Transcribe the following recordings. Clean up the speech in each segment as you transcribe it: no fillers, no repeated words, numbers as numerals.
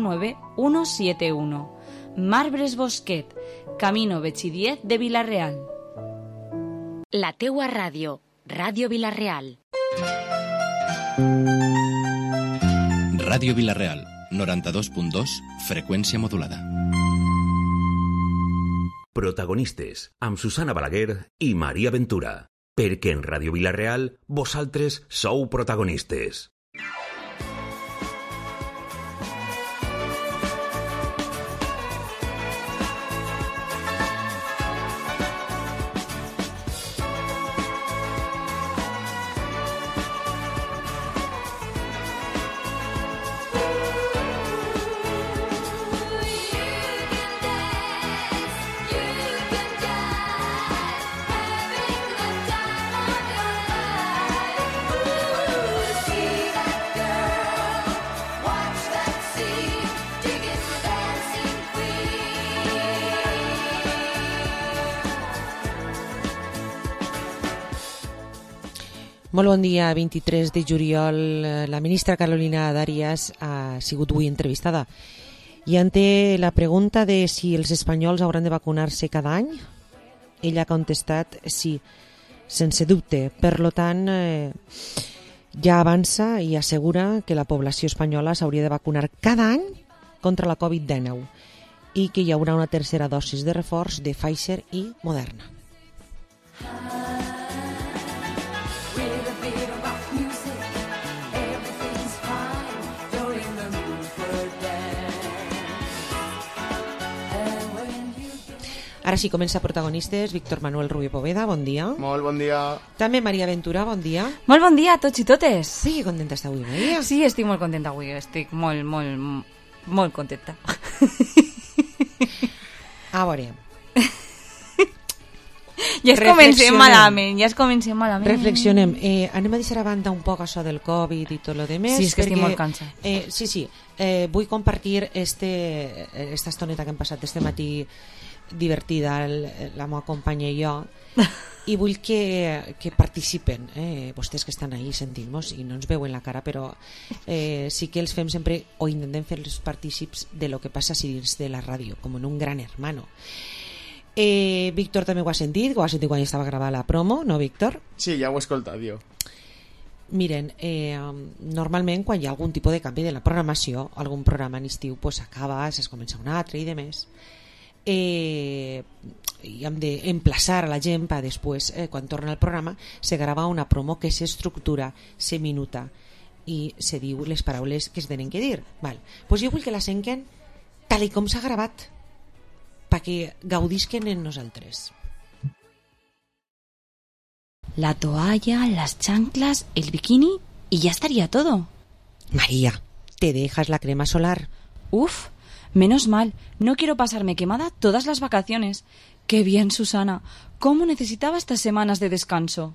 99171. Marbres Bosquet, Camino Betxidiet de Vila-real. La teua ràdio, Ràdio Vila-real. Ràdio Vila-real, 92.2, freqüència modulada. Protagonistes, amb Susana Balaguer i Maria Ventura. Perquè en Ràdio Vila-real, vosaltres sou protagonistes. Molt bon dia. 23 de juliol, la ministra Carolina Darias ha sigut avui entrevistada i ante la pregunta de si els espanyols hauran de vacunar-se cada any, ella ha contestat sí, sense dubte. Per tant, ja avança i assegura que la població espanyola s'hauria de vacunar cada any contra la Covid-19 i que hi haurà una tercera dosis de reforç de Pfizer i Moderna. Ara sí, comença Protagonistes. Víctor Manuel Rubio Poveda, bon dia. Molt bon dia. També Maria Ventura, bon dia. Molt bon dia a tots i totes. Sí, que contenta està avui, Maria. Sí, estic molt contenta avui, estic molt contenta. A veure. Ja es comencem malament. Reflexionem. Anem a deixar a banda un poc això del Covid i tot lo demés. Sí, és que estic molt cansa. Sí. Vull compartir esta estoneta que hem passat este matí divertida, la meva companya i jo, i vull que participen, vostès que estan ahí sentint-nos i no ens veuen la cara, però sí que els fem sempre, o intentem fer-los partícips de lo que passa dins de la ràdio, com en un gran hermano. Víctor també ho ha sentit quan estava gravant la promo, no, Víctor? Sí, ja ho he escoltat, jo. Miren, normalment quan hi ha algun tipus de canvi de la programació, algun programa en estiu pues acaba, es comença un altre i demés, i hem d'emplaçar a la gent per després, quan torna al programa, se grava una promo que s'estructura, se minuta i se diu les paraules que es tenen que dir. Pues jo vull que la senten tal com s'ha gravat, perquè gaudisquen en nosaltres. La toalla, las chanclas, el bikini y ya estaría todo. María, ¿te dejas la crema solar? Uf, menos mal, no quiero pasarme quemada todas las vacaciones. Qué bien, Susana, cómo necesitaba estas semanas de descanso.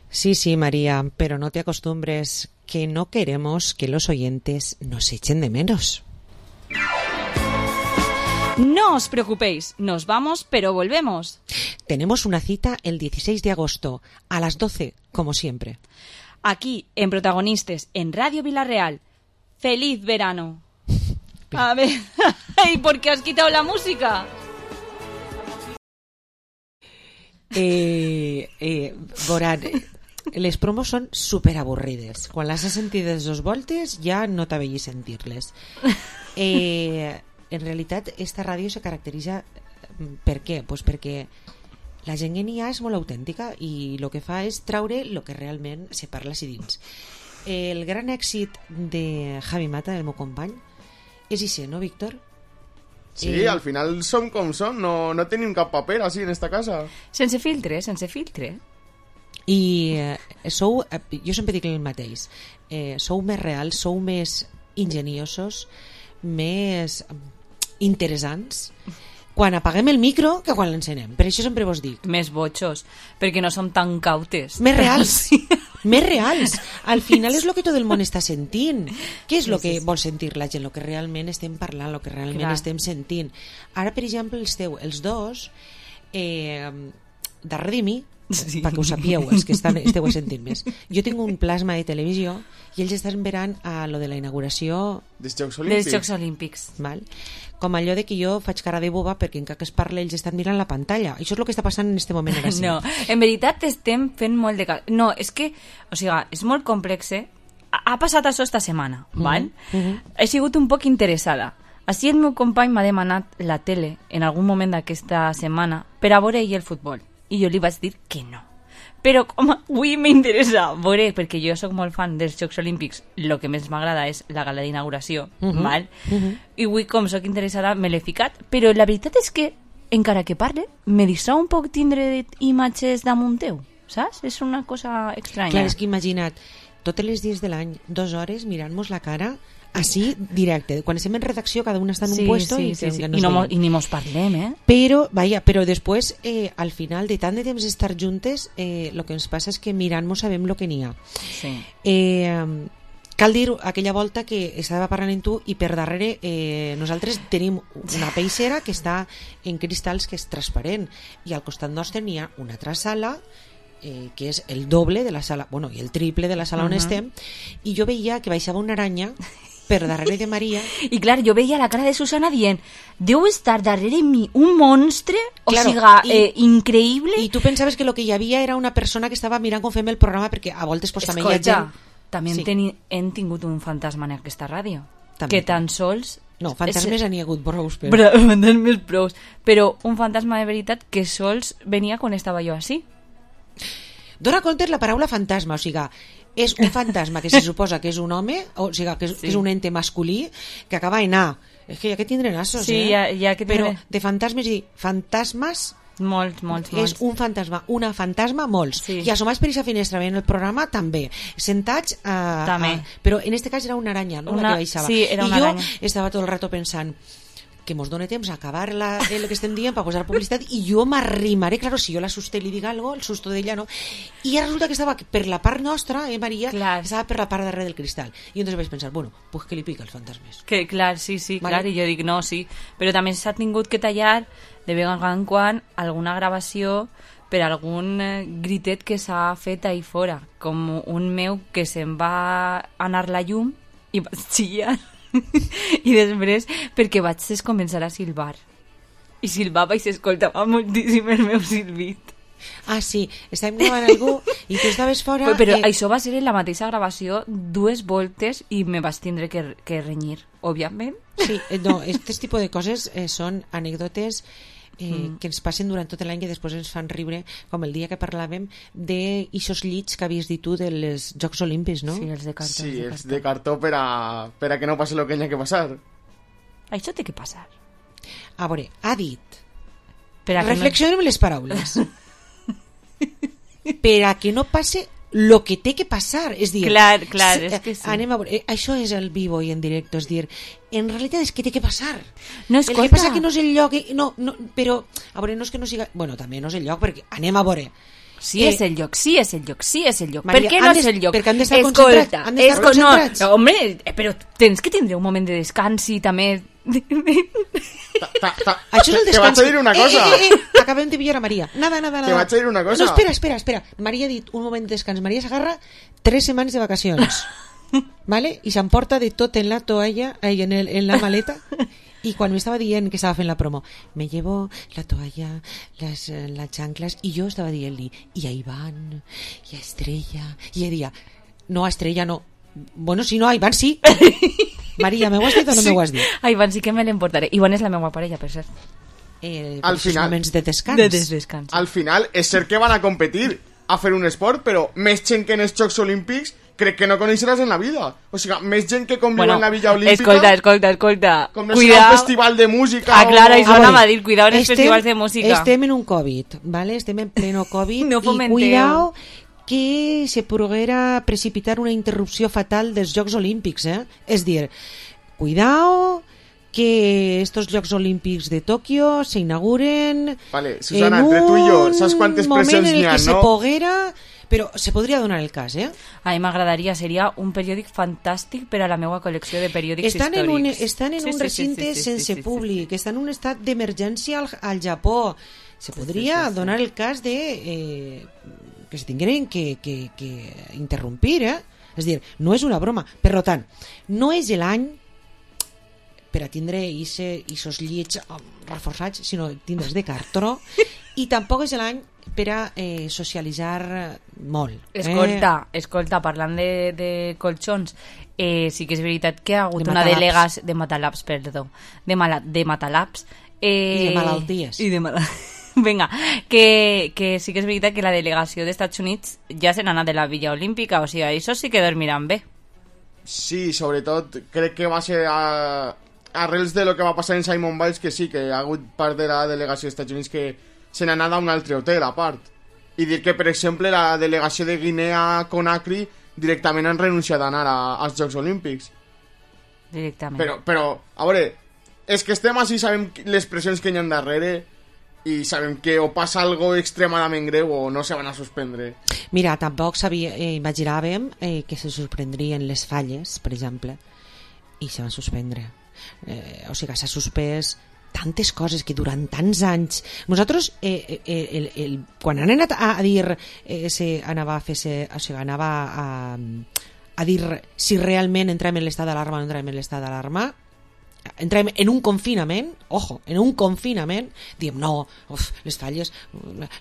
Sí, María, pero no te acostumbres, que no queremos que los oyentes nos echen de menos. No os preocupéis, nos vamos, pero volvemos. Tenemos una cita el 16 de agosto, a las 12, como siempre. Aquí, en Protagonistes, en Radio Vila-real. ¡Feliz verano! A ver, ¿y por qué has quitado la música? Veurà, les promos són superavorrides. Quan les has sentides 2 voltes ja no t'avellis sentir-les. En realitat esta ràdio se caracteritza per què? Pues perquè la gent que n'hi ha és molt autèntica i el que fa és traure el que realment se parla així dins. El gran èxit de Javi Mata, el meu company, és això, no, Víctor? Sí, al final som com som, no tenim cap paper així en esta casa. Sense filtre. I jo sempre dic el mateix, sou més reals, sou més ingeniosos, més interessants quan apaguem el micro que quan l'encenem. Per això sempre vos dic. Més botxos, perquè no som tan cautes. Més reals. Més reals. Al final és el que tot el món està sentint. Què és el que vol sentir la gent? El que realment estem parlant, el que realment estem sentint. Ara, per exemple, els dos darrere de mi, Sí. perquè ho sapíeu, els que esteu sentint més, jo tinc un plasma de televisió i ells estan esperant a lo de la inauguració, Dels Jocs Dels Olímpics. Jocs Olímpics. val? Com allò de que jo faig cara de boba perquè encara que es parla ells estan mirant la pantalla. Això és el que està passant en este moment ara sí. No, en veritat estem fent molt de cas. No, és que, o sigui, és molt complex, Ha passat això esta setmana, val? He sigut un poc interessada. Així el meu company m'ha demanat la tele en algun moment d'aquesta setmana per a veure ell el futbol. I jo li vaig dir que no. Però com avui m'interessa veure, perquè jo sóc molt fan dels Jocs Olímpics, el que més m'agrada és la gala d'inauguració, val? I avui, com sóc interessada, me l'he ficat. Però la veritat és que, encara que parle, me distrau un poc tindre imatges damunt teu, saps? És una cosa estranya. Clar, és que imagina't, totes les dies de l'any, 2 hores mirant-nos la cara, així, directe. Quan estem en redacció, cada un està en un puesto i que I, nos no veiem. I ni mos parlem, Però, però després, al final de tant de temps d'estar juntes, el que ens passa és que mirant-nos sabem el que n'hi ha. Sí. Cal dir aquella volta que estava parlant amb tu i per darrere nosaltres tenim una peixera que està en cristalls que és transparent i al costat nostre n'hi ha una altra sala que és el doble de la sala, bueno, i el triple de la sala on estem, i jo veia que baixava una aranya per darrere de Maria. I clar, jo veia la cara de Susana dient deu estar darrere mi un monstre, Claro, o sigui, increïble. I tu pensaves que el que hi havia era una persona que estava mirant com fem el programa, perquè a voltes pues, també hi ha gent... també Sí. hem tingut un fantasma en aquesta ràdio, També. que tan sols... No, fantasmes n'hi ha hagut prous, però... Fantasmes prous. Però un fantasma de veritat que sols venia quan estava jo així. Dóna compte la paraula fantasma, o sigui, és un fantasma que se suposa que és un home, o sigui, que és un ente masculí que acaba en A. És que ja que tindré nassos, Sí, ja que Però tindré. de fantasmes i fantasmes Molts. és un fantasma, una fantasma, molts. Sí. I assomats per aquesta finestra veient el programa, també. Sentats, També. però en este cas era una aranya, no? La que baixava. Sí, era una I jo aranya. estava tot el rato pensant que mos dona temps a acabar el que estem dient per posar publicitat i jo m'arrimaré, claro, si jo l'assuste i li dic algo, el susto d'ella no, i ara resulta que estava per la part nostra, Maria, Clar. estava per la part darrere del cristal, i entonces vaig pensar, bueno, pues que li pica els fantasmes. Que, clar, sí, Vale. clar, i jo dic no, sí. Però també s'ha tingut que tallar de vegades en quan alguna gravació per algun gritet que s'ha fet ahí fora, com un meu que se'n va anar la llum i vaig xillar i després perquè vaig començar a silbar i silbava i s'escoltava moltíssim el meu silbit. Ah, sí, estàvem gravant algú i tu estaves fora... Però això va ser en la mateixa gravació 2 voltes i me vaig tindre que renyir, òbviament. Sí, no, aquest tipus de coses són anècdotes que ens passen durant tot l'any que després ens fan riure, com el dia que parlàvem d'ixos llits que havies dit tu dels Jocs Olímpics, no? Sí, els de cartó. Sí, els de cartó per a que no passi el que hi ha que passar. Això té que passar. A veure, ha dit... Per a que Reflexionem les paraules. Per a que no passe lo que té que passar, és dir... Clar, és que sí. Anem a veure, això és el vivo i en directe, és dir, en realitat és que té que passar. No, El escolta. que passa que no és el lloc, no, però, a veure, no és que no siga... Bueno, també no és el lloc, perquè anem a veure... Sí és el lloc, sí és el lloc, sí és el lloc. Maria, per què no és el lloc? perquè han d'estar Escolta, concentrats, han d'estar concentrats. No, home, però tens que tindre un moment de descans i també... Això és el Te descans. vaig a dir una cosa. Acabem de pillar a Maria. Nada. Te vaig a dir una cosa. No, espera. Maria ha dit un moment de descans. Maria s'agarra 3 setmanes de vacacions. ¿Vale? I s'emporta de tot en la toalla, en la maleta. Y cuando me estaba diciendo que estaba en la promo, me llevo la toalla, las chanclas, y yo estaba diciendo, y a Iván, y a Estrella, y ella decía, no, a Estrella no. Bueno, si no, a Iván sí. Maria, ¿me ho has dit o no me ho has dit? A Iván sí que me l'emportaré. Iván és la meva parella, per cert. Al final- moments de descans. De descans. Al final, és cert que van a competir a fer un esport, però més gent que en els Jocs Olímpics crec que no coneixeràs en la vida. O sigui, més gent que conviu en la Villa Olímpica, Escolta. com no sigui un festival de música Ah, clar, o... això anava a dir, cuidado en els festivals de música. Estem en un COVID, ¿vale? Estem en pleno COVID. No I fomenteu. cuidao que se poguera precipitar una interrupció fatal dels Jocs Olímpics, eh? És dir, cuidao que estos Jocs Olímpics de Tòquio s'inauguren Vale, Susana, entre tu i jo, saps quantes pressions n'hi ha, en el que se no? poguera Però se podria donar el cas, A mi m'agradaria, seria un periòdic fantàstic per a la meva col·lecció de periòdics històrics. Estan en un recinte sense públic, estan en un estat d'emergència al Japó. Se podria donar el cas de que se tinguin que interrompir, És a dir, no és una broma. Per tant, no és l'any per a tindre aquests llits reforçats, sinó tindre's de cartró, i tampoc és l'any per a socialitzar molt. Escolta, parlant de colxons, sí que és veritat que ha hagut una delegació de Matalabs, de Matalabs i de malalties. Vinga, que sí que és veritat que la delegació dels Estats Units ja se n'ha anat de la Villa Olímpica, o sigui, això sí que dormiran bé. Sí, sobretot crec que va ser arrels de lo que va passar en Simon Biles, que sí, que ha hagut part de la delegació dels Estats Units que se n'ha anat a un altre hotel a part, i dir que per exemple la delegació de Guinea Conakry directament han renunciat a anar als Jocs Olímpics directament. Però a veure, és que estem així, sabem les pressions que hi ha darrere i sabem que o passa algo extremadament greu o no se van a suspendre. Mira, tampoc imaginàvem que se sorprendrien les falles, per exemple, i se van suspendre. O sigui, s'ha suspès tantes coses que durant tants anys nosaltres quan han anat a dir anava a dir si realment entrem en l'estat d'alarma o no entrem en l'estat d'alarma, entrem en un confinament, diem no, les falles,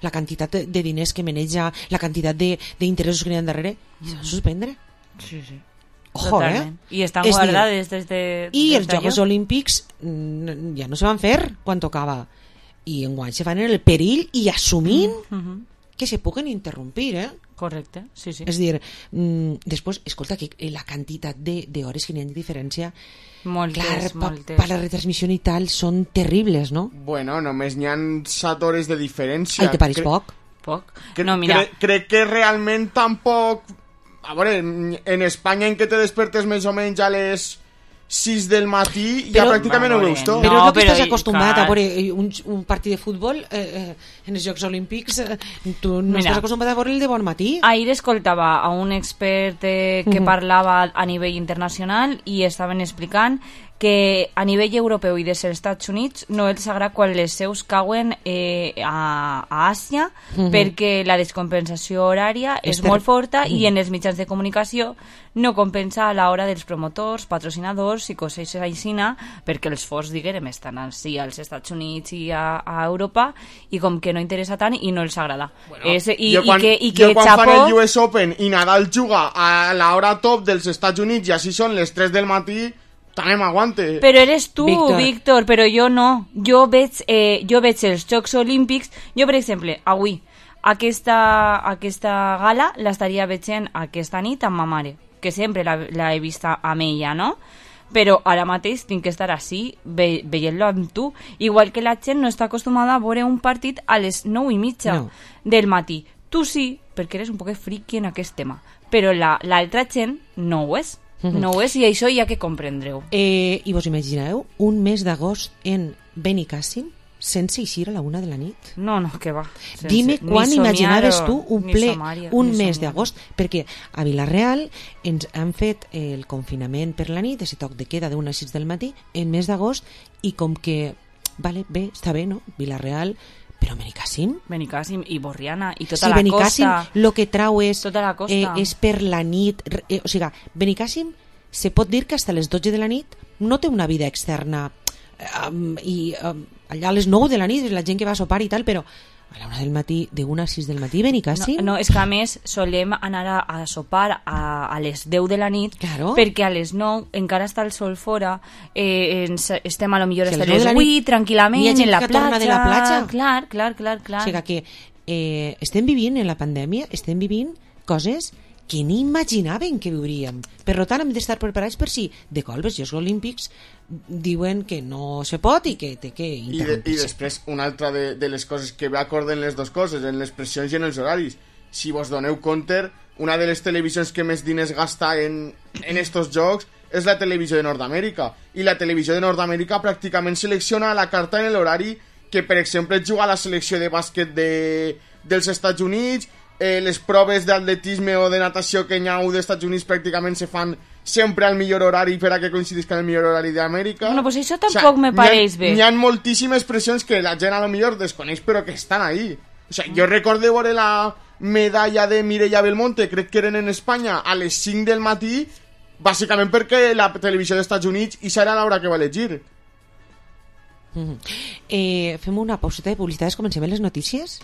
la quantitat de diners que maneja, la quantitat d'interessos que n'hi ha darrere, i s'ha de suspendre. Sí. Ojo, totalment. I estan guardades des de... I els Jocs Olímpics ja no se van fer quan tocava. I enguany se fan en el perill i assumint que se puguen interrompir, Correcte, sí. És dir, després, escolta, que la quantitat d'hores que n'hi ha de diferència, moltes. Per la retransmissió i tal, són terribles, no? Bueno, només n'hi ha 7 hores de diferència. Ai, te pareix poc? Poc? No, mira... Crec que realment tampoc... A veure, en Espanya en què te despertes més o menys a les 6 del matí ja pràcticament ho veus tot. Però és el que estàs acostumat a veure un partit de futbol en els Jocs Olímpics, tu no estàs acostumat a veure el de bon matí. Ahir escoltava a un expert que parlava a nivell internacional i estaven explicant que a nivell europeu i dels Estats Units no els agrada quan les seus cauen a Àsia perquè la descompensació horària és molt forta i en els mitjans de comunicació no compensa a l'hora dels promotors, patrocinadors i coses així, perquè els fons, diguem, estan així als Estats Units i a Europa i com que no interessa tant i no els agrada. Jo quan fan el US Open i Nadal juga a l'hora top dels Estats Units i així són les 3 del matí, també m'aguante. Però eres tu, Víctor, però jo no. Jo veig els Jocs Olímpics. Jo, per exemple, avui, aquesta gala l'estaria veient aquesta nit amb ma mare, que sempre la he vista amb ella, no? Però ara mateix tinc que estar així, veient-lo amb tu. Igual que la gent no està acostumada a veure un partit a les 9:30 del matí. Tu sí, perquè eres un poc friki en aquest tema, però l'altra gent no ho és. No ho és, i això hi ha que comprendreu. I vos imagineu un mes d'agost en Benicàssim sense eixir a la 1 de la nit? No, que va. Dime quan imaginaves tu un mes d'agost, perquè a Vila-real ens han fet el confinament per la nit, ese toc de queda d'1 a 6 del matí, en mes d'agost, i com que, vale, bé, està bé, no? Vila-real, però Benicàssim i Borriana i tota la costa. El que trau és per la nit, o sigui, Benicàssim se pot dir que fins a les 12 de la nit no té una vida externa i allà a les 9 de la nit la gent que va a sopar i tal, però a la 1 del matí, de 1 a 6 del matí, Benicàssim. No, és que a més solem anar a sopar a les 10 de la nit, perquè a les 9 encara està el sol fora, estem a lo millor a les 8 tranquil·lament en la platja. Clar. O sigui que estem vivint en la pandèmia, estem vivint coses que ni imaginaven que viuríem. Per tant, hem d'estar preparats per si de colp els Jocs Olímpics diuen que no se pot i que té que interrompir-se. I després, una altra de les coses que acorden les dues coses, en les pressions i en els horaris. Si vos doneu compte, una de les televisions que més diners gasta en estos jocs és la televisió de Nord-Amèrica. I la televisió de Nord-Amèrica pràcticament selecciona la carta en l'horari que, per exemple, juga a la selecció de bàsquet dels Estats Units, les proves d'atletisme o de natació que hi ha dels Estats Units pràcticament se fan sempre al millor horari per a que coincidisca el millor horari d'Amèrica. Bueno, pues això tampoc me pareix bé. Hi ha moltíssimes pressions que la gent a lo millor desconeix però que estan ahí. O sea, jo recordo veure la medalla de Mireia Belmonte, crec que eren en Espanya, a les 5 del matí, bàsicament perquè la televisió dels Estats Units i serà l'hora que va elegir. Fem una pauseta de publicitat, comencem les notícies?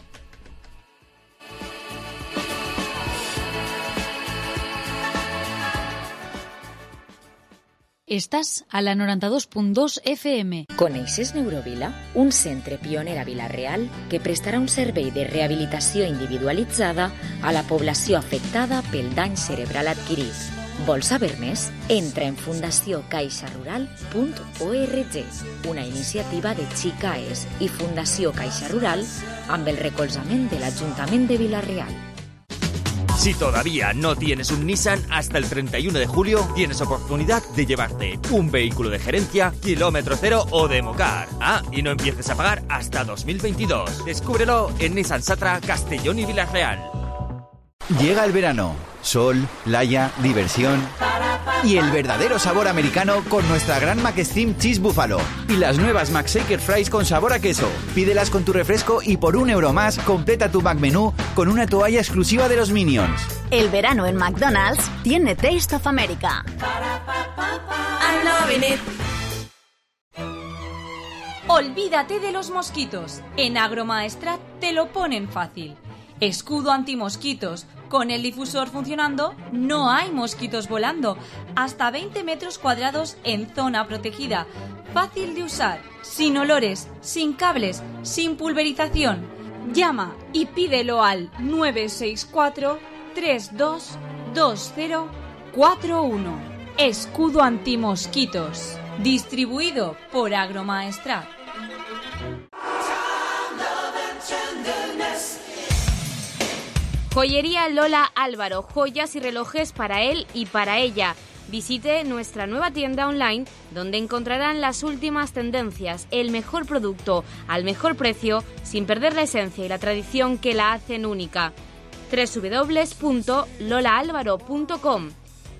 Estàs a la 92.2 FM. Coneixes Neurovila? Un centre pioner a Vila-real que prestarà un servei de rehabilitació individualitzada a la població afectada pel dany cerebral adquirit. Vols saber més? Entra en fundaciocaixarural.org, una iniciativa de Xicaes i Fundació Caixa Rural amb el recolzament de l'Ajuntament de Vila-real. Si todavía no tienes un Nissan, hasta el 31 de julio tienes oportunidad de llevarte un vehículo de gerencia, kilómetro cero o Democar. Y no empieces a pagar hasta 2022. Descúbrelo en Nissan Satra, Castellón y Vila-real. Llega el verano. Sol, playa, diversión y el verdadero sabor americano con nuestra gran McSteam Cheese Buffalo y las nuevas McShaker Fries con sabor a queso. Pídelas con tu refresco y por €1 más completa tu McMenú con una toalla exclusiva de los Minions. El verano en McDonald's tiene Taste of America. I'm loving it. Olvídate de los mosquitos. En Agromaestrat te lo ponen fácil. Escudo antimosquitos. Con el difusor funcionando, no hay mosquitos volando. Hasta 20 metros cuadrados en zona protegida. Fácil de usar, sin olores, sin cables, sin pulverización. Llama y pídelo al 964-322041. Escudo antimosquitos. Distribuido por Agromaestrat. Joyería Lola Álvaro, joyas y relojes para él y para ella. Visite nuestra nueva tienda online donde encontrarán las últimas tendencias, el mejor producto al mejor precio sin perder la esencia y la tradición que la hacen única. www.lolaalvaro.com.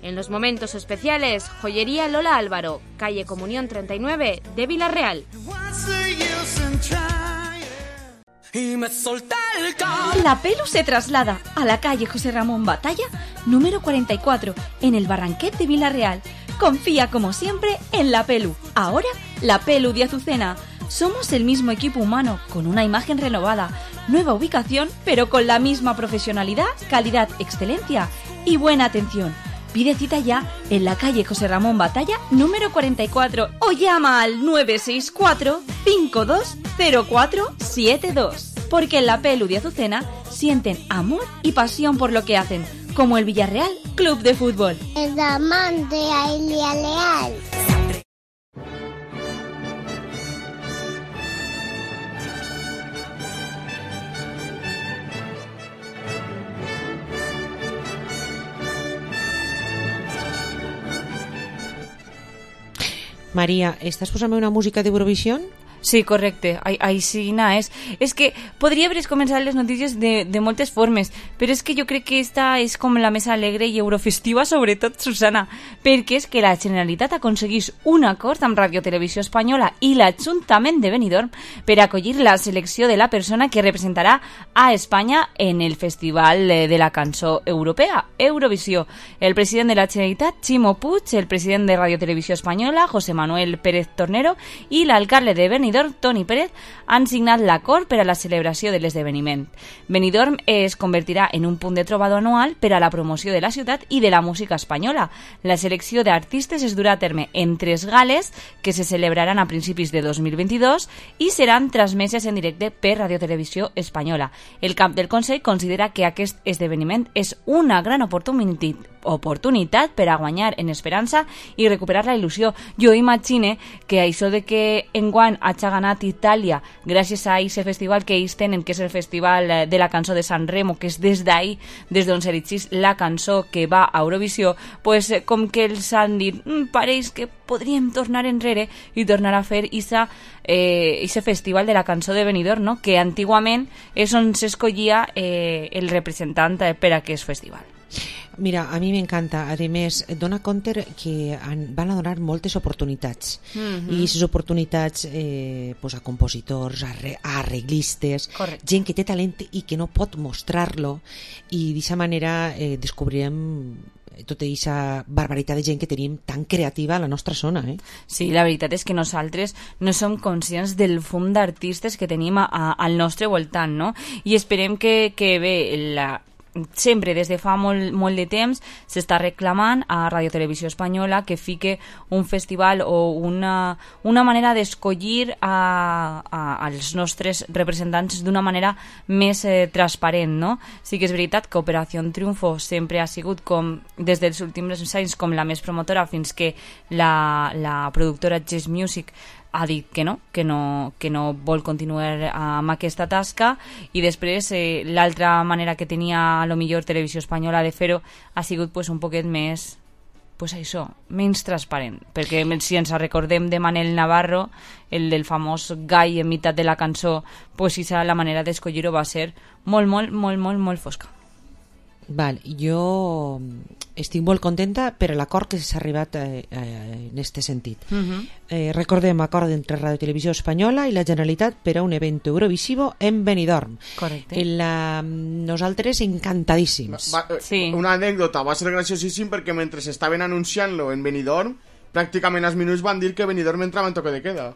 En los momentos especiales, Joyería Lola Álvaro, calle Comunión 39 de Vila-real. La Pelu se traslada a la calle José Ramón Batalla, número 44, en el Barranquet de Vila-real. Confía como siempre en La Pelu. Ahora, La Pelu de Azucena. Somos el mismo equipo humano, con una imagen renovada, nueva ubicación, pero con la misma profesionalidad, calidad, excelencia y buena atención. Pide cita ya en la calle José Ramón Batalla, número 44, o llama al 964-520472. Porque en La Pelu de Azucena sienten amor y pasión por lo que hacen, como el Villarreal Club de Fútbol. El diamante a Elia Leal. Maria, estàs posant una música d'Eurovisió? Sí, correcte, així és. És que podria haver començat les notícies de moltes formes, però és que jo crec que esta és com la més alegre i eurofestiva, sobretot, Susana, perquè és que la Generalitat aconseguís un acord amb Radio Televisió Espanyola i l'Ajuntament de Benidorm per acollir la selecció de la persona que representarà a Espanya en el Festival de la Cançó Europea, Eurovisió. El president de la Generalitat, Ximo Puig, el president de Radio Televisió Espanyola, José Manuel Pérez Tornero, i l'alcalde de Benidorm, Toni Pérez, han signat l'acord per a la celebració de l'esdeveniment. Benidorm es convertirà en un punt de trobada anual per a la promoció de la ciutat i de la música espanyola. La selecció d'artistes es durà a terme en 3 gales que se celebraran a principis de 2022 i seran transmeses en directe per Radio Televisió Espanyola. El cap del Consell considera que aquest esdeveniment és una gran oportunitat per a guanyar en esperança i recuperar la il·lusió. Jo imagine que això de que enguany a match ha ganat Itàlia gràcies a aquest festival que ells tenen, que és el Festival de la Cançó de San Remo, que és des d'ahir, des d'on s'erigís la cançó que va a Eurovisió, pues, com que els han dit pareix que podríem tornar enrere i tornar a fer ese festival de la cançó de Benidorm, no? Que antigament és on s'escollia el representant per a aquest festival. Mira, a mi m'encanta. A més, dona compte que van a donar moltes oportunitats. I aquestes oportunitats pues a compositors, a arreglistes, gent que té talent i que no pot mostrar-lo, i d'aquesta manera descobrirem tota aquesta barbaritat de gent que tenim tan creativa a la nostra zona. Sí, la veritat és que nosaltres no som conscients del fum d'artistes que tenim al nostre voltant, no? I esperem que bé, sempre des de fa molt de temps s'està reclamant a Radio Televisió Espanyola que fique un festival o una manera d'escollir als nostres representants d'una manera més transparent, no? Sí que és veritat que Operació Triunfo sempre ha sigut des dels últims anys com la més promotora, fins que la productora Jazz Music ha dit que no vol continuar amb aquesta tasca, i després l'altra manera que tenia a lo millor Televisió Espanyola de fer-ho ha sigut pues, un poquet més menys transparent, perquè si ens recordem de Manel Navarro, el del famós gall en meitat de la cançó, pues la manera d'escollir-ho va ser molt fosca. Val, jo estic molt contenta per l'acord que s'ha arribat en aquest sentit. Recordem acord entre Radio Televisió Espanyola i la Generalitat per a un event eurovisivo en Benidorm. Correcte. Nosaltres encantadíssims. Una anècdota, va ser graciosíssim perquè mentre estaven anunciant-lo en Benidorm, pràcticament als minuts van dir que Benidorm entrava en toque de queda.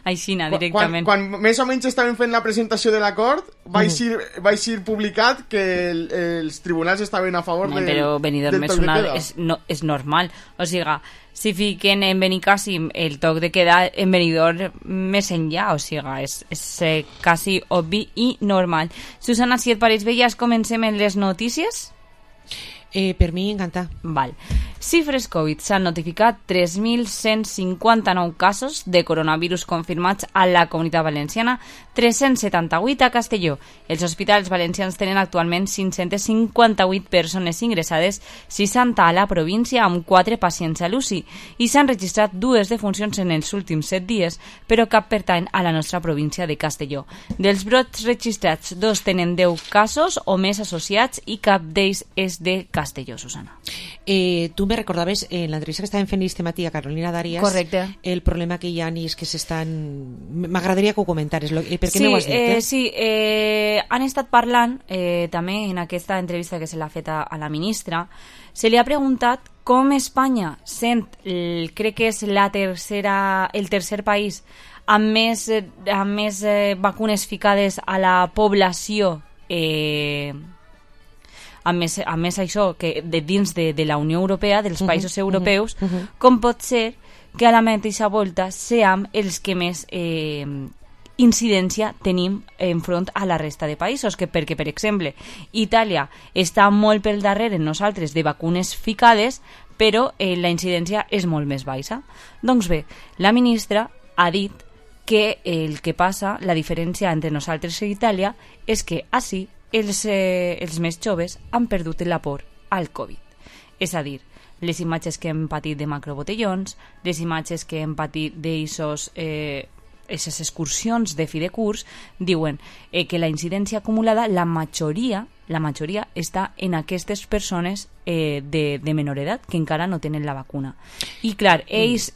Aixina, directament. Quan més o menys estaven fent la presentació de l'acord, vaig ser publicat que els tribunals estaven a favor però Benidorm és normal. O sigui, si fiquen en Benicàssim el toc de queda, en Benidorm més enllà, o sigui, és quasi obvi i normal. Susana, si et pareix bé, ja comencem en les notícies? Per mi, encantar. Val. Xifres Covid. S'han notificat 3.159 casos de coronavirus confirmats a la Comunitat Valenciana, 378 a Castelló. Els hospitals valencians tenen actualment 558 persones ingressades, 60 a la província, amb 4 pacients a l'UCI, i s'han registrat 2 defuncions en els últims 7 dies, però cap pertany a la nostra província de Castelló. Dels brots registrats, 2 tenen 10 casos o més associats i cap d'ells és de Castelló, Susana. Tu me recordaves en l'entrevista que estàvem fent este matí a Carolina Darias. Correcte. El problema que hi ha és que s'estan... M'agradaria que ho comentares. Per què m'ho has dit? Sí, han estat parlant també en aquesta entrevista que se l'ha fet a la ministra. Se li ha preguntat com Espanya sent, crec que és el tercer país amb més vacunes ficades a la població, a més això que de dins de la Unió Europea, dels països europeus, com pot ser que a la mateixa volta siguem els que més incidència tenim enfront a la resta de països, perquè, per exemple, Itàlia està molt pel darrere en nosaltres de vacunes ficades, però la incidència és molt més baixa. Doncs bé, la ministra ha dit que el que passa, la diferència entre nosaltres i Itàlia, és que així els més joves han perdut la por al Covid. És a dir, les imatges que hem patit de macrobotellons, les imatges que hem patit d'aquestes excursions de fi de curs, diuen que la incidència acumulada, la majoria està en aquestes persones de menor edat que encara no tenen la vacuna. I clar, ells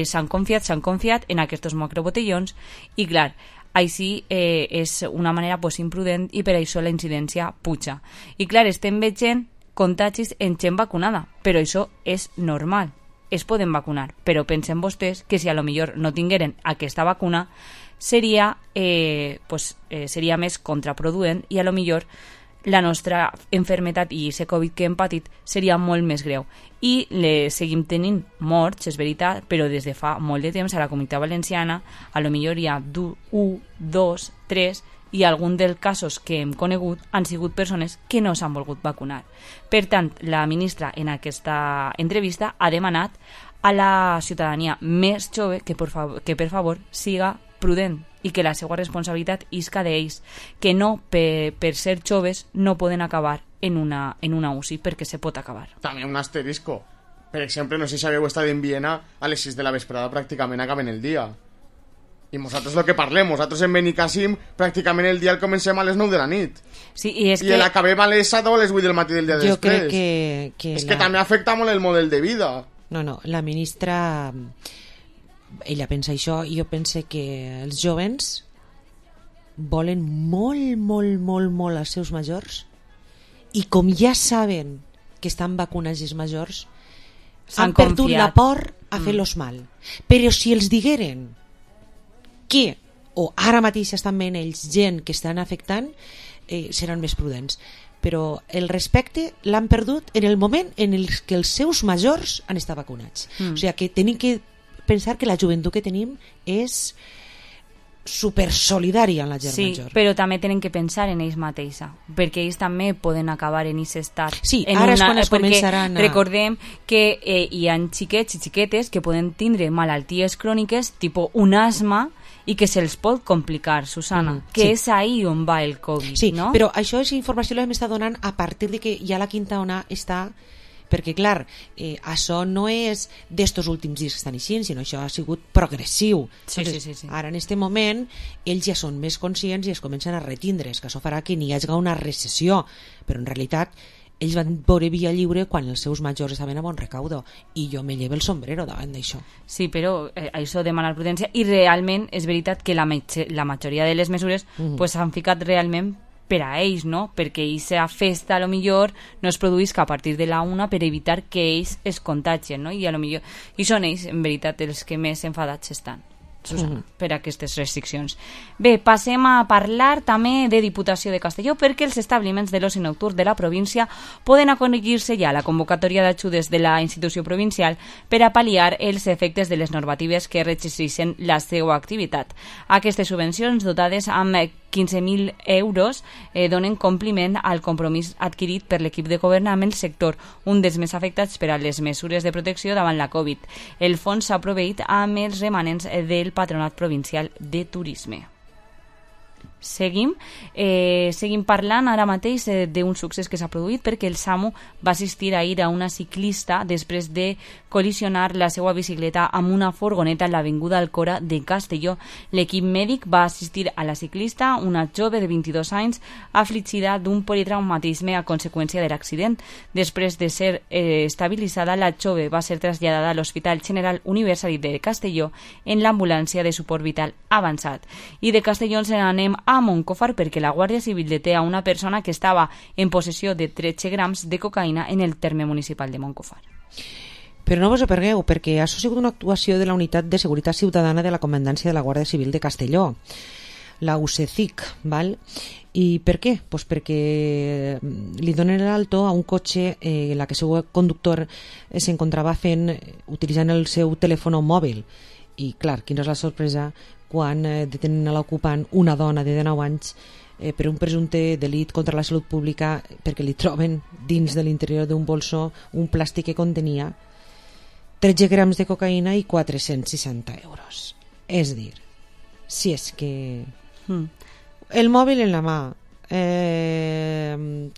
s'han confiat en aquests macrobotellons, i clar, així és una manera imprudent, i per això la incidència puja. I clar, estem veient contagis en gent vacunada, però això és normal. Es poden vacunar, però pensen vostès que si a lo millor no tingueren aquesta vacuna seria més contraproduent, i a lo millor la nostra enfermetat i aquest Covid que hem patit seria molt més greu. I seguim tenint morts, és veritat, però des de fa molt de temps a la Comunitat Valenciana a lo millor hi ha 1, 2, 3, i alguns dels casos que hem conegut han sigut persones que no s'han volgut vacunar. Per tant, la ministra en aquesta entrevista ha demanat a la ciutadania més jove que per favor siga prudent i que la seva responsabilitat isca d'ells, que no per ser joves no poden acabar en una UCI, perquè se pot acabar. També un asterisco. Per exemple, no sé si habéis estado en Viena, a les 6 de la vesprada pràcticament acaben el dia. I nosaltres el que parlem, nosaltres en Benicàssim pràcticament el dia el comencem a les 9 de la nit. Sí, i és I que... l'acabem a les 7 o a les 8 del matí del dia jo després. Crec que és que també afecta molt el model de vida. No, la ministra ella pensa això, i jo pense que els jovens volen molt als seus majors, i com ja saben que estan vacunats els majors, han perdut la por a fer-los mal. Però si els digueren que, o ara mateix estan veient ells gent que estan afectant, seran més prudents. Però el respecte l'han perdut en el moment en el que els seus majors han estat vacunats. O sigui que tenim que pensar que la joventut que tenim és super solidària amb la gent major. Sí, però també tenen que pensar en ells mateixa, perquè ells també poden acabar en aquest estat. Sí, ara és quan es començaran a... Recordem que hi ha xiquets i xiquetes que poden tindre malalties cròniques, tipus un asma, i que se'ls pot complicar, Susana, que és ahí on va el Covid, sí, no? Però això és informació que l'hem estat donant a partir de que ja la quinta ona està... Perquè, clar, això no és d'estos últims dies que estan així, sinó això ha sigut progressiu. Sí. Ara, en aquest moment, ells ja són més conscients i es comencen a retindre's, que això farà que n'hi hagi una recessió. Però, en realitat, ells van veure via lliure quan els seus majors estaven a bon recaudo, i jo me llevo el sombrero davant d'això. Sí, però això demana prudència, i realment és veritat que la majoria de les mesures s'han ficat realment per a ells, no? Perquè aquesta festa a lo millor no es produïsca a partir de la una per evitar que ells es contagien, no? I a lo millor són ells, en veritat, els que més enfadats estan, Susana, per aquestes restriccions. Bé, passem a parlar també de Diputació de Castelló, perquè els establiments de l'oci nocturn de la província poden acollir-se ja a la convocatòria d'ajudes de la institució provincial per a pal·liar els efectes de les normatives que restringeixen la seva activitat. Aquestes subvencions, dotades amb 15.000 euros, donen compliment al compromís adquirit per l'equip de govern amb el sector, un dels més afectats per a les mesures de protecció davant la Covid. El fons s'ha proveït amb els remanents del Patronat Provincial de Turisme. Seguim parlant ara mateix d'un succés que s'ha produït, perquè el SAMU va assistir ahir a una ciclista després de col·lisionar la seva bicicleta amb una furgoneta en l'avinguda Alcora de Castelló. L'equip mèdic va assistir a la ciclista, una jove de 22 anys, afligida d'un politraumatisme a conseqüència de l'accident. Després de ser estabilitzada, la jove va ser traslladada a l'Hospital General Universitari de Castelló en l'ambulància de suport vital avançat. I de Castelló ens n'anem a Moncofar, perquè la Guàrdia Civil deté a una persona que estava en possessió de 13 grams de cocaïna en el terme municipal de Moncofar. Però no vos apergueu, perquè ha sigut una actuació de la Unitat de Seguretat Ciutadana de la Comandància de la Guàrdia Civil de Castelló, la UCECIC, val? I per què? Pues perquè li donen l'alto a un cotxe en la que el seu conductor s'encontrava utilitzant el seu telèfon mòbil. I clar, quina és la sorpresa quan detenen a l'ocupant, una dona de 19 anys, per un presumpte delit contra la salut pública, perquè li troben dins de l'interior d'un bolso un plàstic que contenia 13 grams de cocaïna i 460 euros. És dir, si és que... El mòbil en la mà,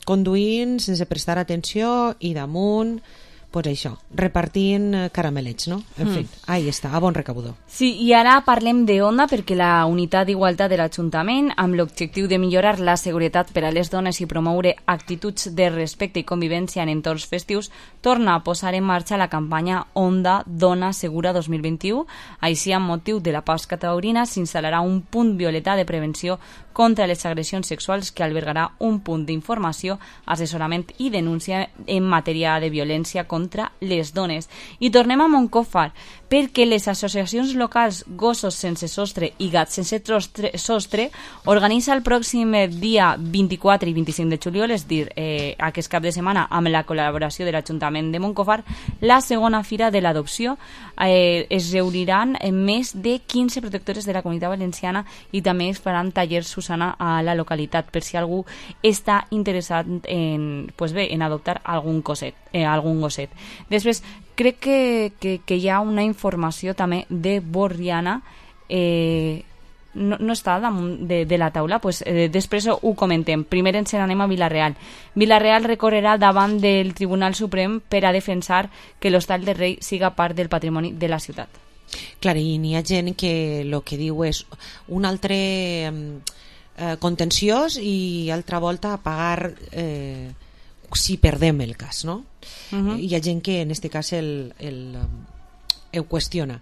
conduint sense prestar atenció i damunt... Pues això, repartint caramelets, no? En fi, ahí està, a bon recaudador. Sí, i ara parlem d'Onda, perquè la Unitat d'Igualtat de l'Ajuntament, amb l'objectiu de millorar la seguretat per a les dones i promoure actituds de respecte i convivència en entorns festius, torna a posar en marxa la campanya Onda Dona Segura 2021. Així, amb motiu de la Pasca Taurina, s'instal·larà un punt violeta de prevenció contra les agressions sexuals que albergarà un punt d'informació, assessorament i denúncia en matèria de violència contra les dones. I tornem a Moncofar, perquè les associacions locals Gossos Sense Sostre i Gats Sense Sostre organitza el pròxim dia 24 i 25 de juliol, és dir, aquest cap de setmana, amb la col·laboració de l'Ajuntament de Moncofar, la segona fira de l'adopció. Es reuniran més de 15 protectores de la Comunitat Valenciana i també es faran tallers, Susana, a la localitat, per si algú està interessat en adoptar algun gosset. Després, crec que hi ha una informació també de Borriana no està damunt de la taula, pues, després ho comentem. Primer ens n'anem a Vila-real. Vila-real recorrerà davant del Tribunal Suprem per a defensar que l'Hostal del Rei siga part del patrimoni de la ciutat. Clar, i n'hi ha gent que el que diu és un altre contenciós i altra volta pagar si perdem el cas, no? Hi ha gent que en este cas ho qüestiona.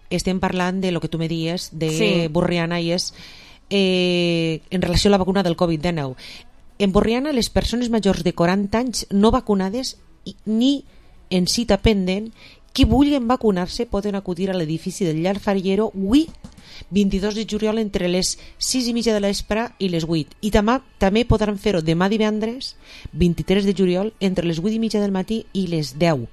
Estem parlant de lo que tu me dies de Borriana i és en relació a la vacuna del Covid-19. En Borriana les persones majors de 40 anys no vacunades ni en cita pendent qui vulguin vacunar-se poden acudir a l'edifici del Llar Fariero avui 22 de juliol entre les 6:30 de l'espre i les 8, i també podran fer-ho demà divendres 23 de juliol entre les 8:30 del matí i les 10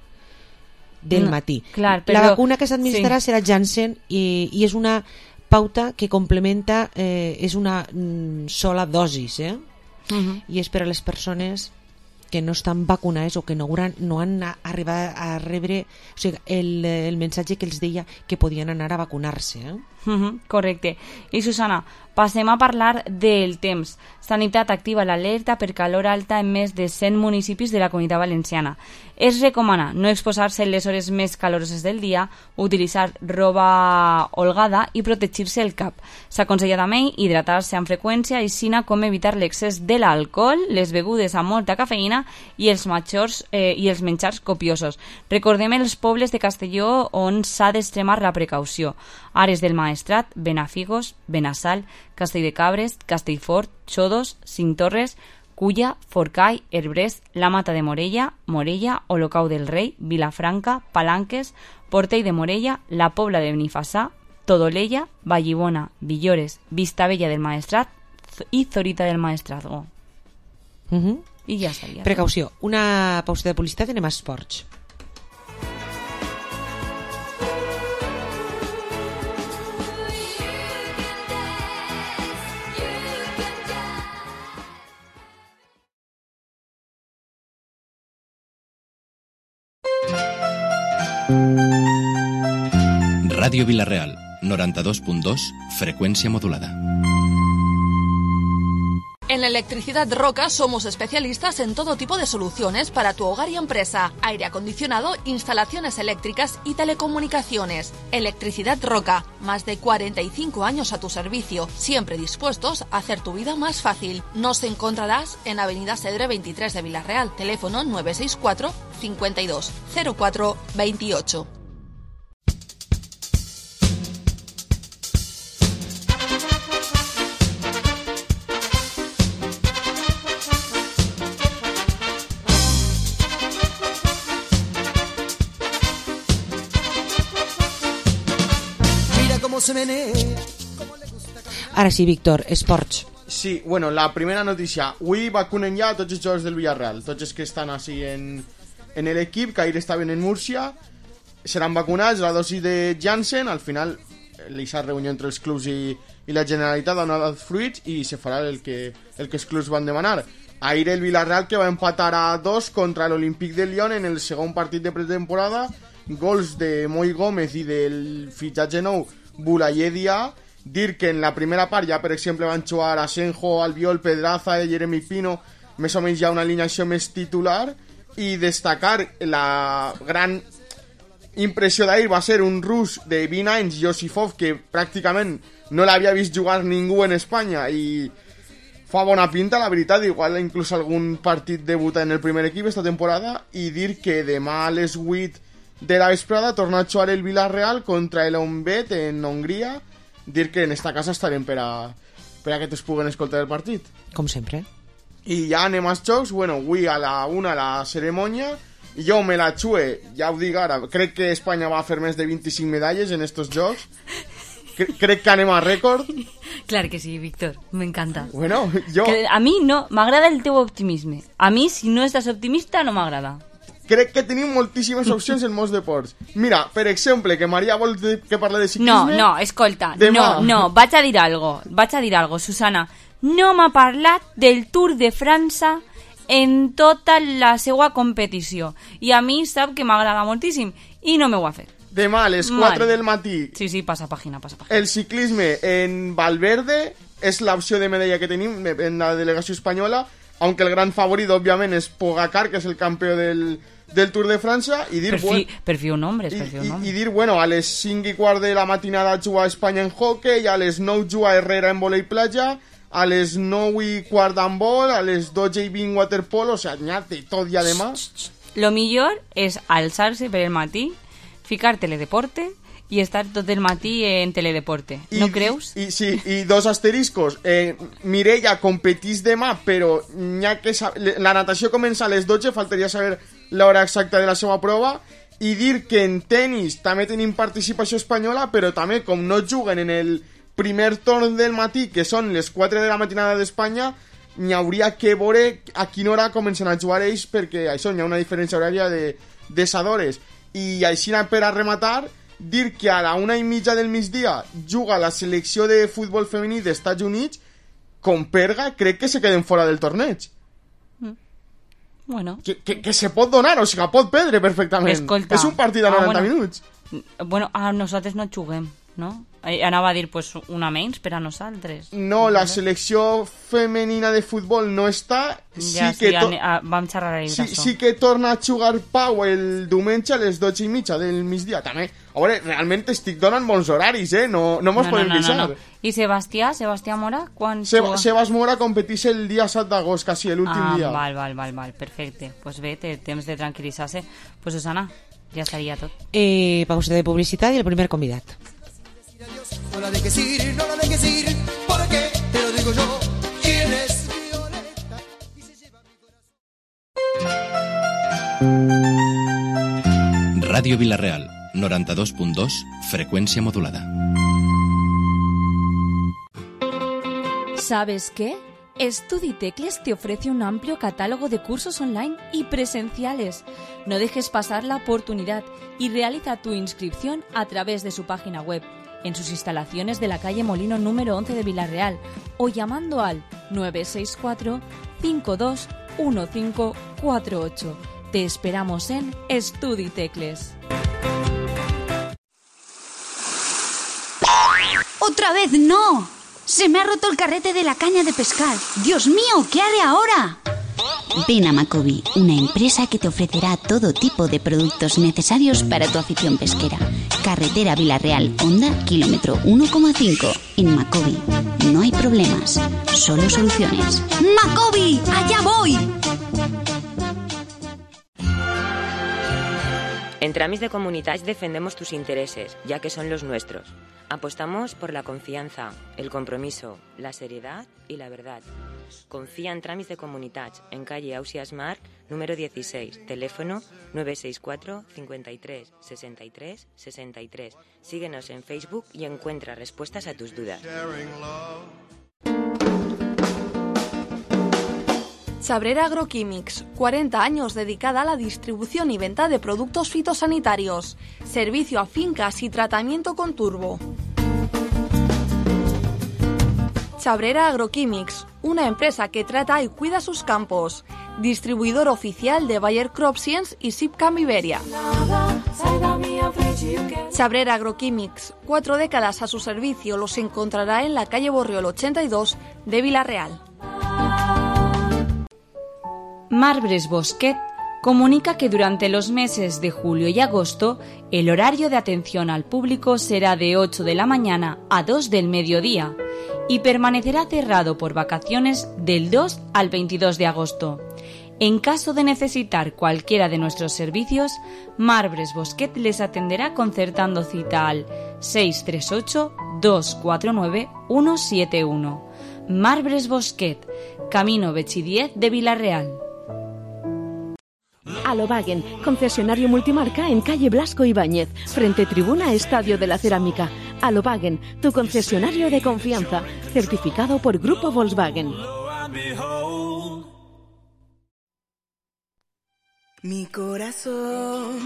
del matí. Clar, però, la vacuna que s'administrarà serà Janssen i és una pauta que complementa, és una sola dosis, i és per a les persones que no estan vacunades o que no han arribat a rebre, o sigui, el missatge que els deia que podien anar a vacunar-se. Correcte. I Susana, passem a parlar del temps. Sanitat activa l'alerta per calor alta en més de 100 municipis de la Comunitat Valenciana. Es recomana no exposar-se en les hores més caloroses del dia, utilitzar roba holgada i protegir-se el cap. S'aconsella també hidratar-se amb freqüència, així com evitar l'excés de l'alcohol, les begudes amb molta cafeïna i els menjars copiosos. Recordem els pobles de Castelló on s'ha d'extremar la precaució. Ares del Maestrat, Benafigos, Benassal, Castelldecabres, Castellfort, Xodos, Cintorres, Culla, Forcall, Herbrés, la Mata de Morella, Olocau del Rei, Vilafranca, Palanques, Portell de Morella, la Pobla de Benifassà, Todolella, Vallibona, Villores, Vistabella del Maestrat i Zorita del Maestrazgo. I ja estaria. Precaució. Una pausa de publicitat, anem a esports. Radio Vila-real, 92.2, frecuencia modulada. En la Electricidad Roca somos especialistas en todo tipo de soluciones para tu hogar y empresa. Aire acondicionado, instalaciones eléctricas y telecomunicaciones. Electricidad Roca, más de 45 años a tu servicio, siempre dispuestos a hacer tu vida más fácil. Nos encontrarás en Avenida Cedre 23 de Vila-real, teléfono 964 52 04 28. Ara sí, Víctor, esports. Sí, bueno, la primera notícia. Avui vacunen ja tots els jugadors del Villarreal, tots els que estan així en l'equip, que ahir estaven en Múrcia, seran vacunats, la dosi de Janssen. Al final l'ha reunió entre els clubs i la Generalitat ha donat fruits i se farà el que els clubs van demanar. Ahir el Villarreal, que va empatar a 2 contra l'Olímpic de Lyon en el segon partit de pretemporada, gols de Moi Gómez i del fitxatge nou Bulayedia. Dir que en la primera part ja, per exemple, van jugar Asenjo, Albiol, Pedraza, Jeremy Pino, més o menys ja una alineació més titular, i destacar la gran impressió d'ahir va ser un rus de 20 anys, Josifov, que pràcticament no l'havia vist jugar ningú en Espanya i fa bona pinta, la veritat. Igual inclús algun partit debuta en el primer equip esta temporada. I dir que demà a les 8 de la vesprada torna a jugar el Villarreal contra el Honvéd en Hongria. Dir que en esta casa estarem per a que es puguen escoltar el partit. Com sempre. I ja anem als jocs. Bueno, avui a la 1 la cerimònia. Jo me la xue, ja ho dic ara. Crec que Espanya va fer més de 25 medalles en estos jocs. Crec que anem a rècord. Clar que sí, Víctor, m'encanta. Bueno, jo... Que a mi no, m'agrada el teu optimisme. A mi, si no estàs optimista, no m'agrada. Crec que tenim moltíssimes opcions en molts deports. Mira, per exemple, que Maria vol que parli de ciclisme... No, escolta, demà. no, vaig a dir algo, Susana. No m'ha parlat del Tour de França en tota la seva competició. I a mi sap que m'agrada moltíssim i no m'ho ha fet. Demà a les 4 del matí. Sí, passa pàgina. El ciclisme en Valverde és l'opció de medalla que tenim en la delegació espanyola, aunque el gran favorit, òbviament, és Pogacar, que és el campió del Tour de França, i dir... Per fi un nombre, I dir, bueno, a les 5:15 de la matinada juga Espanya en hockey, a les 9 juga Herrera en volei platja, a les 9:15 d'handbol, a les 12:20 waterpolo, o sea, n'hi ha de tot i además... Lo millor és alçar-se per el matí, ficar teledeporte i estar tot el matí en teledeporte. No creus? Sí, i dos asteriscos. Mireia competís demà, però la natació comença a les 12, faltaria saber l'hora exacta de la seva prova, i dir que en tenis també tenim participació espanyola, però també, com no juguen en el primer torn del matí, que són les 4 de la matinada d'Espanya, n'hi hauria que veure a quina hora comencen a jugar ells, perquè això, n'hi ha una diferència horària de 7 hores. I així, per a rematar, dir que a la 1:30 del migdia juga la selecció de futbol femení d'Estats Units, com perga, crec que se queden fora del torneig. Bueno. Que se pot donar, o sigui, pot perdre perfectament. Escolta. És un partit de 90 minuts. Bueno, nosaltres no juguem, no? Anava a dir, pues, una menys per a nosaltres. No, la selecció femenina de futbol no està. Vam xerrar ahir d'això. Sí que torna a jugar Pau el diumenge a les 12:30 del migdia. També, a veure, realment estic donant bons horaris, no mos podem queixar. No. I Sebastià Mora, quan Sebas Mora competís el dia 7 d'agost, quasi l'últim dia. Val, perfecte. Pues bé, té temps de tranquil·litzar-se. Pues Susana, ja estaria tot. Pausa de publicitat i el primer convidat. No la dejes ir, porque te lo digo yo. ¿Quién es Violeta? Y se lleva mi corazón. Radio Vilarreal, 92.2, frecuencia modulada. ¿Sabes qué? StudiTecles te ofrece un amplio catálogo de cursos online y presenciales. No dejes pasar la oportunidad y realiza tu inscripción a través de su página web, en sus instalaciones de la calle Molino número 11 de Vilarreal, o llamando al 964 521548. Te esperamos en StudiTecles. ¡Otra vez no! ¡Se me ha roto el carrete de la caña de pescar! ¡Dios mío! ¿Qué haré ahora? Ven a Macobi, una empresa que te ofrecerá todo tipo de productos necesarios para tu afición pesquera. Carretera Vilarreal, Honda, kilómetro 1,5. En Macobi no hay problemas, solo soluciones. ¡Macobi! ¡Allá voy! En Tramis de Comunitats defendemos tus intereses, ya que son los nuestros. Apostamos por la confianza, el compromiso, la seriedad y la verdad. Confía en Tramis de Comunitats, en calle Ausias Mar, número 16, teléfono 964 53 63 63. Síguenos en Facebook y encuentra respuestas a tus dudas. Chabrera Agroquímics, 40 años dedicada a la distribución y venta de productos fitosanitarios. Servicio a fincas y tratamiento con turbo. Chabrera Agroquímics, una empresa que trata y cuida sus campos. Distribuidor oficial de Bayer CropScience y Sipcam Iberia. Chabrera Agroquímics, 4 décadas a su servicio, los encontrará en la calle Borriol 82 de Vilarreal. Marbres Bosquet comunica que durante los meses de julio y agosto el horario de atención al público será de 8 de la mañana a 2 del mediodía y permanecerá cerrado por vacaciones del 2 al 22 de agosto. En caso de necesitar cualquiera de nuestros servicios, Marbres Bosquet les atenderá concertando cita al 638-249-171. Marbres Bosquet, Camino Bechi 10 de Vilarreal. Alobagen, concesionario multimarca en calle Blasco Ibáñez, frente tribuna Estadio de la Cerámica. Alobagen, tu concesionario de confianza, certificado por Grupo Volkswagen. Mi corazón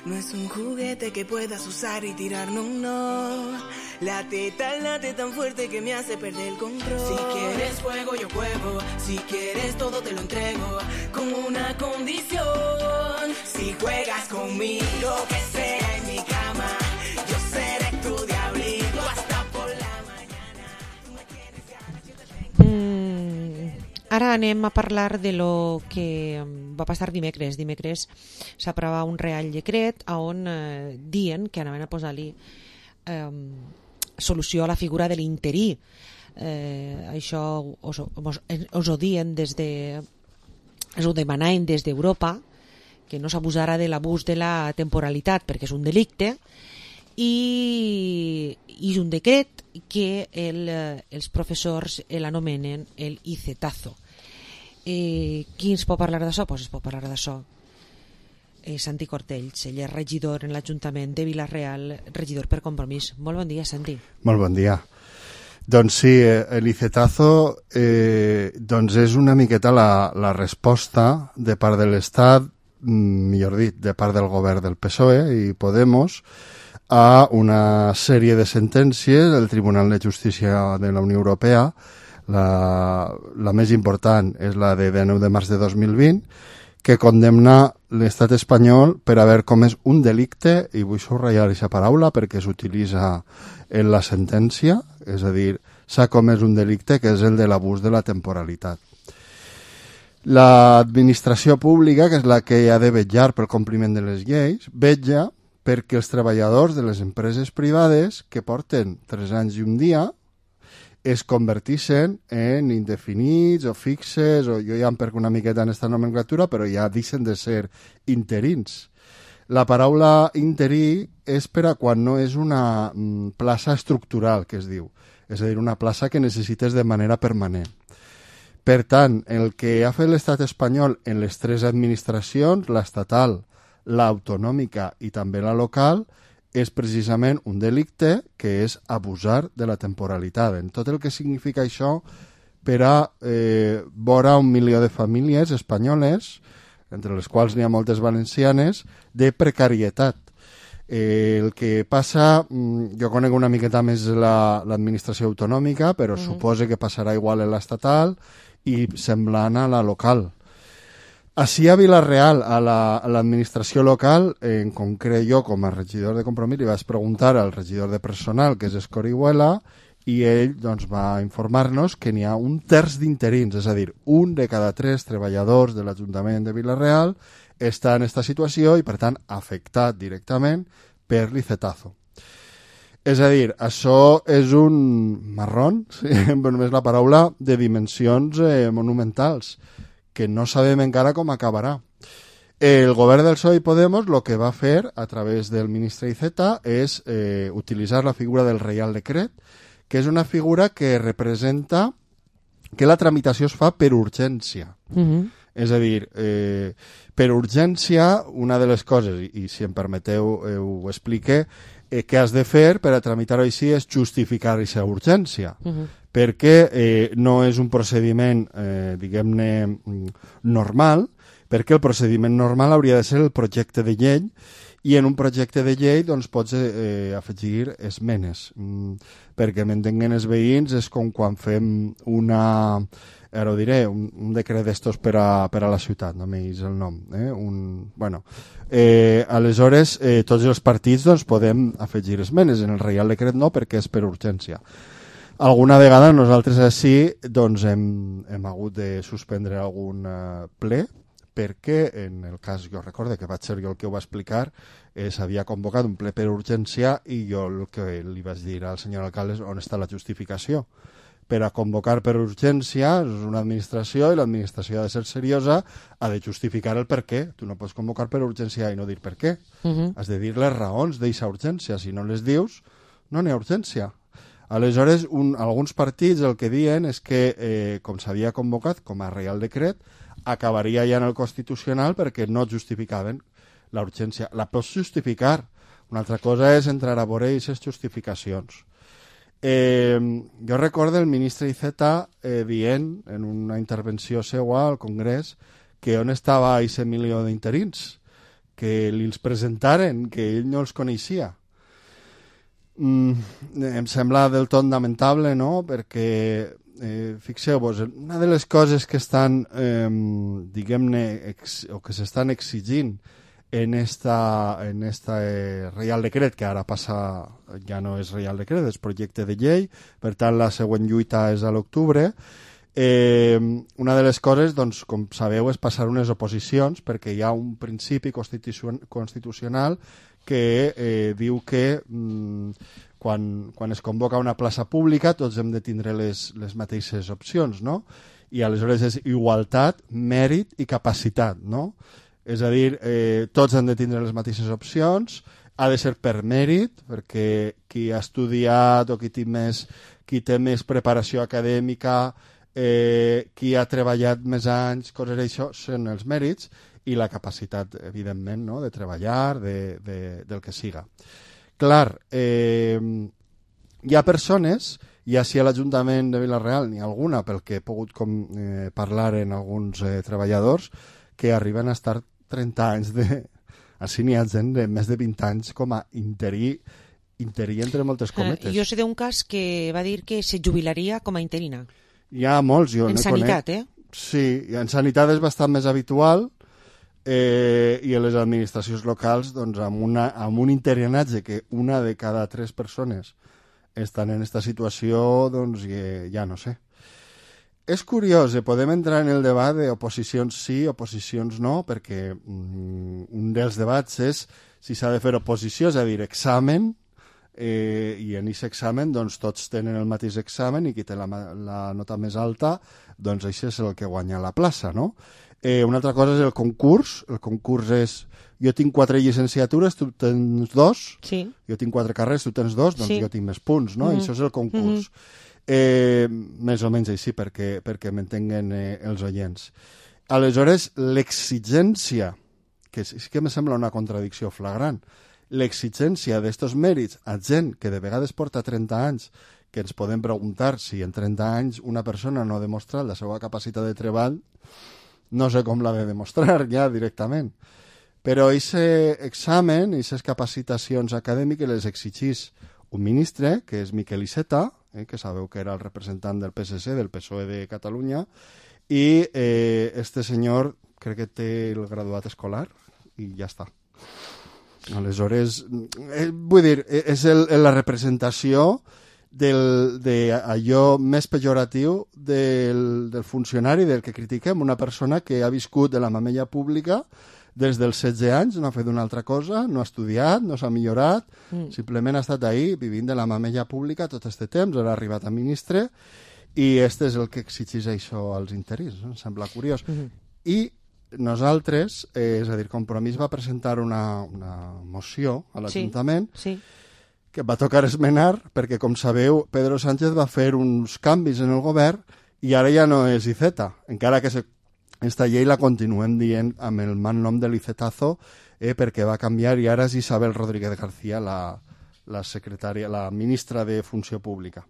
no es un juguete que puedas usar y tirar, no. Late tan fuerte que me hace perder el control. Si quieres juego, yo juego. Si quieres todo, te lo entrego. Con una condición. Si juegas conmigo, que sea en mi cama, yo seré tu diablito hasta por la mañana. Ara anem a parlar de lo que va passar dimecres. Dimecres s'aprova un Real Decret on diuen que anaven a posar-li solució a la figura de l'interí. Això us ho diuen us ho demanaven des d'Europa, que no s'abusara de l'abús de la temporalitat perquè és un delicte, i és un decret que els professors l'anomenen el icetazo. Qui ens pot parlar d'això? Pues es pot parlar d'això Santi Cortells, ell és regidor en l'Ajuntament de Vila-real, regidor per Compromís. Molt bon dia, Santi. Molt bon dia. Doncs sí, l'icetazo doncs és una miqueta la resposta de part de l'Estat, millor dit, de part del govern del PSOE i Podemos, a una sèrie de sentències del Tribunal de Justícia de la Unió Europea. La més important és la de 9 de març de 2020, que condemna l'estat espanyol per haver comès un delicte, i vull subratllar aquesta paraula perquè s'utilitza en la sentència, és a dir, s'ha comès un delicte que és el de l'abús de la temporalitat. L'administració pública, que és la que ha de vetllar pel compliment de les lleis, vetlla perquè els treballadors de les empreses privades que porten 3 anys i un dia es convertixen en indefinits o fixes, o jo ja em perco una miqueta en aquesta nomenclatura, però ja deixen de ser interins. La paraula interí és per a quan no és una plaça estructural, que es diu, és a dir, una plaça que necessites de manera permanent. Per tant, el que ha fet l'estat espanyol en les 3 administracions, l'estatal, l'autonòmica i també la local, és precisament un delicte que és abusar de la temporalitat. En tot el que significa això per a vora 1 milió de famílies espanyoles, entre les quals n'hi ha moltes valencianes, de precarietat. El que passa, jo conec una miqueta més l'administració autonòmica, però suposo que passarà igual en l'estatal i semblant a la local. Així a Vila-real, a l'administració local, en concret jo com a regidor de Compromís li vaig preguntar al regidor de personal, que és Escorihuela, i ell doncs, va informar-nos que n'hi ha 1/3 d'interins, és a dir, 1 de cada 3 treballadors de l'Ajuntament de Vila-real està en aquesta situació i per tant afectat directament per l'icetazo. És a dir, això és un marrón, sí, només la paraula, de dimensions monumentals, que no sabem encara com acabarà. El govern del PSOE i Podemos el que va fer a través del ministre Iceta és utilitzar la figura del Reial Decret, que és una figura que representa que la tramitació es fa per urgència. És a dir, per urgència, una de les coses, i si em permeteu ho explique, que has de fer per a tramitar-ho així és justificar aquesta urgència. Perquè no és un procediment, diguem-ne, normal, perquè el procediment normal hauria de ser el projecte de llei, i en un projecte de llei doncs, pots afegir esmenes. Perquè m'entenguen els veïns, és com quan fem ara ho diré, un decret d'estos per a la ciutat, no m'he el nom. Aleshores, tots els partits doncs, podem afegir esmenes. En el Reial Decret no, perquè és per urgència. Alguna vegada nosaltres així doncs, hem hagut de suspendre algun ple perquè en el cas, jo recorde que vaig ser jo el que ho va explicar, s'havia convocat un ple per urgència i jo el que li vaig dir al senyor alcalde és on està la justificació. Per a convocar per urgència és una administració i l'administració ha de ser seriosa, ha de justificar el per què. Tu no pots convocar per urgència i no dir per què. Has de dir les raons d'aquesta urgència. Si no les dius, no n'hi ha urgència. Aleshores, alguns partits el que diuen és que, com s'havia convocat com a Reial Decret, acabaria ja en el Constitucional perquè no justificaven la urgència. La pots justificar. Una altra cosa és entrar a veure aquestes justificacions. Jo recordo el ministre Iceta dient en una intervenció seva al Congrés que on estava aquest milió d'interins, que li els presentaren, que ell no els coneixia. Em sembla del tot lamentable, no?, perquè fixeu-vos, una de les coses que estan, diguem-ne, o que s'estan exigint en esta Reial Decret, que ara passa, ja no és Reial Decret, és projecte de llei, per tant la següent lluita és a l'octubre. Una de les coses, doncs, com sabeu, és passar unes oposicions, perquè hi ha un principi constitucional que diu que quan es convoca una plaça pública tots hem de tindre les mateixes opcions, no? I aleshores és igualtat, mèrit i capacitat, no? És a dir, tots han de tindre les mateixes opcions, ha de ser per mèrit, perquè qui ha estudiat o qui té més preparació acadèmica, qui ha treballat més anys, coses d'això, són els mèrits, i la capacitat, evidentment, no?, de treballar, del que siga. Clar, hi ha persones, ja si a l'Ajuntament de Vila-real n'hi ha alguna, pel que he pogut parlar en alguns treballadors, que arriben a estar 30 anys així n'hi ha gent de més de 20 anys com a interí entre moltes cometes. Jo sé d'un cas que va dir que se jubilaria com a interina. Hi ha molts, jo en no sanitat, conec. Sí, en sanitat és bastant més habitual, i en les administracions locals, doncs, amb un interinatge que una de cada 3 persones estan en aquesta situació, doncs ja no sé. És curiós, podem entrar en el debat d'oposicions sí, oposicions no, perquè un dels debats és si s'ha de fer oposició, és a dir, examen, i en aquest examen doncs, tots tenen el mateix examen i qui té la nota més alta, doncs això és el que guanya la plaça, no? Una altra cosa és el concurs és jo tinc 4 llicenciatures, tu tens 2, sí. Jo tinc 4 carreres, tu tens 2, doncs sí. Jo tinc més punts, no? Això és el concurs. Més o menys així, perquè m'entenguen els oients. Aleshores, l'exigència, que sí que me sembla una contradicció flagrant, l'exigència d'estos mèrits a gent que de vegades porta 30 anys, que ens podem preguntar si en 30 anys una persona no ha demostrat la seva capacitat de treball, no sé com l'ha de demostrar ja directament. Però aquest examen, aquestes capacitacions acadèmiques les exigís un ministre, que és Miquel Iceta, que sabeu que era el representant del PSC, del PSOE de Catalunya, i este senyor crec que té el graduat escolar i ja està. Aleshores, vull dir, és la representació d'allò més pejoratiu del funcionari, del que critiquem, una persona que ha viscut de la mamella pública des dels 16 anys, no ha fet una altra cosa, no ha estudiat, no s'ha millorat, simplement ha estat ahí vivint de la mamella pública tot aquest temps, ara ha arribat a ministre, i este és el que exigeix això als interins, em sembla curiós. I nosaltres, és a dir, Compromís va presentar una moció a l'Ajuntament que va tocar esmenar, perquè, com sabeu, Pedro Sánchez va fer uns canvis en el govern i ara ja no és Iceta, encara que esta llei la continuem dient amb el mal nom de l'Icetazo, perquè va canviar i ara és Isabel Rodríguez García, la secretària, la ministra de Funció Pública.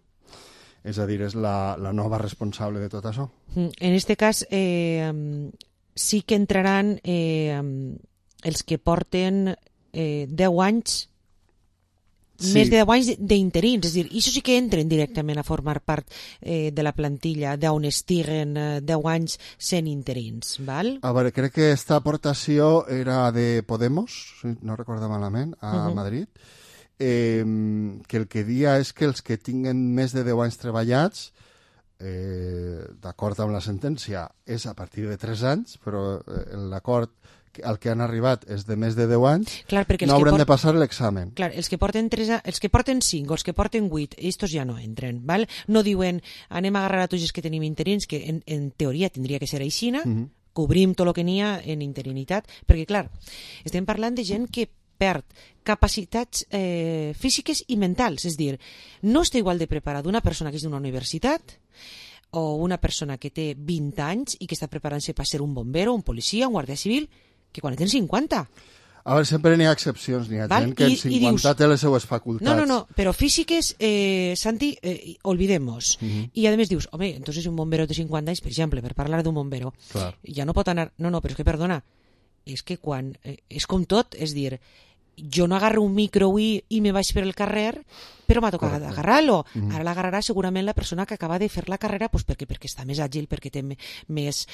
És a dir, és la nova responsable de tot això. En este cas, sí que entraran els que porten 10 anys, més de 10 anys d'interins, és a dir, això sí que entren directament a formar part de la plantilla d'on estiguen 10 anys sent interins, val? A veure, crec que aquesta aportació era de Podemos, si no recordo malament, a Madrid, que el que dia és que els que tinguen més de 10 anys treballats, d'acord amb la sentència, és a partir de 3 anys, però l'acord al que han arribat és de més de 10 anys, clar, no hauran de passar l'examen. Clar, els que porten 5 o els que porten 8, estos ja no entren, val? No diuen, anem a agarrar a tots els que tenim interins, que en teoria tindria que ser aixina, cobrim tot el que n'hi ha en interinitat, perquè, clar, estem parlant de gent que perd capacitats físiques i mentals, és a dir, no està igual de preparada una persona que és d'una universitat o una persona que té 20 anys i que està preparant-se per ser un bombero, un policia, un guàrdia civil, que quan tens 50. A veure, sempre n'hi ha excepcions, n'hi ha gent que en 50 té les seues facultats. No, però físiques, Santi, olvidemos. I a més dius, home, entonces un bombero de 50 anys, per exemple, per parlar d'un bombero, ja no pot anar... No, però és que, perdona, és que quan... és com tot, és dir, jo no agarro un micro avui i me vaig per el carrer, però m'ha tocat agarrar-lo. Ara l'agarrarà segurament la persona que acaba de fer la carrera perquè està més àgil, perquè té més...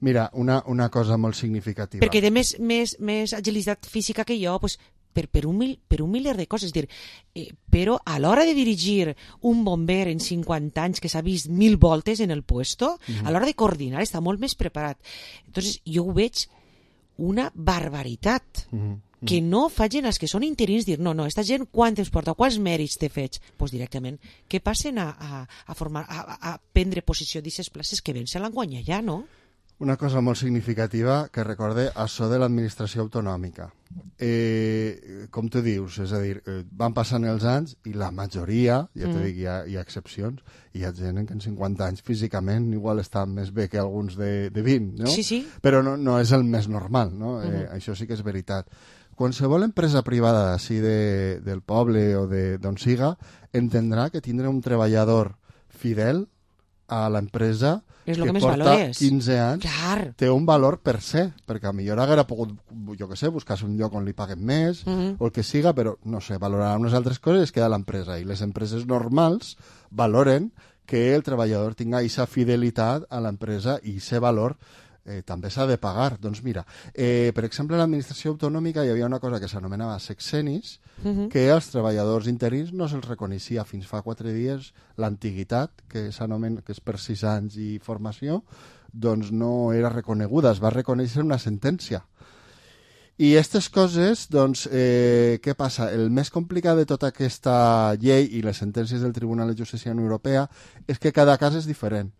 Mira, una cosa molt significativa. Perquè té més agilitat física que jo, pues, per un miler de coses. És dir, però a l'hora de dirigir un bomber en 50 anys que s'ha vist 1000 voltes en el puesto, a l'hora de coordinar està molt més preparat. Entonces, jo ho veig una barbaritat. Que no facin els que són interins dir, no, esta gent quant ens porta, quants mèrits té fets? Doncs directament, que passen a prendre posició d'aquestes places que ben se l'han guanyat ja, no? Una cosa molt significativa que recorde això de l'administració autonòmica. Com tu dius, és a dir, van passant els anys i la majoria, ja t'he dit, hi ha excepcions, hi ha gent que en 50 anys físicament igual està més bé que alguns de 20, no? Sí. Però no és el més normal, no? Això sí que és veritat. Qualsevol empresa privada d'ací del poble o d'on siga entendrà que tindre un treballador fidel a l'empresa que porta 15 anys té un valor per se, perquè a millor haguera pogut, jo què sé, buscar-se un lloc on li paguen més o el que siga, però no sé, valorarà unes altres coses i es queda l'empresa. I les empreses normals valoren que el treballador tinga aquesta fidelitat a l'empresa i aquest valor també s'ha de pagar. Doncs mira, per exemple, a l'administració autonòmica hi havia una cosa que s'anomenava sexenis, que als treballadors interins no se'ls reconeixia fins fa 4 dies l'antiguitat, que s'anomena, que és per 6 anys i formació, doncs no era reconeguda, es va reconèixer una sentència. I aquestes coses, doncs, què passa? El més complicat de tota aquesta llei i les sentències del Tribunal de Justícia de la Unió Europea és que cada cas és diferent.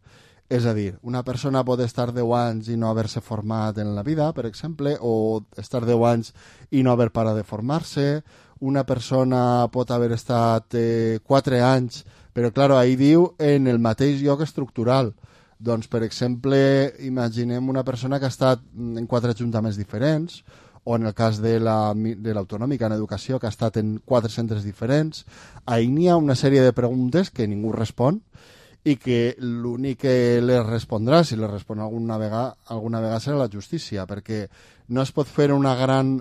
És a dir, una persona pot estar 10 anys i no haver-se format en la vida, per exemple, o estar 10 anys i no haver parat de formar-se. Una persona pot haver estat 4 anys, però, clar, ahí diu en el mateix lloc estructural. Doncs, per exemple, imaginem una persona que ha estat en 4 ajuntaments diferents, o en el cas de l'autonòmica en educació, que ha estat en 4 centres diferents. Ahí n'hi ha una sèrie de preguntes que ningú respon, i que l'únic que les respondrà, si les respon alguna vegada serà la justícia, perquè no es pot fer una gran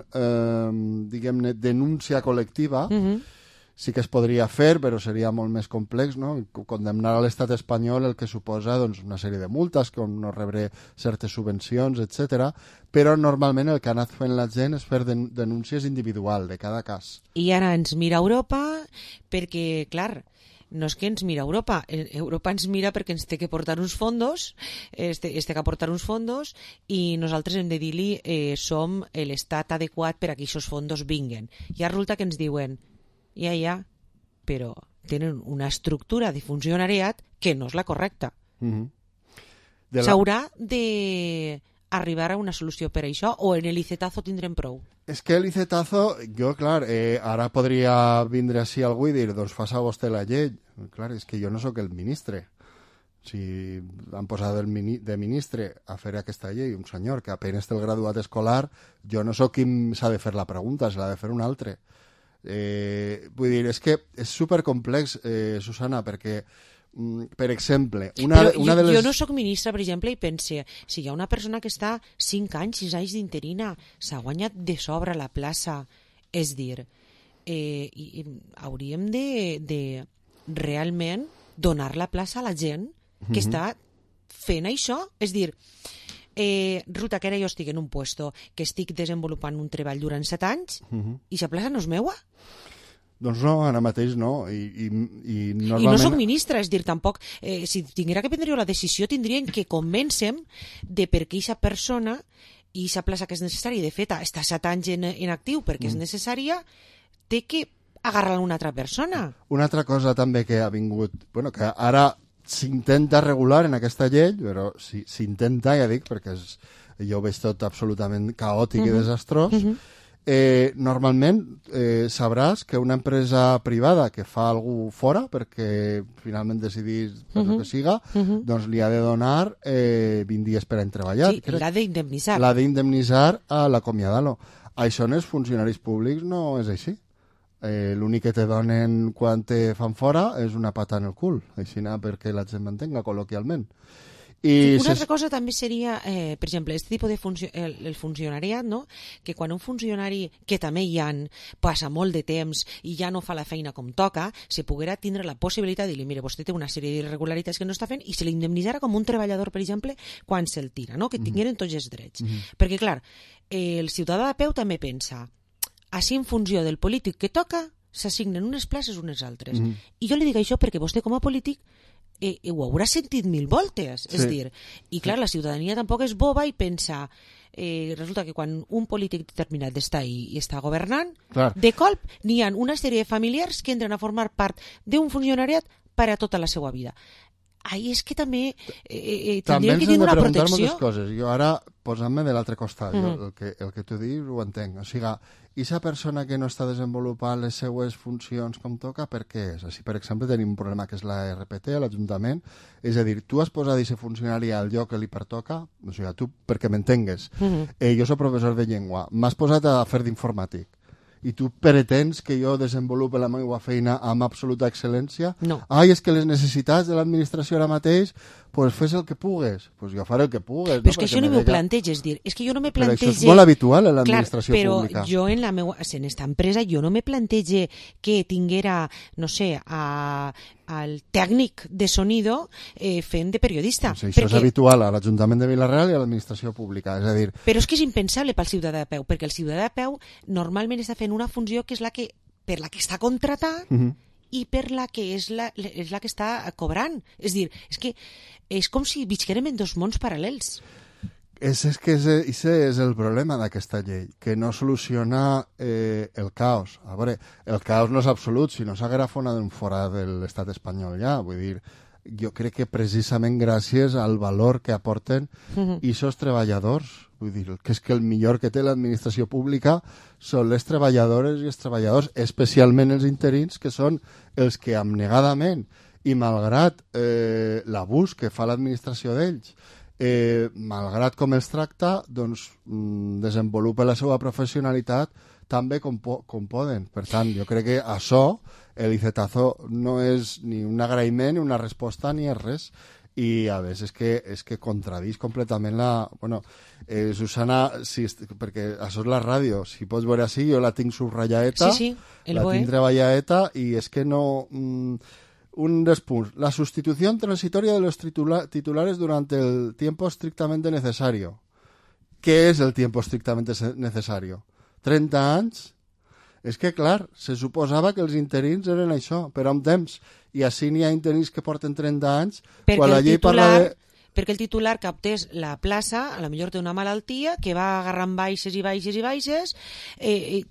diguem-ne, denúncia col·lectiva. Sí que es podria fer, però seria molt més complex, no? Condemnar a l'estat espanyol el que suposa doncs, una sèrie de multes, com no rebre certes subvencions, etc. Però normalment el que ha anat fent la gent és fer denúncies individuals de cada cas. I ara ens mira Europa perquè, clar, no és que ens mira Europa, Europa ens mira perquè ens té que portar uns fondos, té que aportar uns fondos i nosaltres hem de dir-li som l'estat adequat per a que aquests fondos vinguen. I resulta que ens diuen, ja, però tenen una estructura de funcionariat que no és la correcta. S'haurà d'arribar a una solució per això o en l'icetazo tindrem prou? És que l'icetazo, jo, clar, ara podria vindre així algú i dir, doncs faça vostè la llei. Clar, és que jo no sóc el ministre. Si han posat de ministre a fer aquesta llei un senyor que apenas té el graduat escolar, jo no sóc qui s'ha de fer la pregunta, se l'ha de fer un altre. Vull dir, és que és supercomplex, Susana, perquè per exemple, jo no sóc ministra, per exemple, i pense, si hi ha una persona que està 5 anys, 6 anys d'interina, s'ha guanyat de sobre la plaça, és dir, hauríem de realment donar la plaça a la gent que està fent això, és dir, resulta que ara jo estic en un puesto que estic desenvolupant un treball durant 7 anys i la plaça no és meua? Doncs no, ara mateix no. I normalment... I no soc ministra, és dir, tampoc... si tinguera que prendre la decisió, tindrien que convèncer de per què aquesta persona i aquesta plaça que és necessària, de fet, està 7 anys en actiu perquè és necessària, té que agarrar una altra persona. Una altra cosa també que ha vingut... Bueno, que ara s'intenta regular en aquesta llei, però s'intenta, ja dic, perquè jo ho veig tot absolutament caòtic i desastrós, normalment sabràs que una empresa privada que fa algú fora, perquè finalment decidís el que siga, doncs li ha de donar 20 dies per any treballat. Sí, l'ha d'indemnitzar. L'ha d'indemnitzar a l'acomiadar-lo. Això en els funcionaris públics no és així. L'únic que te donen quan te fan fora és una pata en el cul, així perquè la gent m'entenga col·loquialment. Una altra cosa també seria, per exemple, aquest tipus de el funcionariat, no? Que quan un funcionari, que també passa molt de temps i ja no fa la feina com toca, se poguera tindre la possibilitat de dir, mire, vostè té una sèrie d'irregularitats que no està fent i se l'indemnitzara com un treballador, per exemple, quan se'l tira, no? Que tingueren tots els drets. Perquè, clar, el ciutadà de peu també pensa, així en funció del polític que toca, s'assignen unes places unes altres. I jo li dic això perquè vostè com a polític ho haurà sentit 1000 voltes, és dir, i clar, la ciutadania tampoc és boba i pensa, resulta que quan un polític determinat està ahí i està governant, de colp n'hi ha una sèrie de familiars que entren a formar part d'un funcionariat per a tota la seva vida. Ahí és que també tindríem que tenir una protecció. També ens hem de preguntar moltes coses. Jo ara, posant-me de l'altre costat, el que tu dius ho entenc. O sigui, i aquesta persona que no està desenvolupant les seues funcions com toca, per què és? Així, per exemple, tenim un problema que és la RPT a l'Ajuntament, és a dir, tu has posat aquest funcionari al lloc que li pertoca, o sigui, tu, perquè m'entengues, jo soc professor de llengua, m'has posat a fer d'informàtic, i tu pretens que jo desenvolupi la meva feina amb absoluta excel·lència? No. Ai, és que les necessitats de l'administració ara mateix, pues fes el que pugues. Pues jo faré el que pugues. Però és que això no m'ho plantejo, és dir, és que jo no me plantejo... Però això és molt habitual en l'administració pública. Però jo en la meva, en esta empresa, jo no me plantejo que tinguera, no sé, al tècnic de sonido fent de periodista. Sí, això és habitual a l'Ajuntament de Vila-real i a l'administració pública, és a dir... Però és que és impensable pel ciutadà de peu, perquè el ciutadà de peu normalment està fent una funció que és la que, per la que està contratat i per la que és la que està cobrant. És dir, és que és com si visquérem en dos mons paral·lels. És que ese és el problema d'aquesta llei, que no soluciona el caos. A veure, el caos no és absolut, si no s'haguera fora de l'estat espanyol ja. Vull dir, jo crec que precisament gràcies al valor que aporten aquests treballadors, vull dir, que és que el millor que té l'administració pública són les treballadores i els treballadors, especialment els interins, que són els que abnegadament i malgrat l'abús que fa l'administració d'ells, malgrat com els tracta, doncs desenvolupa la seva professionalitat també com poden. Per tant, jo crec que això, el icetazo, no és ni un agraïment, ni una resposta, ni és res. I a més és que contradís completament la... Bueno, Susana, perquè això és la ràdio, si pots veure així, jo la tinc subratlladeta, la tinc treballadeta, i és que no... Un dels punts. La sustitución transitoria de los titulares durante el tiempo estrictamente necesario. ¿Qué es el tiempo estrictamente necesario? 30 anys? És que, clar, se suposava que els interins eren això, però amb temps. I així n'hi ha interins que porten 30 anys, quan la llei parla de... Perquè el titular que optés la plaça, a lo millor té una malaltia, que va agarrant baixes i baixes i baixes,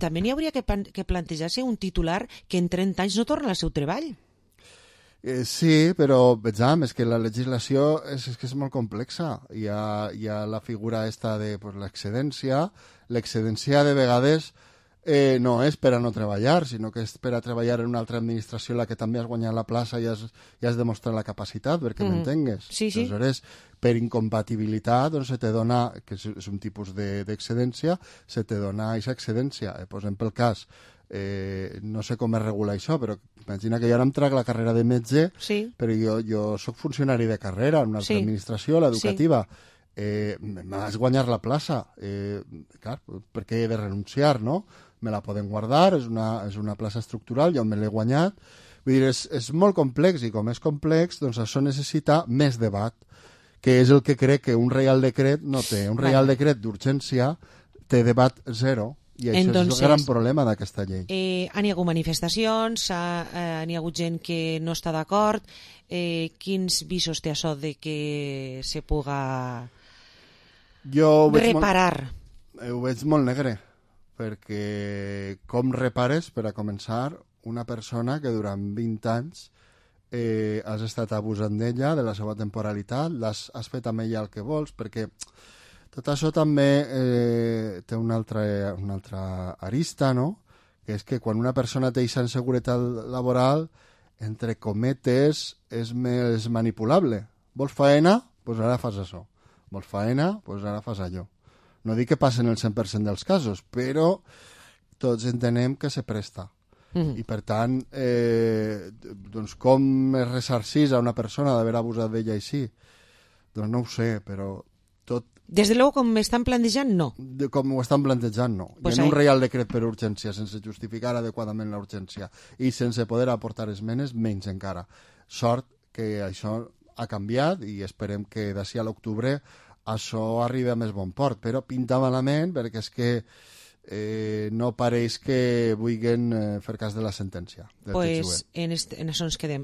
també n'hi hauria que plantejar-se un titular que en 30 anys no torna al seu treball. Sí, però vejam, és que la legislació és que és molt complexa. Hi ha la figura esta de l'excedència. L'excedència de vegades no és per a no treballar, sinó que és per a treballar en una altra administració en la que també has guanyat la plaça i has demostrat la capacitat, perquè m'entengues. Sí, sí. Aleshores, per incompatibilitat, doncs se te dona, que és un tipus d'excedència, se te dona aquesta excedència. Posem pel cas, no sé com es regula això, però imagina que jo ara em trac la carrera de metge, però jo soc funcionari de carrera en una altra administració, l'educativa. M'has guanyar la plaça, clar, perquè he de renunciar, no? Me la poden guardar, és una plaça estructural, jo me l'he guanyat. Vull dir, és molt complex, i com és complex, doncs això necessita més debat, que és el que crec que un reial decret no té. Un reial decret d'urgència té debat zero, i això és el gran problema d'aquesta llei. Han hi hagut manifestacions, n'hi ha hagut gent que no està d'acord. Quins visos té això de que se puga reparar? Ho veig molt negre, perquè com repares, per a començar, una persona que durant 20 anys has estat abusant d'ella, de la seva temporalitat, has fet amb ella el que vols, perquè Tot això també té una altra arista, no? Que és que quan una persona té aquesta inseguretat laboral, entre cometes, és més manipulable. Vols faena? Doncs ara fas això. Vols faena? Doncs ara fas allò. No dic que passen el 100% dels casos, però tots entenem que se presta. I per tant, doncs com es ressarcís a una persona d'haver abusat d'ella així? Doncs no ho sé, però tot... Des de luego, com m'estan plantejant, no. Com ho estan plantejant, no. Pues I en un reial decret per urgència, sense justificar adequadament la urgència i sense poder aportar esmenes, menys encara. Sort que això ha canviat i esperem que d'ací a l'octubre això arribi a més bon port, però pinta malament perquè és que no pareix que vulguin fer cas de la sentència. Pues en això ens quedem.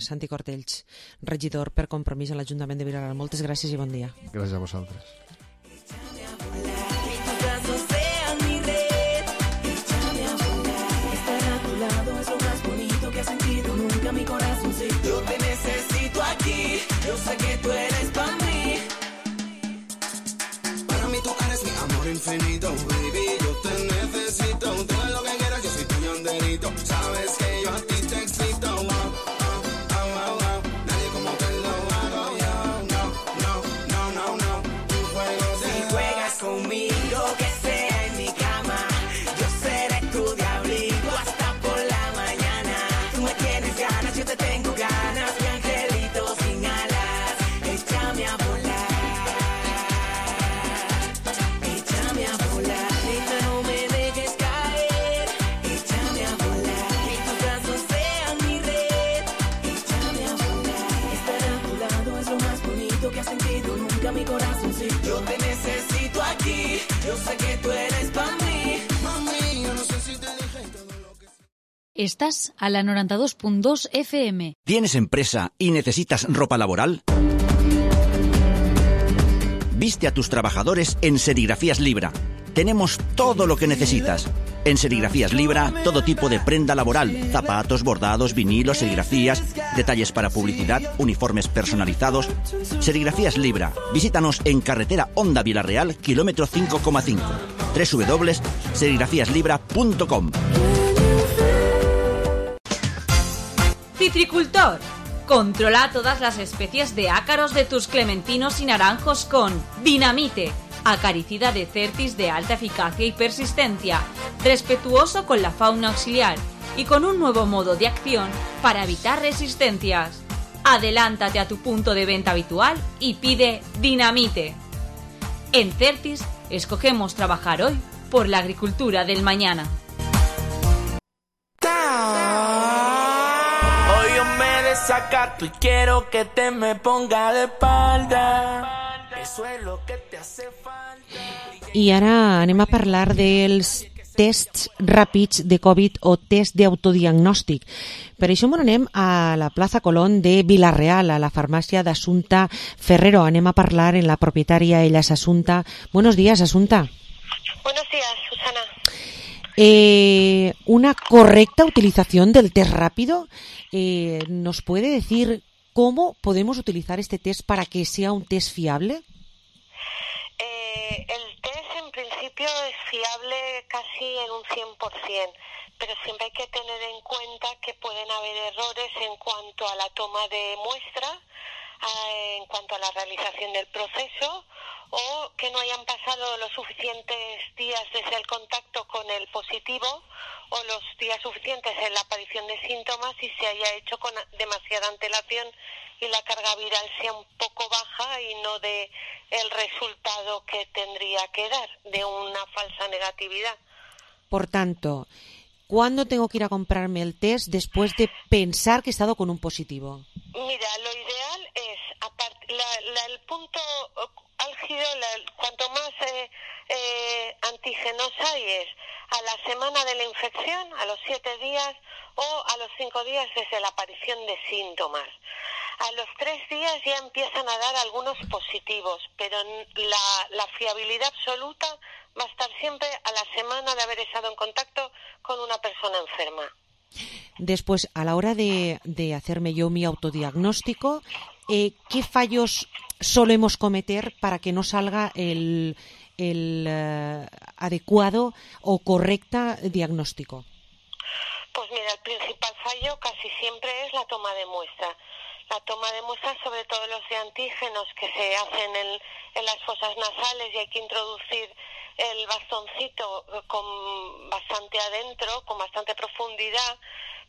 Santi Cortells, regidor per Compromís a l'Ajuntament de Vilareal. Moltes gràcies i bon dia. Gràcies a vosaltres. Yo te necesito aquí, yo sé que tú eres para mí. Para mí tú eres mi amor infinito, baby. Yo te necesito, tú eres lo que quieras, yo soy tuyo enterito. Sabes que yo a ti te excito, wow, nadie como te lo hago yo, no. Tú si juegas conmigo, que sea en mi cama, yo seré tu diablito hasta por la mañana. Tú me tienes ganas, yo te tengo ganas, mi angelito sin alas, échame a volar. Échame a volar, neta, no me dejes caer. Échame a volar, que tus brazos sean mi red. Échame a volar, estar a tu lado es lo más bonito que has sentido nunca mi corazoncito. Yo te necesito aquí, yo sé que tú eres para mí. Mami, yo no sé si te dije todo lo que... Estás a la 92.2 FM. ¿Tienes empresa y necesitas ropa laboral? Viste a tus trabajadores en Serigrafías Libra. Tenemos todo lo que necesitas. En Serigrafías Libra, todo tipo de prenda laboral, zapatos, bordados, vinilos, serigrafías, detalles para publicidad, uniformes personalizados. Serigrafías Libra. Visítanos en carretera Honda Vilareal, kilómetro 5,5. www.serigrafíaslibra.com. Citricultor. Controla todas las especies de ácaros de tus clementinos y naranjos con Dinamite, acaricida de Certis de alta eficacia y persistencia, respetuoso con la fauna auxiliar y con un nuevo modo de acción para evitar resistencias. Adelántate a tu punto de venta habitual y pide Dinamite. En Certis escogemos trabajar hoy por la agricultura del mañana. Hoy yo me desacato y quiero que te me ponga de espalda. Eso es lo que te hace falta. I ara anem a parlar dels tests ràpids de Covid o test d'autodiagnòstic. Per això anem a la plaça Colón de Vila-real, a la farmàcia d'Assumpta Ferrero. Anem a parlar en la propietària, ella és Assumpta. Buenos días, Assumpta. Buenos días, Susana. Una correcta utilización del test rápido. ¿Nos puede decir cómo podemos utilizar este test para que sea un test fiable? El test en principio es fiable casi en un 100%, pero siempre hay que tener en cuenta que pueden haber errores en cuanto a la toma de muestra, en cuanto a la realización del proceso, o que no hayan pasado los suficientes días desde el contacto con el positivo o los días suficientes en la aparición de síntomas y se haya hecho con demasiada antelación y la carga viral sea un poco baja y no de el resultado que tendría que dar, de una falsa negatividad. Por tanto, ¿cuándo tengo que ir a comprarme el test después de pensar que he estado con un positivo? Mira, lo ideal es, el punto álgido, cuanto más antígenos hay es a la semana de la infección, a los 7 días o a los 5 días desde la aparición de síntomas. A los 3 días ya empiezan a dar algunos positivos, pero la fiabilidad absoluta va a estar siempre a la semana de haber estado en contacto con una persona enferma. Después, a la hora de hacerme yo mi autodiagnóstico, ¿qué fallos solemos cometer para que no salga el adecuado o correcta diagnóstico? Pues mira, el principal fallo casi siempre es la toma de muestra. La toma de muestras, sobre todo los de antígenos que se hacen en las fosas nasales, y hay que introducir el bastoncito con bastante adentro, con bastante profundidad,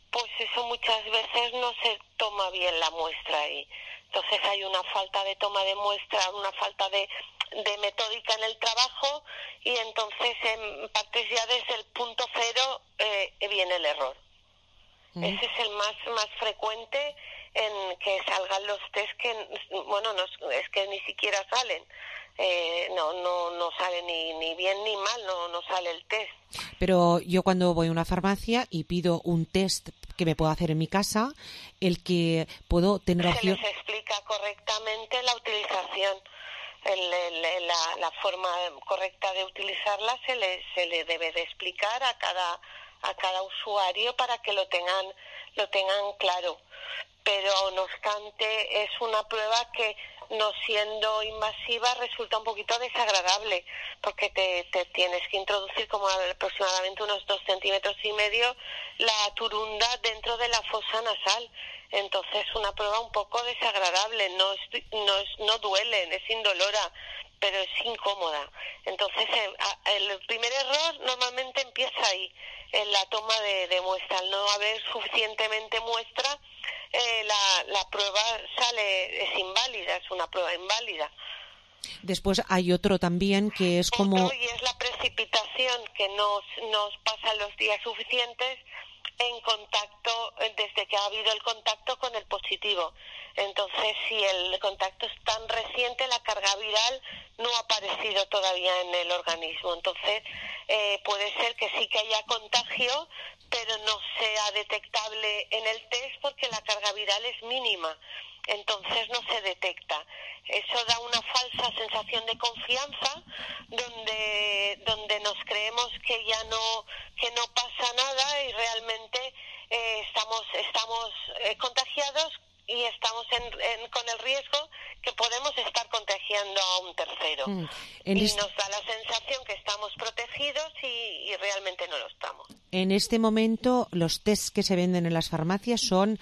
pues eso muchas veces no se toma bien la muestra ahí. Entonces hay una falta de toma de muestra, una falta de metódica en el trabajo, y entonces en partes ya desde el punto cero viene el error. Ese es el más frecuente, en que salgan los test que, bueno, no, es que ni siquiera salen. No sale ni bien ni mal, no sale el test. Pero yo cuando voy a una farmacia y pido un test que me puedo hacer en mi casa, el que puedo tener opción... Se les explica correctamente la utilización. La forma correcta de utilizarla se le debe de explicar a cada usuario para que lo tengan claro. Pero no obstante es una prueba que, no siendo invasiva, resulta un poquito desagradable, porque te tienes que introducir como aproximadamente unos 2,5 centímetros la turunda dentro de la fosa nasal. Entonces una prueba un poco desagradable, no duele, es indolora, pero es incómoda. Entonces el primer error normalmente empieza ahí, en la toma de muestra. Al no haber suficientemente muestra, la prueba es inválida, es una prueba inválida. Después hay otro también que es como... Y es la precipitación, que nos pasa los días suficientes en contacto, desde que ha habido el contacto con el positivo. Entonces, si el contacto es tan reciente, la carga viral no ha aparecido todavía en el organismo. Entonces, puede ser que sí que haya contagio, pero no sea detectable en el test porque la carga viral es mínima. Entonces no se detecta. Eso da una falsa sensación de confianza, donde nos creemos que ya no pasa nada, y realmente estamos contagiados, y estamos con el riesgo que podemos estar contagiando a un tercero. Nos da la sensación que estamos protegidos y realmente no lo estamos. En este momento los tests que se venden en las farmacias son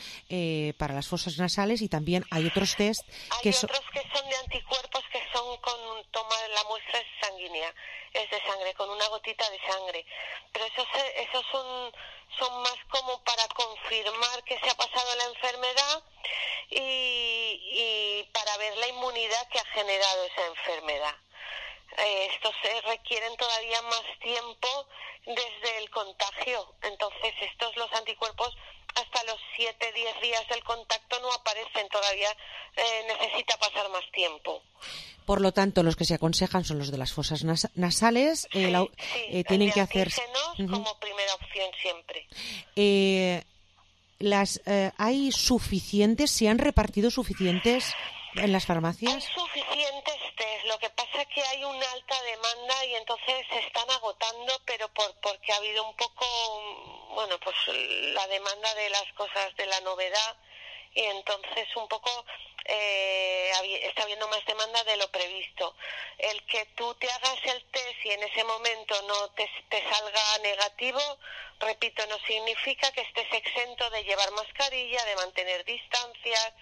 para las fosas nasales, y también hay otros tests que son de anticuerpos, que son con toma de la muestra sanguínea, es de sangre, con una gotita de sangre. Pero esos son más como para confirmar que se ha pasado la enfermedad y para ver la inmunidad que ha generado esa enfermedad. Estos requieren todavía más tiempo desde el contagio. Entonces los anticuerpos hasta los 7-10 días del contacto no aparecen, todavía necesita pasar más tiempo. Por lo tanto, los que se aconsejan son los de las fosas nasales. Tienen que hacerse como primera opción siempre. ¿Hay suficientes? ¿Se han repartido suficientes en las farmacias? Hay suficientes test. Lo que pasa es que hay una alta demanda y entonces se están agotando, pero porque ha habido un poco, pues la demanda de las cosas, de la novedad, y entonces un poco está habiendo más demanda de lo previsto. El que tú te hagas el test y en ese momento no te salga negativo, repito, no significa que estés exento de llevar mascarilla, de mantener distancias,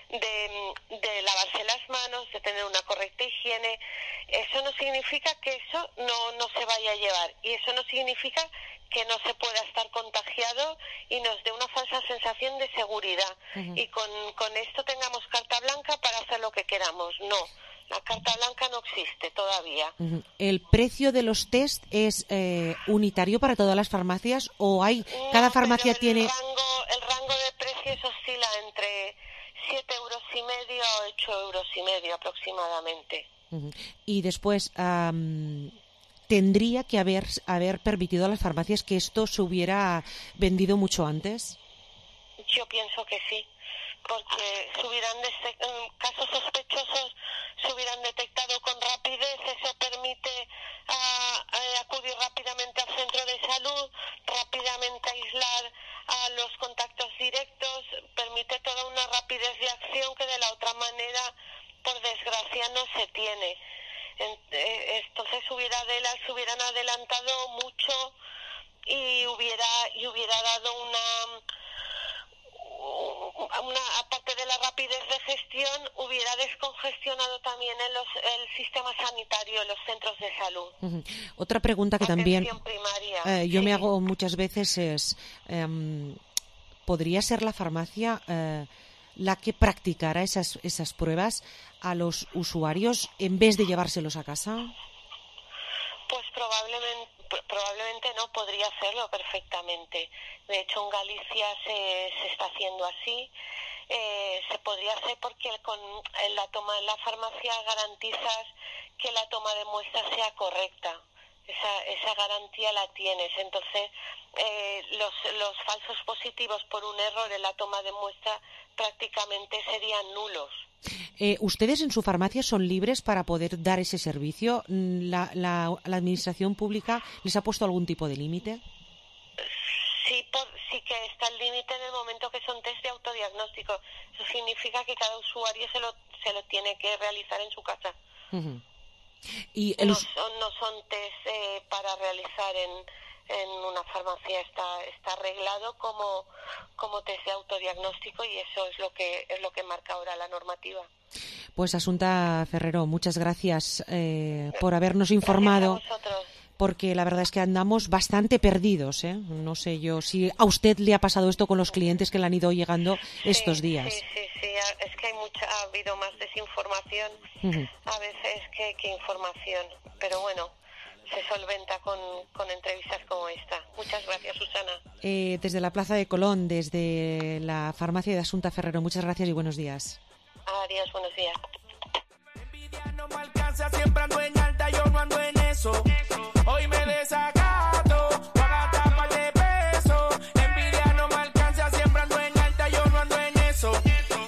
de lavarse las manos, de tener una correcta higiene. Eso no significa que eso no se vaya a llevar, y eso no significa que no se pueda estar contagiado y nos dé una falsa sensación de seguridad. Y con esto tengamos carta blanca para hacer lo que queramos. No, la carta blanca no existe todavía. ¿El precio de los test es unitario para todas las farmacias o cada farmacia tiene...? El rango de precios oscila entre 7,5 € a 8,5 € aproximadamente. Y después... ¿tendría que haber permitido a las farmacias que esto se hubiera vendido mucho antes? Yo pienso que sí, porque casos sospechosos se hubieran detectado con rapidez. Eso permite acudir rápidamente al centro de salud, rápidamente aislar a los contactos directos, permite toda una rapidez de acción que de la otra manera mamografía no se tiene. Entonces se hubieran adelantado mucho y hubiera dado una aparte de la rapidez de gestión, hubiera descongestionado también el sistema sanitario, los centros de salud. Otra pregunta que también yo me hago muchas veces es, ¿podría ser la farmacia la que practicara esas pruebas a los usuarios en vez de llevárselos a casa? Pues probablemente no, podría hacerlo perfectamente. De hecho, en Galicia se está haciendo así. Se podría hacer porque con la toma en la farmacia garantizas que la toma de muestra sea correcta. Esa garantía la tienes. Entonces, los falsos positivos por un error en la toma de muestra prácticamente serían nulos. ¿Ustedes en su farmacia son libres para poder dar ese servicio? ¿La administración pública les ha puesto algún tipo de límite? Sí que está el límite en el momento que son test de autodiagnóstico. Eso significa que cada usuario se lo tiene que realizar en su casa. Uh-huh. Y no son test para realizar en una farmacia. Está arreglado como test de autodiagnóstico y eso es lo que marca ahora la normativa. Pues Asunta Ferrero, muchas gracias por habernos informado. Gracias a vosotros. Porque la verdad es que andamos bastante perdidos, ¿eh? No sé yo si a usted le ha pasado esto con los clientes que le han ido llegando estos días. Sí, es que ha habido más desinformación a veces que información, pero bueno, se solventa con entrevistas como esta. Muchas gracias, Susana. Desde la Plaza de Colón, desde la farmacia de Asunta Ferrero, muchas gracias y buenos días. Adiós, buenos días. No me alcanza, siempre ando en alta, yo no ando en eso. Hoy me desacato, voy a gastar par de pesos. Envidia no me alcanza, siempre ando en alta, yo no ando en eso.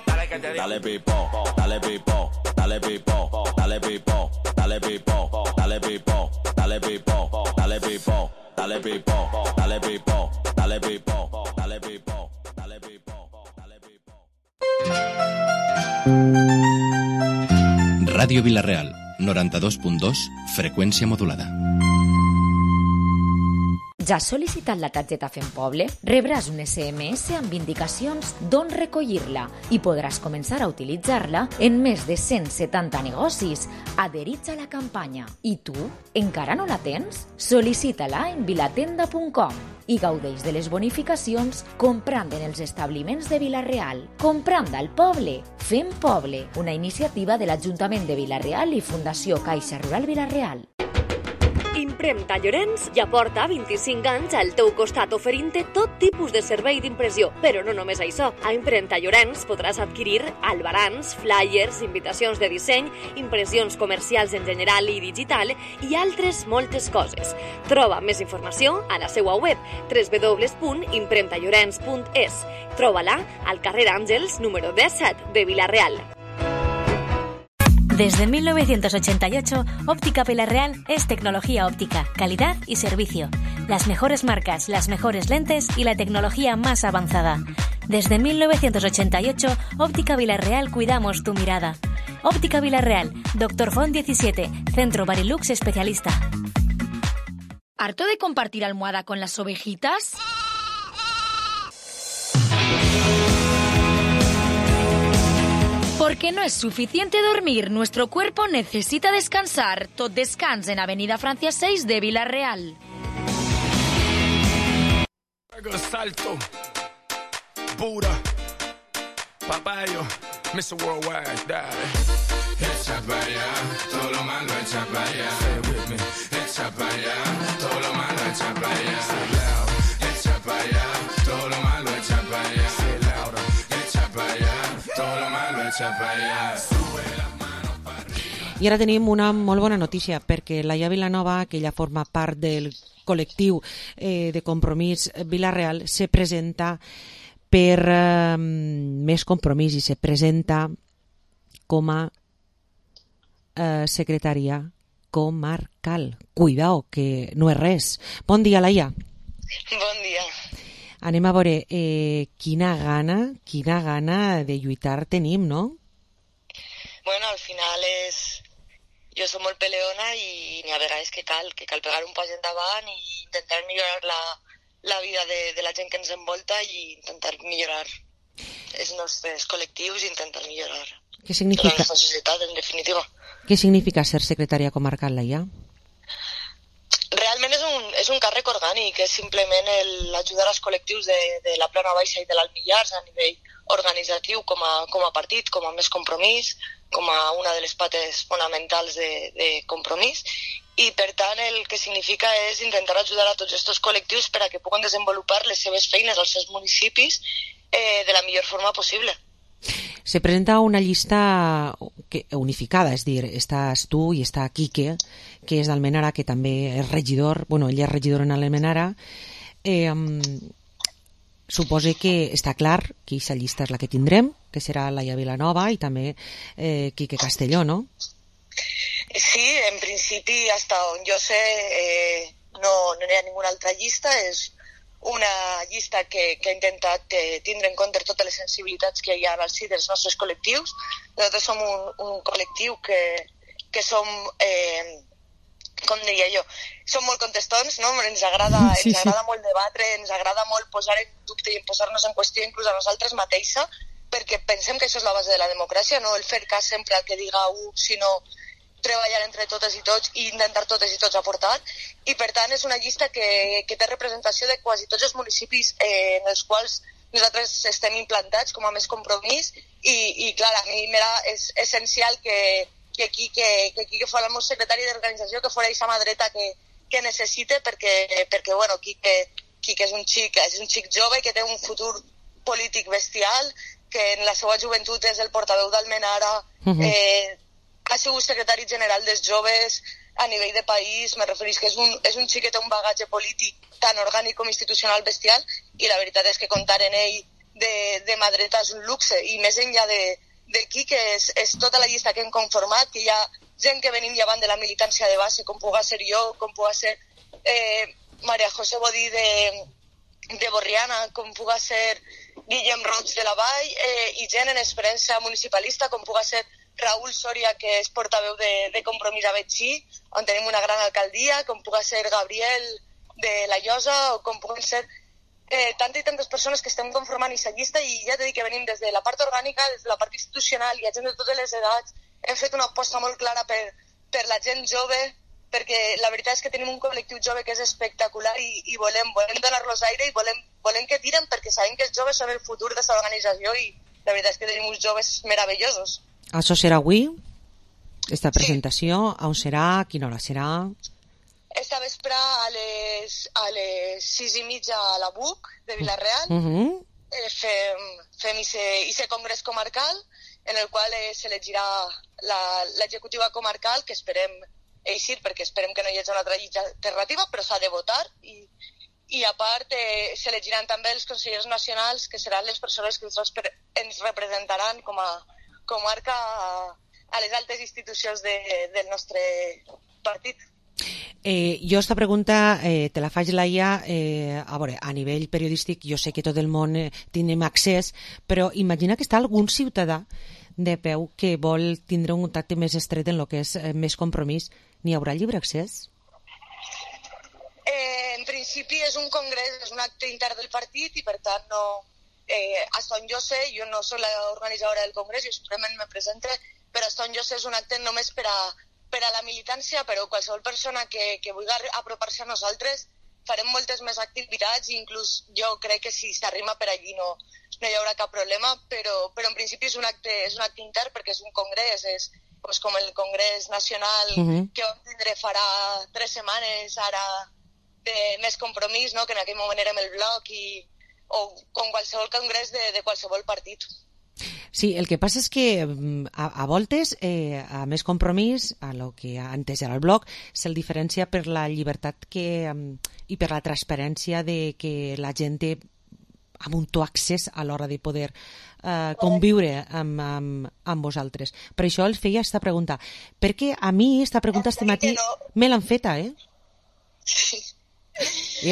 Dale que te digo. Dale pipo, dale pipo, dale pipo, dale pipo, dale pipo, dale pipo, dale pipo, dale pipo, dale pipo, dale pipo, dale pipo, dale pipo, dale pipo, dale pipo. Ràdio Vila-real, 92.2, freqüència modulada. Ja has sol·licitat la targeta Fem Poble? Rebràs un SMS amb indicacions d'on recollir-la i podràs començar a utilitzar-la en més de 170 negocis adherits a la campanya. I tu, encara no la tens? Sol·licita-la en vilatenda.com i gaudeix de les bonificacions comprant en els establiments de Vila-real. Comprant al poble. Fem Poble, una iniciativa de l'Ajuntament de Vila-real i Fundació Caixa Rural Vila-real. Impremta Llorenç ja porta 25 anys al teu costat oferint-te tot tipus de servei d'impressió. Però no només això. A Impremta Llorenç podràs adquirir albarans, flyers, invitacions de disseny, impressions comercials en general i digital i altres moltes coses. Troba més informació a la seva web www.impremtallorenç.es. Troba-la al carrer Àngels, número 17 de Vila-real. Desde 1988, Óptica Vila-real es tecnología óptica, calidad y servicio. Las mejores marcas, las mejores lentes y la tecnología más avanzada. Desde 1988, Óptica Vila-real cuidamos tu mirada. Óptica Vila-real, Dr. Font 17, Centro Barilux Especialista. ¿Harto de compartir almohada con las ovejitas? Porque no es suficiente dormir, nuestro cuerpo necesita descansar. Tot descans en Avenida Francia 6 de Vila-real. Salto, pura, papayo, Mr. Worldwide, dale. Echa para allá, todo lo malo echa para allá. Say with me. Echa para allá, todo lo malo echa para allá. Say loud. Echa para allá, todo lo malo echa para allá. Say louder. Echa para allá, todo lo malo echa para allá. Sube las manos para arriba. I ara tenim una molt bona notícia, perquè Laia Vilanova, que ella forma part del col·lectiu de Compromís Vila-real, se presenta per Més Compromís i se presenta com a secretària comarcal. Cuidao, que no és res. Bon dia, Laia. Bon dia. Anem a veure, quina gana de lluitar tenim, no? Bueno, final jo som molt peleona i n'hi ha vegades que cal pegar un pas endavant i intentar millorar la vida de la gent que ens envolta i intentar millorar els nostres col·lectius i intentar millorar la nostra societat, en definitiva. Què significa ser secretària comarcal, Laia? Realment és un càrrec orgànic, és simplement l'ajudar als col·lectius de la Plana Baixa i de l'Alt Millars a nivell organitzatiu com a partit, com a Més Compromís, com a una de les pates fonamentals de compromís, i per tant el que significa és intentar ajudar a tots aquests col·lectius per a que puguen desenvolupar les seves feines als seus municipis de la millor forma possible. Se presenta una llista unificada, és dir, estàs tu i està Quique, que és d'Almenara, que també és regidor, bueno, ell és regidor en Almenara. Suposo que està clar que aquesta llista és la que tindrem, que serà Laia Vilanova i també Quique Castelló, no? Sí, en principi, hasta on jo sé, no hi ha ninguna altra llista, és una llista que ha intentat tindre en compte totes les sensibilitats que hi ha al si dels nostres col·lectius. Nosaltres som un col·lectiu que som, com diria jo, som molt contestons, no? Ens agrada molt debatre, ens agrada molt posar en dubte i posar-nos en qüestió inclús a nosaltres mateixa, perquè pensem que això és la base de la democràcia, no el fer cas sempre al que diga un, sinó treballar entre totes i tots i intentar totes i tots aportar, i per tant és una llista que té representació de quasi tots els municipis en els quals nosaltres estem implantats com a Més Compromís, i clar, a mi és essencial que Quique fos el meu secretari d'organització, que fos aquesta mà dreta que necessite, perquè bueno, Quique és un xic jove que té un futur polític bestial, que en la seva joventut és el portaveu d'Almenara, ha sigut secretari general dels joves a nivell de país, me referís que és un xic que té un bagatge polític tan orgànic com institucional bestial, i la veritat és que comptar en ell de mà dreta és un luxe, i més enllà de Quique és tota la llista que hem conformat, que hi ha gent que venim llevant de la militància de base, com puga ser jo, com puga ser Maria José Bodí de Borriana, com puga ser Guillem Roig de la Vall, i gent en experiència municipalista, com puga ser Raúl Soria, que és portaveu de Compromís a Betxí, on tenim una gran alcaldia, com puga ser Gabriel de la Llosa, o com puguen ser tantes i tantes persones que estem conformant aquesta llista, i ja t'he dit que venim des de la part orgànica, des de la part institucional, hi ha gent de totes les edats, hem fet una aposta molt clara per la gent jove, perquè la veritat és que tenim un col·lectiu jove que és espectacular i volem donar-los aire i volem que tiren, perquè sabem que els joves són el futur de l'organització i la veritat és que tenim uns joves meravellosos. Això serà avui, esta presentació, on serà, a quina hora serà? Esta vespre a les 6:30 a la BUC de Vila-real fem ese congrés comarcal en el qual s'elegirà l'executiva comarcal, que esperem eixir perquè esperem que no hi hagi una altra llista alternativa, però s'ha de votar, i a part s'elegiran també els consellers nacionals, que seran les persones que ens representaran com a comarca a les altes institucions del nostre partit. Jo esta pregunta te la faig, Laia, a nivell periodístic jo sé que tot el món tenim accés, però imagina que està algun ciutadà de peu que vol tindre un contacte més estret en el que és Més Compromís. N'hi haurà lliure accés? En principi és un congrés, és un acte intern del partit i per tant no... hasta on jo sé, jo no soc l'organitzadora del congrés, jo simplement me presente, però hasta on jo sé és un acte només per a la militància, però qualsevol persona que vulgui apropar-se a nosaltres farem moltes més activitats, inclús jo crec que si s'arrima per allí no hi haurà cap problema, però en principi és un acte intern perquè és un congrés, és com el Congrés Nacional que vam tindre farà 3 setmanes ara de Més Compromís, no? Que en aquell moment érem el bloc, o com qualsevol congrés de qualsevol partit. Sí, el que passa és que a voltes a Més Compromís, a lo que antes era el bloc, se'l diferencia per la llibertat i per la transparència de que la gent té amb un to accés a l'hora de poder conviure amb vosaltres. Per això els feia aquesta pregunta, perquè a mi aquesta pregunta este matí me l'han feta, I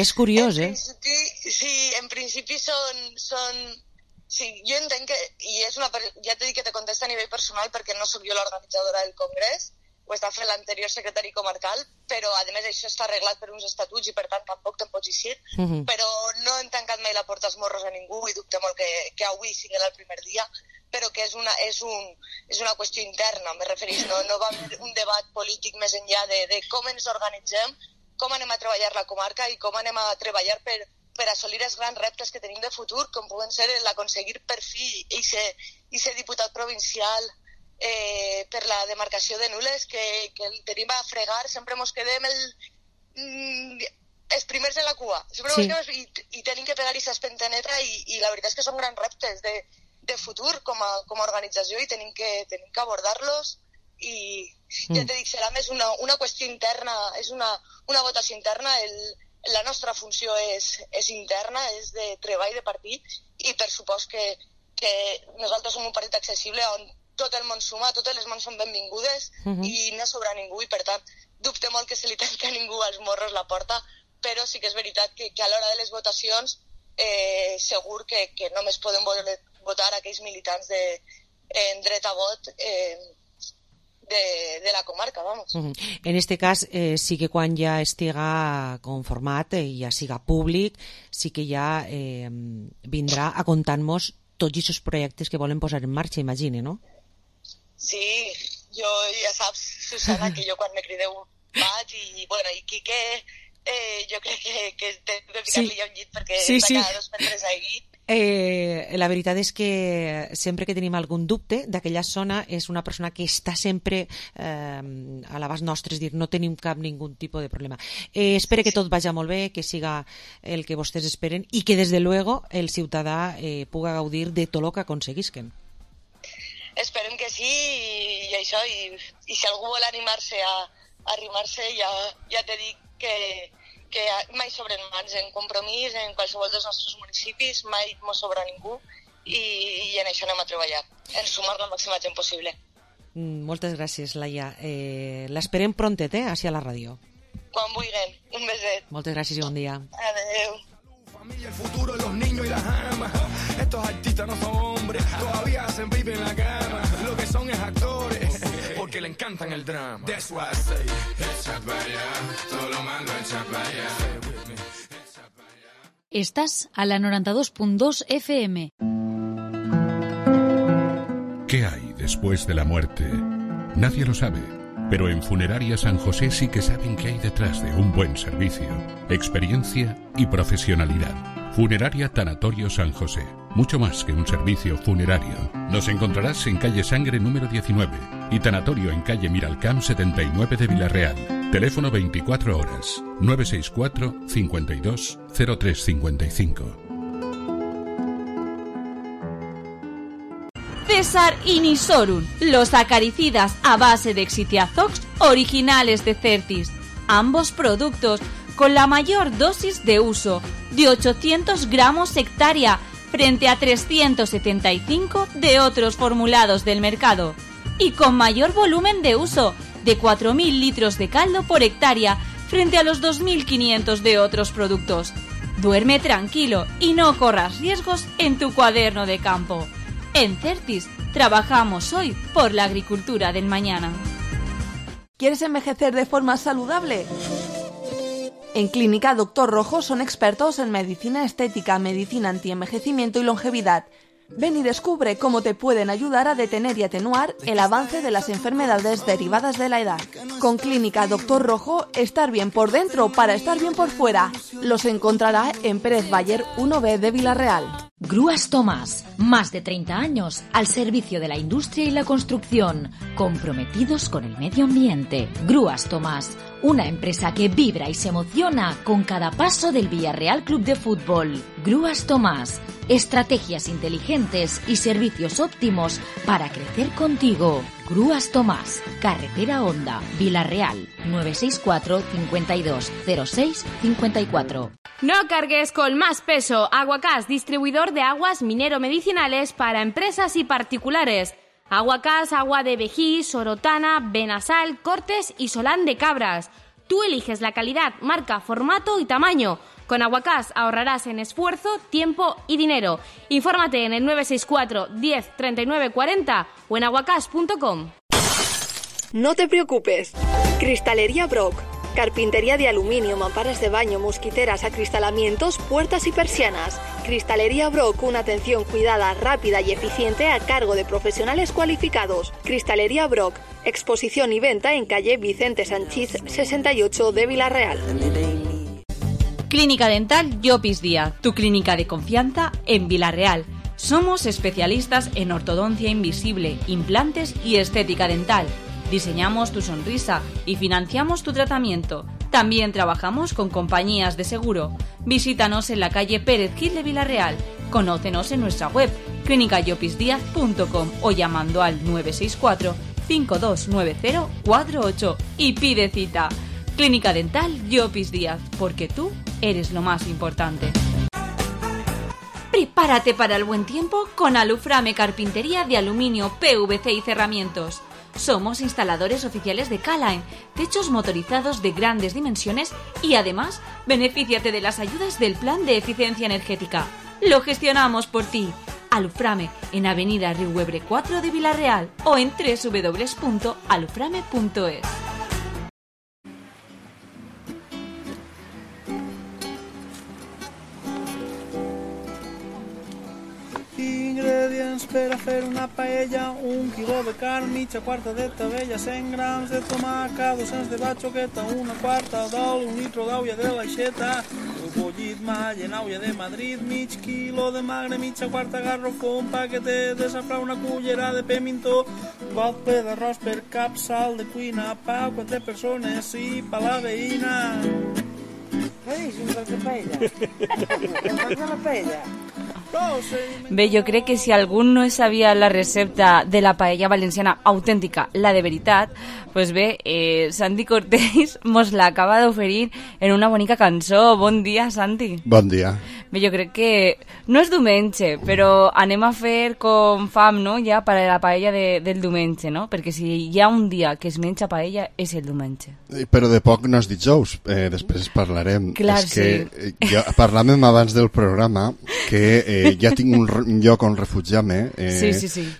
és curiós, Sí, en principi són Sí, jo entenc que, i ja t'he dit que te contesta a nivell personal perquè no sóc jo l'organitzadora del congrés, ho està fent l'anterior secretari comarcal, però a més això està arreglat per uns estatuts i per tant tampoc te'n pots eixir, però no hem tancat mai la porta als morros a ningú i dubte molt que avui sigui el primer dia, però que és una qüestió interna, me referís, no va haver un debat polític més enllà de com ens organitzem, com anem a treballar la comarca i com anem a treballar per assolir els grans reptes que tenim de futur, com poden ser l'aconseguir per fi i ser diputat provincial per la demarcació de Nules, que el tenim a fregar, sempre mos quedem els primers en la cua, i tenim que pegar aquesta espentaneta i la veritat és que són grans reptes de futur com a organització i tenim que abordar-los i ja t'he dit, serà més una qüestió interna, és una votació interna, la nostra funció és interna, és de treball de partit i per supost que nosaltres som un partit accessible on tot el món suma, totes les mans són benvingudes i no sobra ningú i per tant dubte molt que se li tanca a ningú als morros la porta, però sí que és veritat que a l'hora de les votacions segur que només poden votar aquells militants en dret a vot de la comarca, vamos. En este cas, sí que quan ja estiga conformat i ja siga públic, sí que ja vindrà a contar-nos tots aquests projectes que volen posar en marxa, imagine, no? Sí, jo ja saps, Susana, que jo quan me crideu vaig i Quique, jo crec que he de ficar-li un llit perquè està cada 2 per 3 ahí. La veritat és que sempre que tenim algun dubte d'aquella zona és una persona que està sempre a l'abast nostre, és dir, no tenim ningú tipus de problema. Espero que tot vagi molt bé, que siga el que vostès esperen i que des de luego el ciutadà puga gaudir de tot el que aconseguisquen. Esperem que sí i això, i si algú vol animar-se a arrimar-se, ja t'he dit que mai sobren mans en compromís en qualsevol dels nostres municipis, mai mos sobra ningú i en això anem a treballar, en sumar la màxima gent possible. Moltes gràcies, Laia. L'esperem prontet, hacia la ràdio. Quan vulguin. Un beset. Moltes gràcies i bon dia. Adeu. Familia, el futuro, los niños y las amas. Estos artistas no son hombres, todavía hacen pipi en la cama. Lo que son es actores, porque le encantan el drama. That's why I say, echa para allá, todo lo malo echa para allá. Estás a la 92.2 FM. ¿Qué hay después de la muerte? Nadie lo sabe, pero en Funeraria San José sí que saben qué hay detrás de un buen servicio, experiencia y profesionalidad. Funeraria Tanatorio San José, mucho más que un servicio funerario. Nos encontrarás en calle Sangre número 19 y Tanatorio en calle Miralcamp 79 de Villarreal. Teléfono 24 horas, 964 52 0355. César Inisorum, los acaricidas a base de Exitiazox originales de Certis. Ambos productos con la mayor dosis de uso, de 800 gramos hectárea, frente a 375 de otros formulados del mercado. Y con mayor volumen de uso, de 4.000 litros de caldo por hectárea, frente a los 2.500 de otros productos. Duerme tranquilo y no corras riesgos en tu cuaderno de campo. En Certis, trabajamos hoy por la agricultura del mañana. ¿Quieres envejecer de forma saludable? En Clínica Doctor Rojo son expertos en medicina estética, medicina antienvejecimiento y longevidad. Ven y descubre cómo te pueden ayudar a detener y atenuar el avance de las enfermedades derivadas de la edad. Con Clínica Doctor Rojo, estar bien por dentro para estar bien por fuera. Los encontrará en Pérez Bayer 1B de Villarreal. Grúas Tomás, más de 30 años al servicio de la industria y la construcción, comprometidos con el medio ambiente. Grúas Tomás, una empresa que vibra y se emociona con cada paso del Villarreal Club de Fútbol. Grúas Tomás, estrategias inteligentes y servicios óptimos para crecer contigo. Grúas Tomás, Carretera Honda, Villarreal, 964 52 06 54. No cargues con más peso. Aguacás, distribuidor de aguas minero-medicinales para empresas y particulares. Aguacás, agua de vejí, sorotana, benasal, cortes y solán de cabras. Tú eliges la calidad, marca, formato y tamaño. Con Aguacás ahorrarás en esfuerzo, tiempo y dinero. Infórmate en el 964 10 39 40 o en aguacás.com. No te preocupes. Cristalería Brock. Carpintería de aluminio, mamparas de baño, mosquiteras, acristalamientos, puertas y persianas. Cristalería Brock, una atención cuidada, rápida y eficiente a cargo de profesionales cualificados. Cristalería Brock, exposición y venta en calle Vicente Sanchís 68 de Vila-real. Clínica Dental Llopis Díaz, tu clínica de confianza en Vila-real. Somos especialistas en ortodoncia invisible, implantes y estética dental. Diseñamos tu sonrisa y financiamos tu tratamiento. También trabajamos con compañías de seguro. Visítanos en la calle Pérez Gil de Vila-real. Conócenos en nuestra web clinicayopisdiaz.com o llamando al 964 529048 y pide cita. Clínica Dental Llopis Díaz, porque tú eres lo más importante. Prepárate para el buen tiempo con Aluframe Carpintería de aluminio, PVC y cerramientos. Somos instaladores oficiales de K-Line, techos motorizados de grandes dimensiones y además benefíciate de las ayudas del Plan de Eficiencia Energética. Lo gestionamos por ti. Aluframe en Avenida Riuebre 4 de Vila-real o en www.aluframe.es. Ingredients per a fer una paella: 1 quilo de carn, mitja quarta de tabella, 100 grams de tomaca, 200 de batxoqueta, una quarta d'oli, 1 litro d'aulla de l'aixeta, el bullit malla en aulla de Madrid, mig quilo de magre, mitja quarta garrofó, un paquete de safrà, una cullera de pimentó, got ple d'arròs per cap, sal de cuina, pa, 4 persones i pa la veïna. Què dius, un de paella? Un de la paella? Bé, jo crec que si algú no sabia la recepta de la paella valenciana autèntica, la de veritat, pues bé, Santi Cortés mos l'acaba d'oferir en una bonica cançó. Bon dia, Santi. Bon dia. Bé, jo crec que no és diumenge, però anem a fer com fam, no?, ja per a la paella del diumenge, no? Perquè si hi ha un dia que es menja paella és el diumenge. Però de poc no és dijous, després parlarem. Clar, és que jo, parlàvem abans del programa que ja tinc un lloc on refugiar-me, sí.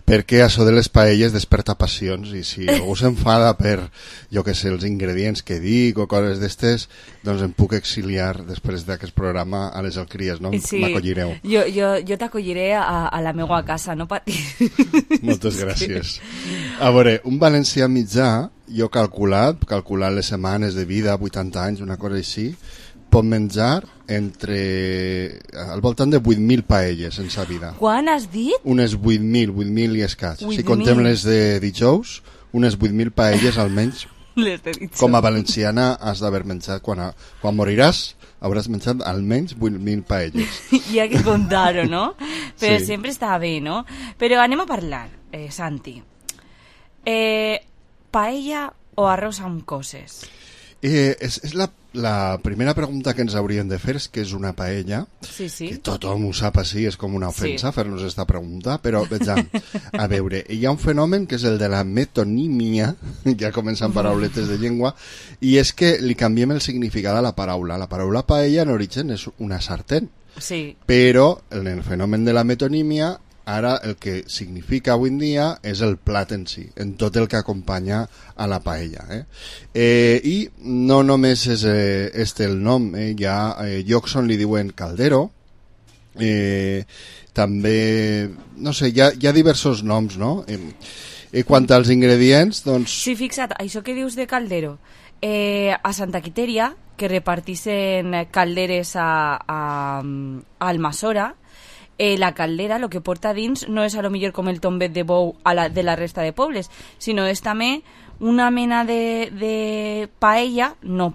perquè això de les paelles desperta passions, i si algú s'enfada per, jo que sé, els ingredients que dic o coses d'estes, doncs em puc exiliar després d'aquest programa a les Alcries, no? Sí. M'acollireu. Jo t'acolliré a la meva casa, no patis. Moltes gràcies. A veure, un valencià mitjà, jo calculant les setmanes de vida, 80 anys, una cosa així, pot menjar al voltant de 8.000 paelles en sa vida. Quan has dit? Unes 8.000 i escaig. Si contem les de dijous, unes 8.000 paelles almenys. Les de dijous. Com a valenciana has d'haver menjat. Quan moriràs hauràs menjat almenys 8.000 paelles. Hi ha que contar-ho, no? Però Sí. sempre està bé, no? Però anem a parlar, Santi. Paella o arròs amb coses? És la primera pregunta que ens hauríem de fer, és què és una paella. Sí. Que tothom ho sap així, és com una ofensa fer-nos esta pregunta, però vejam, a veure, hi ha un fenomen que és el de la metonímia, ja comencen parauletes de llengua, i és que li canviem el significat a la paraula. La paraula paella en origen és una sartén, sí. Però en el fenomen de la metonímia ara el que significa avui en dia és el plat en si, en tot el que acompanya a la paella. I no només és el nom, hi ha llocs on li diuen caldero, també, no sé, hi ha diversos noms, no? Quant als ingredients, doncs... Sí, fixa't, això que dius de caldero, a Santa Quiteria, que repartixen calderes a Almassora, la caldera, lo que porta dins no és a lo millor com el tombet de bou de la resta de pobles, sinó és també una mena de paella, no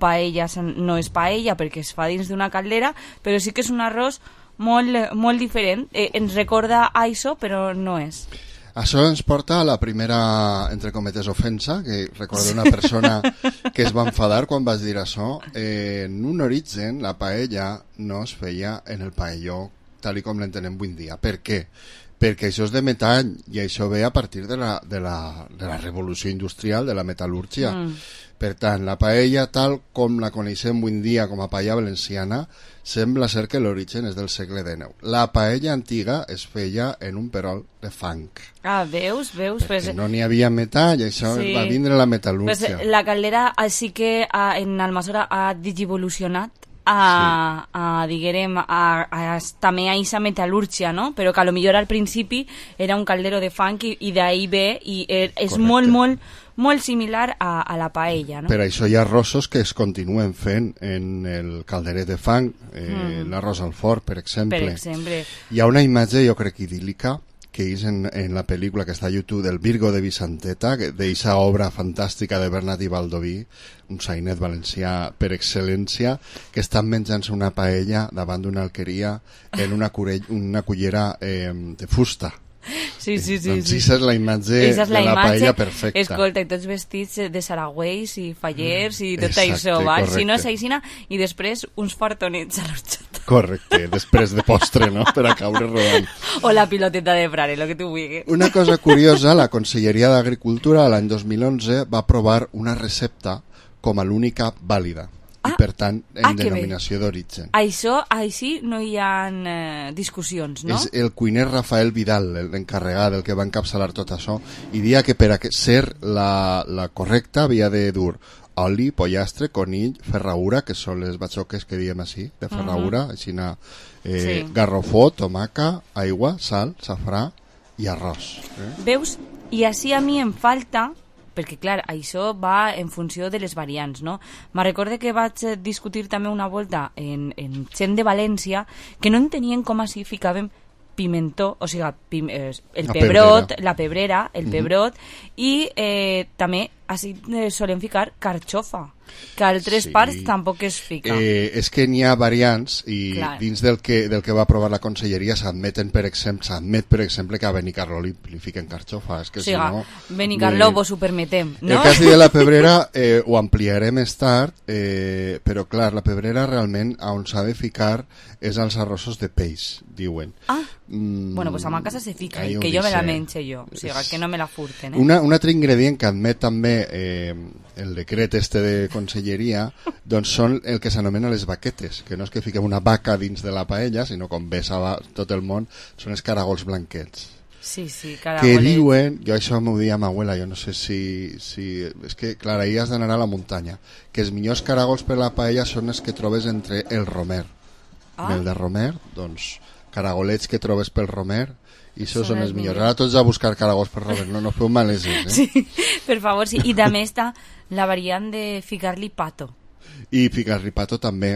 és paella perquè es fa dins d'una caldera, però sí que és un arròs molt diferent. Ens recorda a això, però no és. Això ens porta a la primera, entre cometes, ofensa, que recordo una persona que es va enfadar quan vaig dir això. En un origen, la paella no es feia en el paelló tal com l'entenem avui en dia. Per què? Perquè això és de metall i això ve a partir de la revolució industrial, de la metal·lúrgia. Per tant, la paella, tal com la coneixem avui en dia com a paella valenciana, sembla ser que l'origen és del segle XIX. La paella antiga es feia en un perol de fang. Ah, veus? Perquè no n'hi havia metall, això va vindre la metal·lúrgia. La caldera sí que en Almassora ha digivolucionat diguem, també a aquesta metal·lúrgia, no? Però que a lo millor al principi era un caldero de fang i d'ahí ve i és molt similar a la paella, no? Per això hi ha arrossos que es continuen fent en el calderet de fang, l'arròs al forn, per exemple. Hi ha una imatge, jo crec, idíl·lica, que és en la pel·lícula que està a YouTube del Virgo de Vicenteta, d'eixa obra fantàstica de Bernat i Baldoví, un sainet valencià per excel·lència, que estan menjant-se una paella davant d'una alqueria en una cullera de fusta. Sí. Doncs aquesta és la imatge de la paella perfecta. Escolta, i tots vestits de saragüells i fallers i tot això, si no és aixina, i després uns fartonets a l'orxata. Correcte, després de postre, no?, per a caure rodant. O la piloteta de frare, el que tu vulguis. Una cosa curiosa, la Conselleria d'Agricultura l'any 2011 va aprovar una recepta com a l'única vàlida. I per tant en denominació d'origen. Això, així no hi ha discussions, no? És el cuiner Rafael Vidal, l'encarregat, el que va encapçalar tot això, i dia que per a ser la correcta havia de dur oli, pollastre, conill, ferradura, que són les batxoques que diem així, de ferradura, així garrofó, tomaca, aigua, sal, safrà i arròs. Veus? I així a mi em falta... perquè, clar, això va en funció de les variants, no? Me recordo que vaig discutir també una volta en gent de València que no entenien com així ficàvem pimentó, o sigui, el pebrot, la pebrera, el pebrot, i també així solen ficar carxofa, que a altres parts tampoc es fica. És que n'hi ha variants i dins del que va aprovar la Conselleria s'admet, per exemple, que a Benicarló li fiquen carxofa. És que, si no, Benicarló vos ho permetem, no? El cas de la pebrera ho ampliaré més tard, però clar, la pebrera realment on s'ha de ficar és als arrossos de peix, diuen. Bueno, pues a ma casa se fica, que jo me la menxe jo, o sigui, que no me la furten. Un altre ingredient que admet també el decret de Conselleria, doncs són el que s'anomena les vaquetes, que no és que fiquem una vaca dins de la paella, sinó com ves a tot el món, són els caragols blanquets. Sí, caragols. Que diuen, jo això m'ho dia a ma abuela, jo no sé si és que, clar, ahir has d'anar a la muntanya, que els millors caragols per la paella són els que trobes entre el romer. Mel de romer, doncs caragolets que trobes pel romer, i això són els millors. Ara tots a buscar caragols per romer, no feu maleses, Sí, per favor, sí. I també està la variant de ficar-li pato. I ficar-li pato també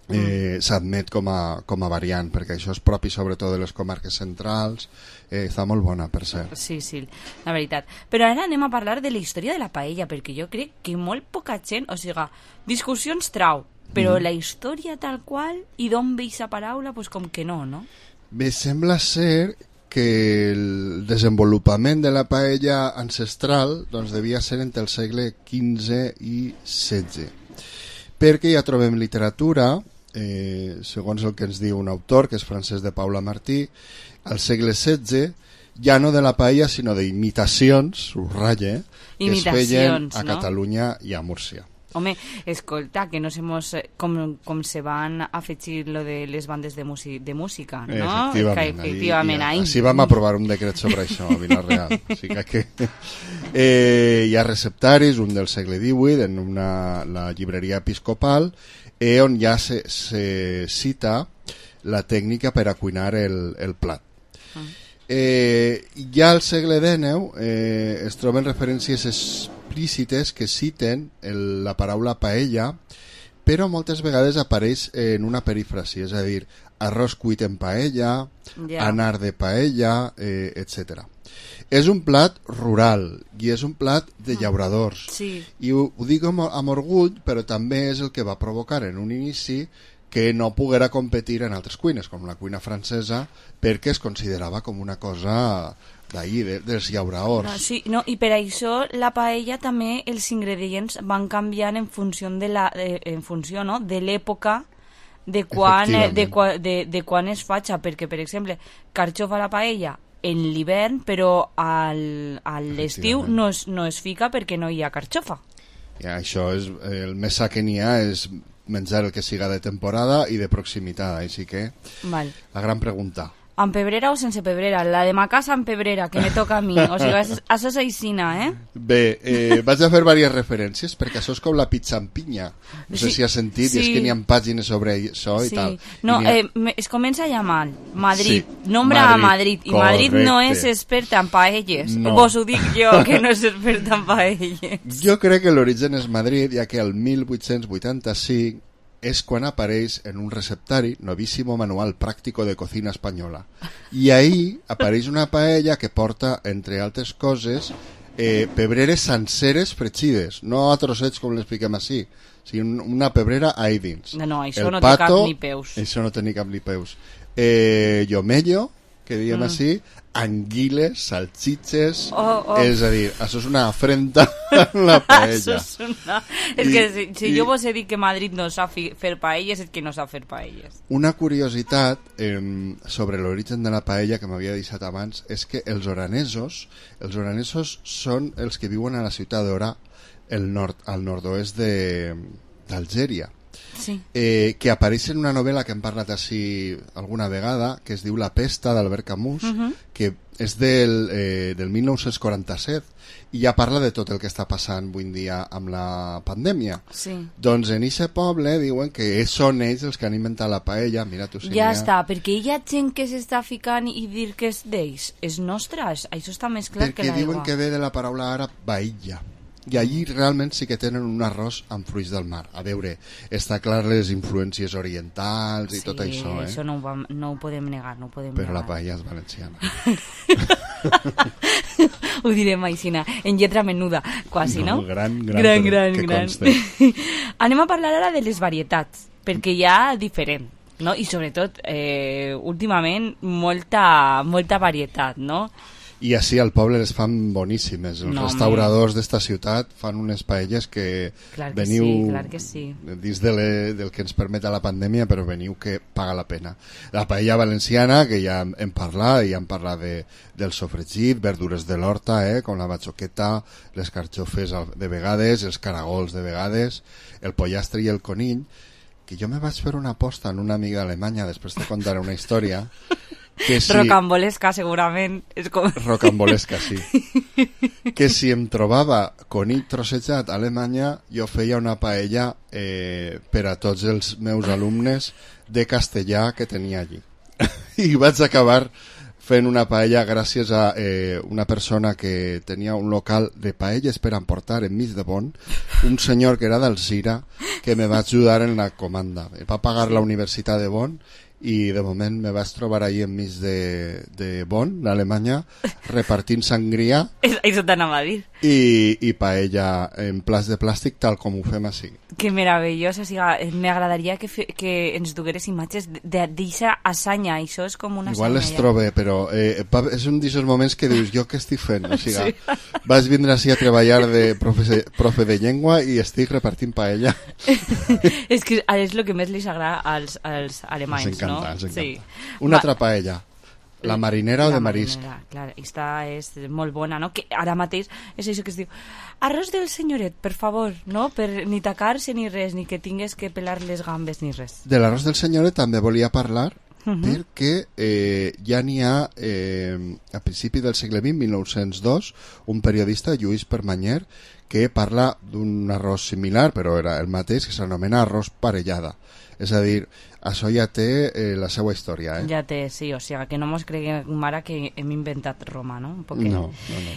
s'admet com a variant, perquè això és propi sobretot de les comarques centrals, està molt bona, per cert. Sí, la veritat. Però ara anem a parlar de la història de la paella, perquè jo crec que molt poca gent, o sigui, discussions trau, però la història tal qual, i d'on ve aquesta paraula, doncs com que no? Bé, sembla ser que el desenvolupament de la paella ancestral doncs devia ser entre el segle XV i XVI, perquè ja trobem literatura, segons el que ens diu un autor, que és Francesc de Paula Martí, al segle XVI, ja no de la paella, sinó d'imitacions, subratlla, que es feien a Catalunya i a Múrcia. Home, escolta, que no sabemos com se van afegir lo de les bandes de música, no? Efectivament. Així vam aprovar un decret sobre això a Vila-real. O sigui que hi ha receptaris, un del segle XVIII, en la llibreria episcopal, on ja se cita la tècnica per a cuinar el plat. Ja al segle XIX es troben referències explícites que citen la paraula paella, però moltes vegades apareix en una perífrasi, és a dir, arròs cuit en paella, anar de paella, etc. És un plat rural i és un plat de llauradors. I ho dic amb orgull, però també és el que va provocar en un inici que no poguera competir en altres cuines, com la cuina francesa, perquè es considerava com una cosa d'ahir, dels llauradors. Sí, no, i per això la paella també els ingredients van canviant en funció de l'època de quan es faig, perquè, per exemple, carxofa a la paella en l'hivern, però a l'estiu no es fica perquè no hi ha carxofa. I això és el més sa que n'hi ha és menjar el que siga de temporada i de proximitat, així que Val. la gran pregunta. Amb pebrera o sense pebrera? La de ma casa amb pebrera, que me toca a mi. O sigui, això és aixina, Bé, vaig a fer diverses referències, perquè això és com la pizza amb pinya. No sé si has sentit, i és que n'hi ha pàgines sobre això i tal. No, es comença a llamar Madrid, nombra a Madrid, i Madrid no és experta en paelles. Vos ho dic jo, que no és experta en paelles. Jo crec que l'origen és Madrid, ja que el 1885 és quan apareix en un receptari Novísimo Manual Práctico de Cocina Espanyola. I ahí apareix una paella que porta, entre altres coses, pebreres senceres fregides, no a trossets com l'expliquem així, sinó una pebrera ahí dins. No, això no té cap ni peus. Això no té ni cap ni peus. Llomello, que diem així, anguiles, salchiches, és a dir, això és una afrenta en la paella. És que si jo vos he dit que Madrid no sap fer paelles, és que no sap fer paelles. Una curiositat sobre l'origen de la paella que m'havia deixat abans és que els oranesos són els que viuen a la ciutat d'Ora, al nord-oest d'Algèria. Sí. Que apareix en una novel·la que hem parlat així alguna vegada, que es diu La pesta, d'Albert Camus, que és del 1947 i ja parla de tot el que està passant avui en dia amb la pandèmia. Sí. Doncs en aquest poble diuen que són ells els que han inventat la paella. Mira, tu, ja està, perquè hi ha gent que s'està ficant i dir que és d'ells. És nostra, això està més clar que l'aigua. Perquè diuen que ve de la paraula àrab baïlla. I allí realment sí que tenen un arròs amb fruits del mar. A veure, està clar les influències orientals i tot això, això no ho podem negar, Però la paella és valenciana. Ho direm aixina, en lletra menuda, quasi, no? Gran, que conste. Anem a parlar ara de les varietats, perquè hi ha diferent, no? I sobretot, últimament, molta varietat, no? I així al poble les fan boníssimes. Els restauradors d'esta ciutat fan unes paelles que veniu dins del que ens permet la pandèmia, però veniu que paga la pena. La paella valenciana, que ja hem parlat, i hem parlat del sofregit, verdures de l'horta, com la batxoqueta, les carxofes de vegades, els caragols de vegades, el pollastre i el conill, que jo me vaig fer una aposta en una amiga d'Alemanya, després te contaré una història, rocambolesca, segurament. Rocambolesca, sí. Que si em trobava conill trossejat a Alemanya, jo feia una paella per a tots els meus alumnes de castellà que tenia allí. I vaig acabar fent una paella gràcies a una persona que tenia un local de paelles per emportar enmig de Bonn, un senyor que era d'Alzira, que me va ajudar en la comanda. Me va pagar la Universitat de Bonn i de moment me vaig trobar ahí enmig de Bonn, d'Alemanya, repartint sangria això t'anava a dir i paella en plats de plàstic tal com ho fem així. Que meravellós, o sigui, m'agradaria que ens dugueres imatges d'aquesta asanya, això és com una igual les trobe, però és un d'aquests moments que dius, jo què estic fent? O sigui, vaig vindre així a treballar de profe de llengua i estic repartint paella. És que és el que més li agrada als alemanys, ens encanta, no? Sí. Una altra paella. La marinera o de marisc? Clar, aquesta és molt bona, no? Que ara mateix és això que es diu arròs del senyoret, per favor, no? Per ni tacar-se ni res, ni que tingues que pelar les gambes ni res. De l'arròs del senyoret també volia parlar perquè ja n'hi ha a principi del segle XX, 1902, un periodista, Lluís Permanyer, que parla d'un arròs similar, però era el mateix, que s'anomena arròs parellada. És a dir, això ja té la seva història, Ja té, sí, o sigui, que no mos creguem ara que hem inventat Roma, no? Un poquet. No.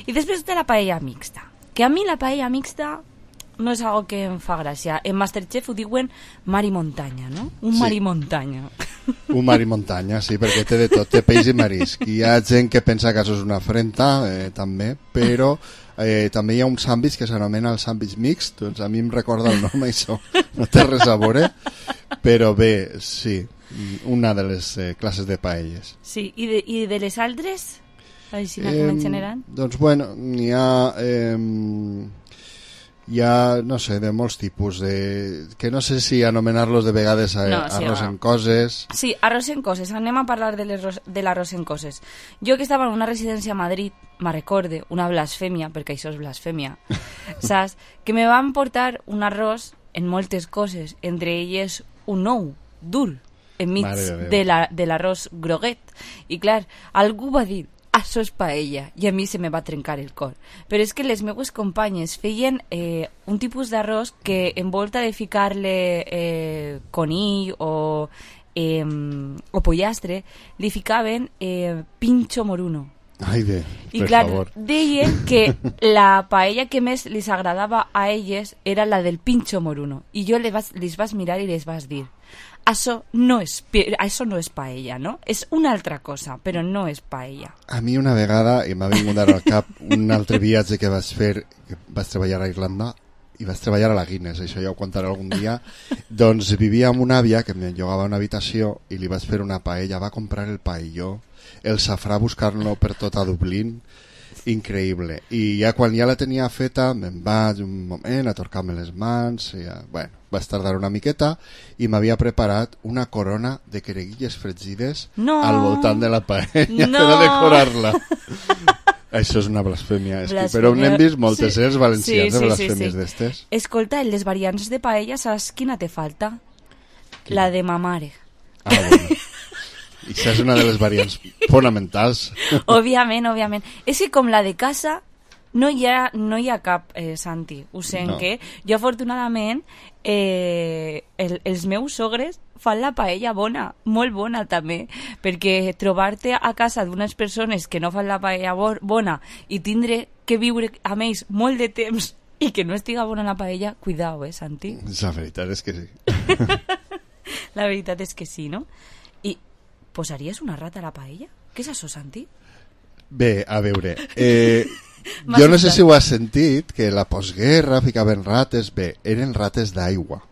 I després de la paella mixta, que a mi la paella mixta no és algo que em fa gràcia. En Masterchef ho diuen mar i muntanya, no? Mar i muntanya. Un mar i muntanya, sí, perquè té de tot, té peix i marisc. Hi ha gent que pensa que això és una afrenta, també, però també hi ha un sàndwich que s'anomena el sàndwich mixt, doncs a mi em recorda el nom, això no té res a veure, però bé, sí, una de les classes de paelles. Sí, i de les altres? Així com en general? Doncs bueno, n'hi ha Hi ha, no sé, de molts tipus, que no sé si anomenar-los de vegades arròs en coses. Sí, arròs en coses. Anem a parlar de l'arròs en coses. Jo que estava en una residència a Madrid, me recorde una blasfèmia, perquè això és blasfèmia, saps? Que me van portar un arròs en moltes coses, entre elles un ou dur, enmig de l'arròs groguet. I clar, algú va dir, això és paella, i a mi se me va trencar el cor. Però és que les meues companyes feien un tipus d'arròs que en volta de ficar-le conill o pollastre, li ficaven pincho moruno. Ai, i clar, deien que la paella que més les agradava a elles era la del pincho moruno. I jo les vas mirar i les vas dir, això no és paella, no? És una altra cosa, però no és paella. A mi una vegada, i m'ha vingut ara al cap, un altre viatge que vaig fer, que vaig treballar a Irlanda, i vaig treballar a la Guinness, això ja ho contaré algun dia, doncs vivia amb una àvia que em llogava una habitació i li vaig fer una paella, va comprar el paelló, el safrà buscar-lo per tot a Dublín, increïble. I ja quan ja la tenia feta me'n vaig un moment a torcar-me les mans i bueno, vaig tardar una miqueta i m'havia preparat una corona de quereguilles fregides al voltant de la paella per a decorar-la. Això és una blasfèmia. Però n'hem vist moltes, els valencians, de blasfèmies d'estes. Escolta, en les variants de paella, saps quina te falta? La de ma mare. Bueno. I això és una de les variants fonamentals. Òbviament. És que com la de casa no hi ha cap, Santi. Ho sent que jo afortunadament els meus sogres fan la paella bona, molt bona també, perquè trobar-te a casa d'unes persones que no fan la paella bona i tindre que viure amb ells molt de temps i que no estiga bona la paella, cuidao, Santi? La veritat és que sí. La veritat és que sí, no? I posaries una rata a la paella? Què és això, Santi? Bé, a veure, jo no sé si ho has sentit, que la postguerra ficaven rates, bé, eren rates d'aigua.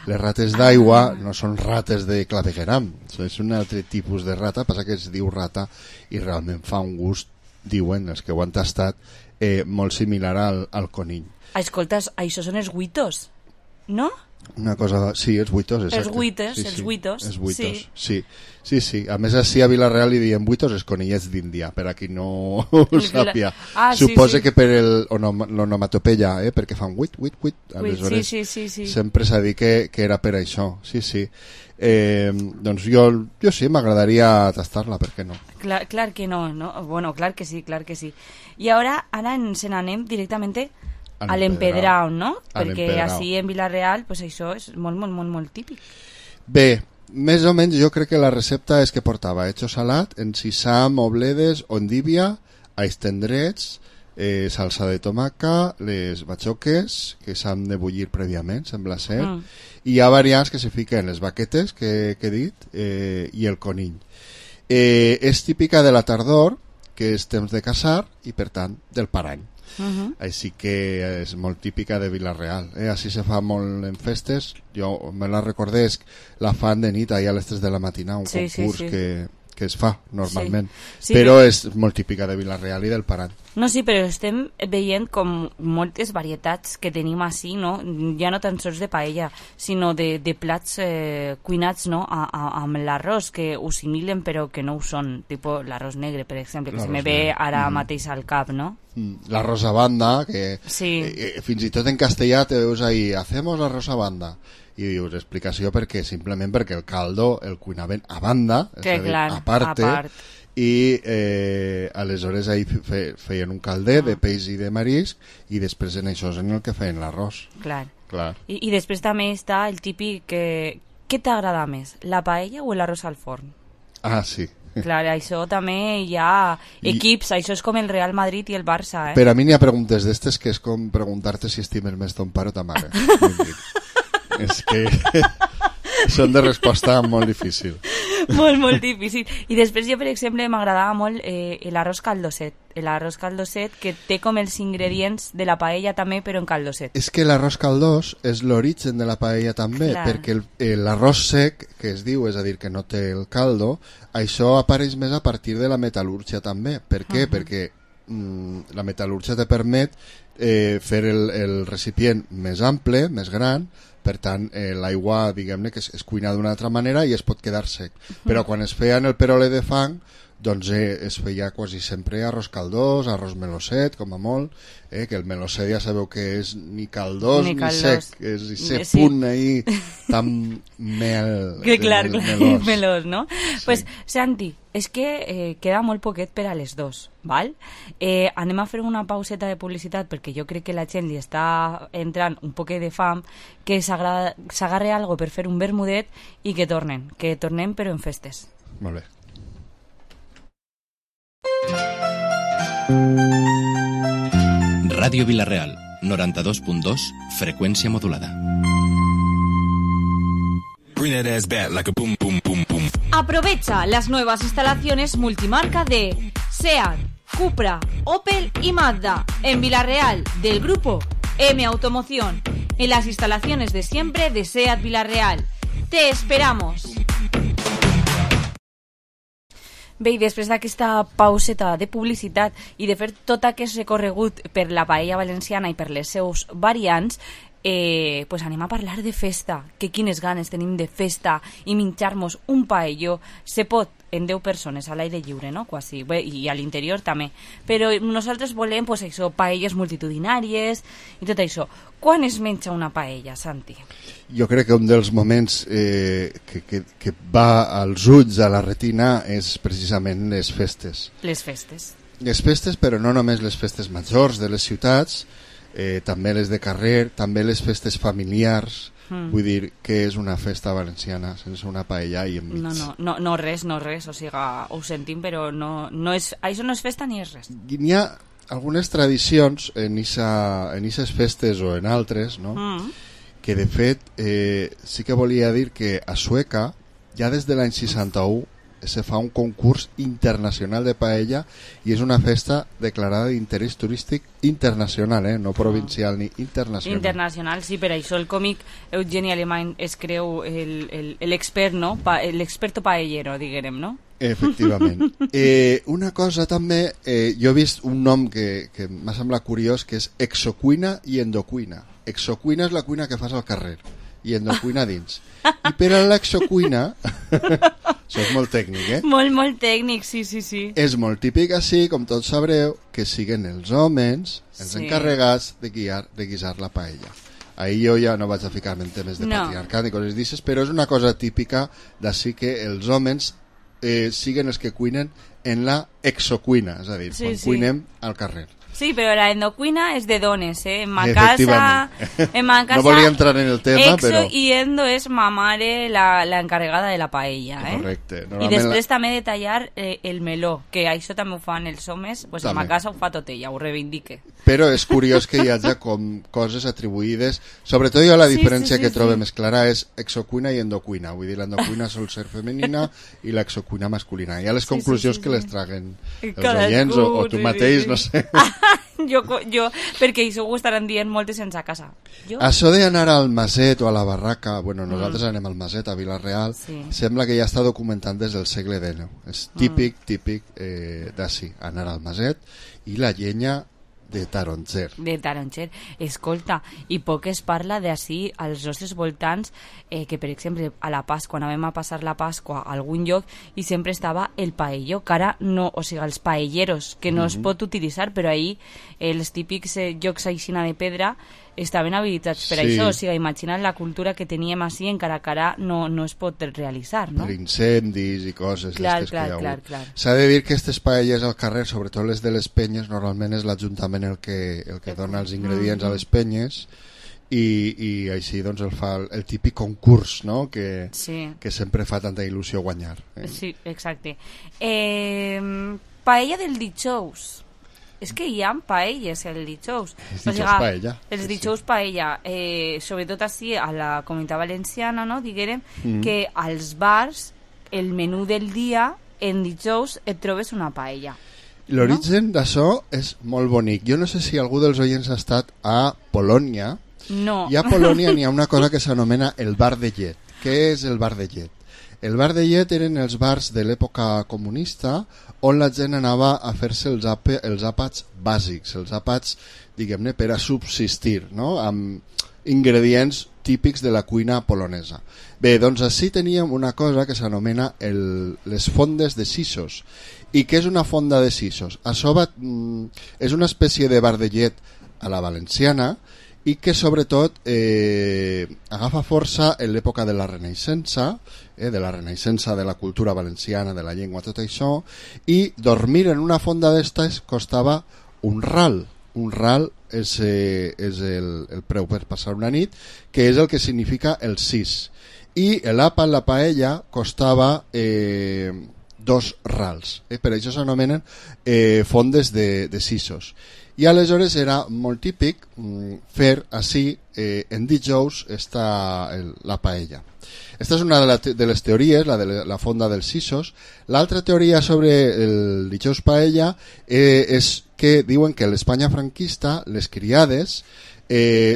Les rates d'aigua no són rates de clavegueram, és un altre tipus de rata, passa que es diu rata i realment fa un gust, diuen els que ho han tastat, molt similar al conill. Escolta, això són els huitos, no? Una cosa, sí, els buitos, exacte. Els buitos. Sí. A més, així a Vila-real li diem buitos els conillets d'Índia, per a qui no ho sàpia. Suposa que per l'onomatopeia, perquè fan buit, aleshores sempre s'ha dit que era per això. Sí. Doncs jo sí, m'agradaria tastar-la, per què no? Clar que no? Bueno, clar que sí. I ara ens n'anem directament a l'empedrau, no? Perquè així en Vila-real pues això és molt típic. Bé, més o menys jo crec que la recepta és que portava hecho salat, encisam, obledes, ondívia, alls tendrets, salsa de tomaca, les batxoques que s'han de bullir prèviament, sembla ser, i hi ha variants que se fiquen les baquetes que he dit i el conill. És típica de la tardor, que és temps de caçar, i per tant del parany. Així que és molt típica de Vila-real, així se fa molt en festes. Jo me la recordé, la fan de nit allà a les 3 de la matina, un concurs que es fa normalment, però és molt típica de Vila-real i del Parany. No, sí, però estem veient com moltes varietats que tenim així, no? Ja no tan sols de paella, sinó de plats cuinats, no? Amb l'arròs, que ho similen però que no ho són, tipus l'arròs negre, per exemple, que se me ve ara mateix al cap, no? L'arròs a banda, que fins i tot en castellà te veus ahí, hacemos l'arròs a banda, i dius explicació simplement perquè el caldo el cuinaven a banda, és a dir, a part, i aleshores ahí feien un calder de peix i de marisc i després en això és en el que feien l'arròs. Clar. I després també està el típic què t'agrada més, la paella o l'arròs al forn? Sí. Clar, això també hi ha equips, això és com el Real Madrid i el Barça, Per a mi n'hi ha preguntes d'estes que és com preguntar-te si estimes més ton pare o ta mare. És que són de resposta molt difícil. Molt difícil. I després jo, per exemple, m'agradava molt l'arròs caldosset. L'arròs caldosset que té com els ingredients de la paella també, però en caldosset. És que l'arròs caldós és l'origen de la paella també, perquè l'arròs sec, que es diu, és a dir, que no té el caldo, això apareix més a partir de la metal·lúrgia també. Per què? Perquè la metal·lúrgia te permet fer el recipient més ample, més gran, per tant l'aigua, diguem-ne, que es cuina d'una altra manera i es pot quedar sec. Però quan es feia en el perole de fang, doncs es feia quasi sempre arròs caldós, arròs melosset, com a molt, que el melosset ja sabeu que és ni caldós ni sec, és ese punt ahí tan melós, no? Sí. Pues, Santi, és que queda molt poquet per a les 2, val? Anem a fer una pauseta de publicitat perquè jo crec que la gent li està entrant un poquet de fam, que s'agarre algo per fer un vermudet i que tornem però en festes. Molt bé. Ràdio Vila-real, 92.2, freqüència modulada. Aprovecha las nuevas instalaciones multimarca de SEAT, Cupra, Opel y Mazda en Vila-real del grupo M Automoción, en las instalaciones de siempre de SEAT Vila-real. ¡Te esperamos! Bé, i després d'aquesta pauseta de publicitat i de fer tot aquest recorregut per la paella valenciana i per les seus variants, pues anem a parlar de festa, que quines ganes tenim de festa i menjar-nos un paelló. Se pot en 10 persones a l'aire lliure, no? Quasi, bé, i a l'interior també, però nosaltres volem pues, això, paelles multitudinàries i tot això. Quan es menja una paella, Santi? Jo crec que un dels moments que va als ulls, a la retina, és precisament les festes. Les festes. Les festes, però no només les festes majors de les ciutats, també les de carrer, també les festes familiars. Vull dir que és una festa valenciana sense una paella i enmig. No res, o sigui, ho sentim, però no és, això no és festa ni és res. N'hi ha algunes tradicions en aquestes festes o en altres, no? Que de fet sí que volia dir que a Sueca ja des de l'any 61 se fa un concurs internacional de paella i és una festa declarada d'interès turístic internacional, no provincial ni internacional. Internacional, sí, per això el còmic Eugeni Alemany es creu l'expert, no? L'experto paellero, diguem, no? Efectivament. Una cosa també, jo he vist un nom que m'ha semblat curiós, que és exocuina i endocuina. Exocuina és la cuina que fas al carrer i endocuina dins. I per a l'exocuina, això és molt tècnic, Molt tècnic, sí. És molt típic així, com tots sabreu, que siguen els homes els encarregats de guisar la paella. Ahir jo ja no vaig a ficar-me en temes de patriarcat ni coses d'aixes, però és una cosa típica d'ací que els homes siguen els que cuinen en la exocuina, és a dir, quan cuinem al carrer. Sí, però la endocuina és de dones, En ma casa... No volia entrar en el tema, però... I endo és ma mare la encarregada de la paella, Correcte. I després també de tallar el meló, que això també ho fan els homes, pues en ma casa ho fa tot ella, ho reivindique. Però és curiós que hi hagi com coses atribuïdes, sobretot jo la diferència que trobo més clara és exocuina i endocuina, vull dir, l'endocuina sol ser femenina i l'exocuina masculina. Hi ha les conclusions que les traguen els oients o tu mateix, no sé... Jo, perquè això ho estaran dient moltes sense a casa. Això d'anar al Maset o a la barraca, bueno, nosaltres anem al Maset, a Vila-real, sembla que ja està documentant des del segle XIX. És típic d'ací, anar al Maset i la llenya de taronger. Escolta, i poc es parla d'ací als nostres voltants, que per exemple a la Pasqua, anàvem a passar la Pasqua a algun lloc i sempre estava el paelló, que ara no, o sigui, els paelleros, que no es pot utilitzar, però ahir els típics llocs aixina de pedra estaven habilitats per això, o sigui, imagina't la cultura que teníem així, encara que ara no es pot realitzar, no? Per incendis i coses. Clar. S'ha de dir que aquestes paelles al carrer, sobretot les de les penyes, normalment és l'Ajuntament el que dona els ingredients a les penyes i així doncs el fa el típic concurs, no? Que sempre fa tanta il·lusió guanyar. Sí, exacte. Paella del dijous. És que hi ha paelles el dijous. Els dijous paella. Els dijous paella. Sobretot així a la Comunitat Valenciana, no? Diguem que als bars el menú del dia en dijous et trobes una paella. L'origen d'això és molt bonic. Jo no sé si algú dels oients ha estat a Polònia. No. I a Polònia n'hi ha una cosa que s'anomena el bar de llet. Què és el bar de llet? El bar de llet eren els bars de l'època comunista on la gent anava a fer-se els àpats bàsics, els àpats, diguem-ne, per a subsistir, no? Amb ingredients típics de la cuina polonesa. Bé, doncs així teníem una cosa que s'anomena les fondes de sisos. I què és una fonda de sisos? Això és una espècie de bar de llet a la valenciana i que sobretot agafa força en l'època de la Renaixença, de la Renaixença de la cultura valenciana, de la llengua, tot això, i dormir en una fonda d'estes costava un ral. Un ral és el preu per passar una nit, que és el que significa el sis. I l'àpat, la paella, costava 2 rals. Per això s'anomenen fondes de sisos. I aleshores era molt típic fer així en dijous la paella. Aquesta és una de les teories, la de la fonda dels sisos. L'altra teoria sobre el dijous paella és que diuen que a l'Espanya franquista les criades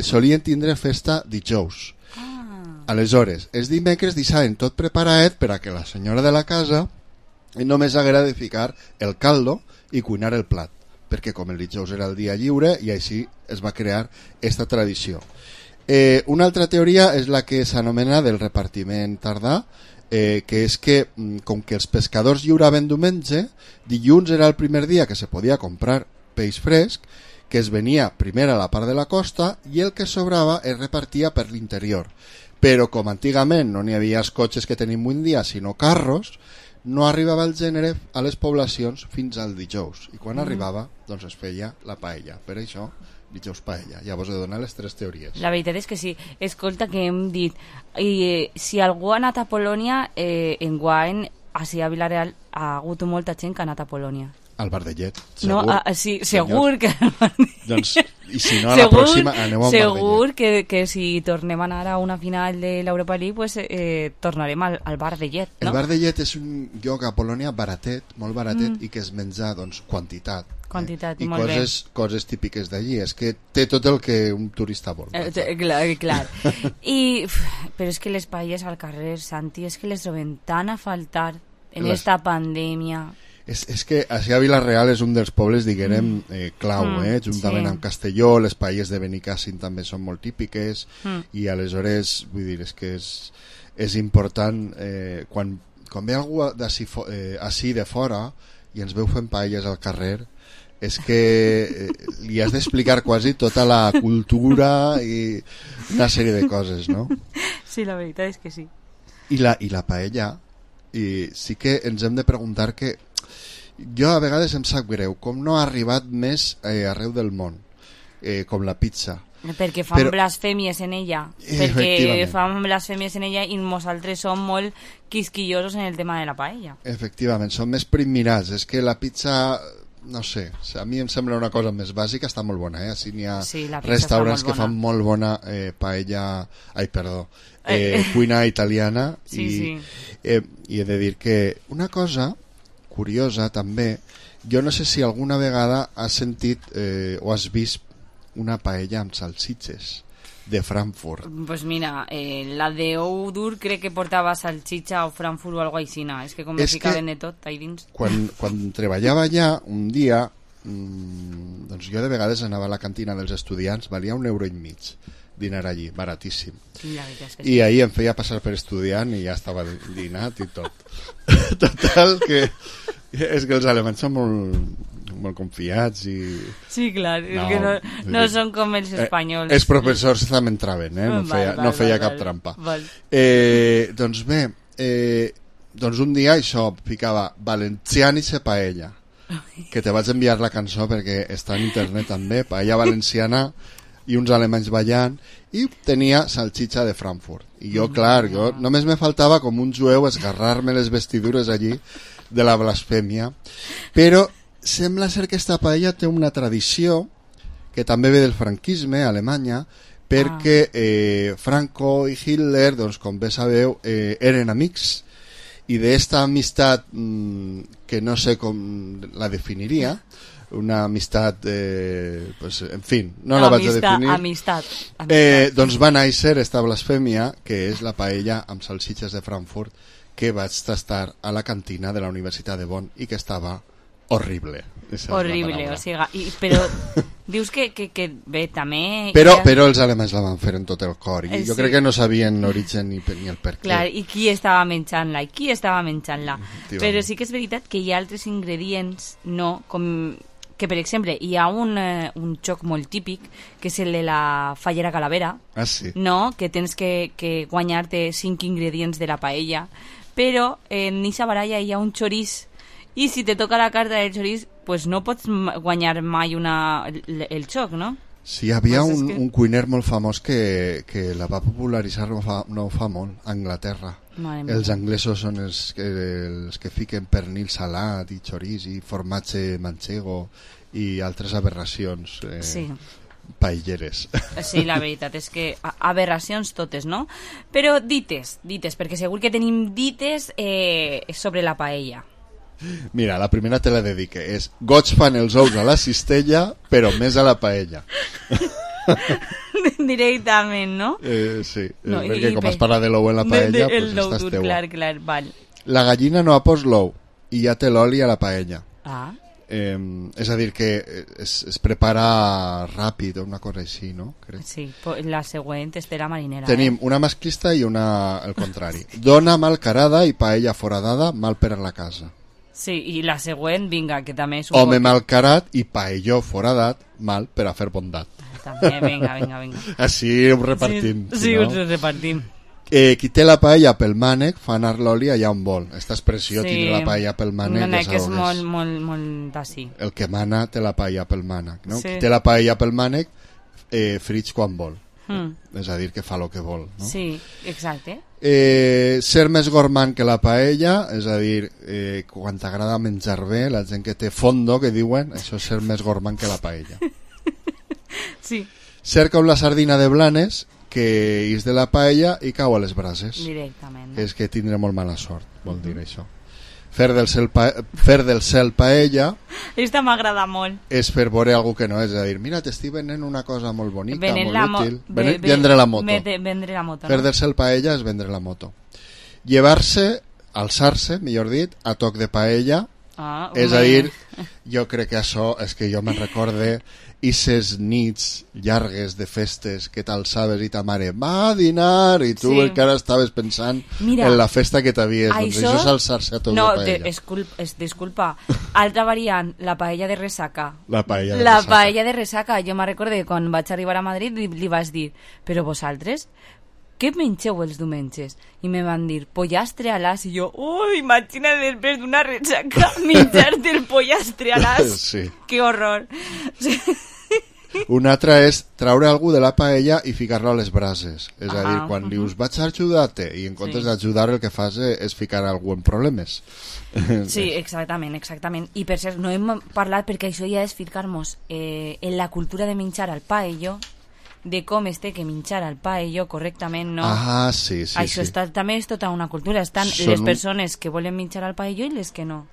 solien tindre festa dijous. Aleshores, els dimecres deixaven tot preparat per a que la senyora de la casa només haguera de ficar el caldo i cuinar el plat, perquè com el dijous era el dia lliure i així es va crear aquesta tradició. Una altra teoria és la que s'anomena del repartiment tardà, que és que com que els pescadors lliuraven diumenge, dilluns era el primer dia que se podia comprar peix fresc, que es venia primer a la part de la costa i el que sobrava es repartia per l'interior. Però com antigament no n'hi havia els cotxes que tenim avui dia, sinó carros, no arribava el gènere a les poblacions fins al dijous. I quan arribava, doncs es feia la paella. Per això, dijous paella. Llavors he donat les 3 teories. La veritat és que sí. Escolta, que hem dit, si algú ha anat a Polònia, enguany, així a Vilareal, ha hagut molta gent que ha anat a Polònia. Al bar de llet, segur. No, sí, segur que... Doncs, i si no, a la pròxima aneu al bar de llet. Segur que si tornem a anar a una final de l'Europa League, pues, tornarem al bar de llet, no? El bar de llet és un lloc a Polònia baratet, molt baratet, i que es menja, doncs, quantitat. I molt bé. Coses típiques d'allí. És que té tot el que un turista vol. Clar. Però és que les paelles al carrer, Santi, és que les trobem tan a faltar en esta pandèmia... És que així a Vila-real és un dels pobles, diguem, clau, juntament amb Castelló, les paelles de Benicàssim també són molt típiques, i aleshores, vull dir, és que és important, quan ve algú així de fora i ens veu fent paelles al carrer, és que li has d'explicar quasi tota la cultura i una sèrie de coses, no? Sí, la veritat és que sí. I la paella, i sí que ens hem de preguntar que jo a vegades em sap greu com no ha arribat més arreu del món, com la pizza, perquè fan blasfèmies en ella, perquè fan blasfèmies en ella i nosaltres som molt quisquillosos en el tema de la paella. Efectivament, som més primmirats. És que la pizza, no sé, a mi em sembla una cosa més bàsica, està molt bona, així n'hi ha restaurants que fan molt bona paella, cuina italiana, i he de dir que una cosa curiosa també, jo no sé si alguna vegada has sentit o has vist una paella amb salsitxes de Frankfurt. Pues mira, la de Oudur crec que portava salsitxa o Frankfurt o algo així, és que com me ficaven de tot ahí dins. Quan treballava allà un dia, doncs jo de vegades anava a la cantina dels estudiants, valia €1,50 dinar allí, baratíssim. I ahir em feia passar per estudiant i ja estava dinat i tot. Total, que és que els alemanys són molt confiats i... Sí, clar, és que no són com els espanyols. Els professors també entraven, no feia cap trampa. Doncs bé, doncs un dia això ficava valencianice paella, que te vaig enviar la cançó perquè està en internet també, paella valenciana i uns alemanys ballant, i tenia salsitxa de Frankfurt. I jo, clar, només me faltava com un jueu esgarrar-me les vestidures allí de la blasfèmia. Però sembla ser que aquesta paella té una tradició que també ve del franquisme a Alemanya, perquè Franco i Hitler, doncs, com bé sabeu, eren amics, i d'esta amistat que no sé com la definiria, una amistat, pues, en fi, no la vaig a definir. Amistat. Doncs va néixer esta blasfèmia, que és la paella amb salsitxes de Frankfurt, que vaig tastar a la cantina de la Universitat de Bonn i que estava horrible. Horrible, o sigui, però dius que bé, també... Però els alemanys la van fer en tot el cor i jo crec que no sabien l'origen ni el per què. Clar, i qui estava menjant-la? Però sí que és veritat que hi ha altres ingredients, no? Com que, per exemple, hi ha un joc molt típic, que és el de la fallera calavera, no? Que tens que guanyar-te 5 ingredients de la paella, però en eixa baralla hi ha un xorís, i si te toca la carta del xorís, pues no pots guanyar mai el xoc, no? Sí, hi havia un cuiner molt famós que la va popularitzar no fa molt, a Anglaterra. Els anglesos són els que fiquen pernil salat i xorís i formatge manchego i altres aberracions paelleres. Sí, la veritat és que aberracions totes, no? Però dites, perquè segur que tenim dites sobre la paella. Mira, la primera te la dedique, és goig fan els ous a la cistella, però més a la paella. Directament, no? Sí, no, perquè com es parla de l'ou en la paella, pues estàs teua. Clar, val. La gallina no ha pos l'ou i ja té l'oli a la paella. És a dir, que es prepara ràpid o una cosa així, no? Crec. Sí, la següent és de la marinera. Tenim una masclista i una el contrari. Dona mal carada i paella foradada, mal per a la casa. Sí, i la següent, vinga, que també és home mal carat i paelló foradat, mal per a fer bondat. També, vinga. Així ho repartim. Sí, ho repartim. Qui té la paella pel mànec fa anar l'oli allà on vol. Esta expressió, tindre la paella pel mànec, que és molt d'ací. El que mana té la paella pel mànec, no? Qui té la paella pel mànec frig quan vol. És a dir, que fa el que vol, no? Sí, exacte. Ser més gormand que la paella, és a dir, quan t'agrada menjar bé, la gent que té fondo, que diuen, això és ser més gormand que la paella. Sí. Ser com la sardina de Blanes, que és de la paella i cau a les brases. Directament. És que tindré molt mala sort, vol dir això. Fer del cel paella... Esta m'agrada molt. És fer veure algú que no és, a dir, mira, t'estic venent una cosa molt bonica, molt útil. Vendre la moto. Vendre la moto. Fer del cel paella és vendre la moto. Llevar-se, alçar-se, millor dit, a toc de paella. És a dir, jo crec que això és que jo me'n recorde ises nits llargues de festes que t'alçaves i ta mare va a dinar i tu encara estaves pensant en la festa que t'havies, doncs això és alçar-se a toc de paella. Disculpa, altra variant, la paella de ressaca. La paella de ressaca, jo me'n recorde quan vaig arribar a Madrid li vas dir, però vosaltres què mengeu els diumenges? I me van dir pollastre a l'as i jo, imagina després d'una ressaca menjar-te el pollastre a l'as. Sí. Que horror. Una altra és traure algú de la paella i ficar-lo a les brases. És a dir, quan dius vaig a ajudar-te i en comptes d'ajudar el que fas és ficar algú en problemes. Sí, exactament. I per cert, no hem parlat perquè això ja és ficar-nos en la cultura de menjar al paello, de com es té que menjar al paello correctament, no? Sí. Això també és tota una cultura. Estan les persones que volen menjar al paello i les que no.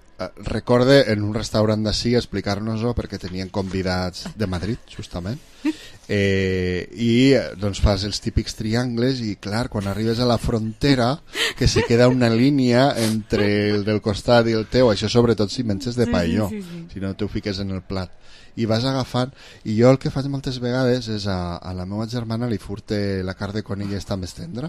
Recorde en un restaurant d'ací explicar-nos-ho perquè tenien convidats de Madrid, justament, i doncs fas els típics triangles i clar, quan arribes a la frontera que se queda una línia entre el del costat i el teu, això sobretot si menges de paelló, si no t'ho fiques en el plat i vas agafant, i jo el que faig moltes vegades és a la meva germana li furte la carn de conill està més tendra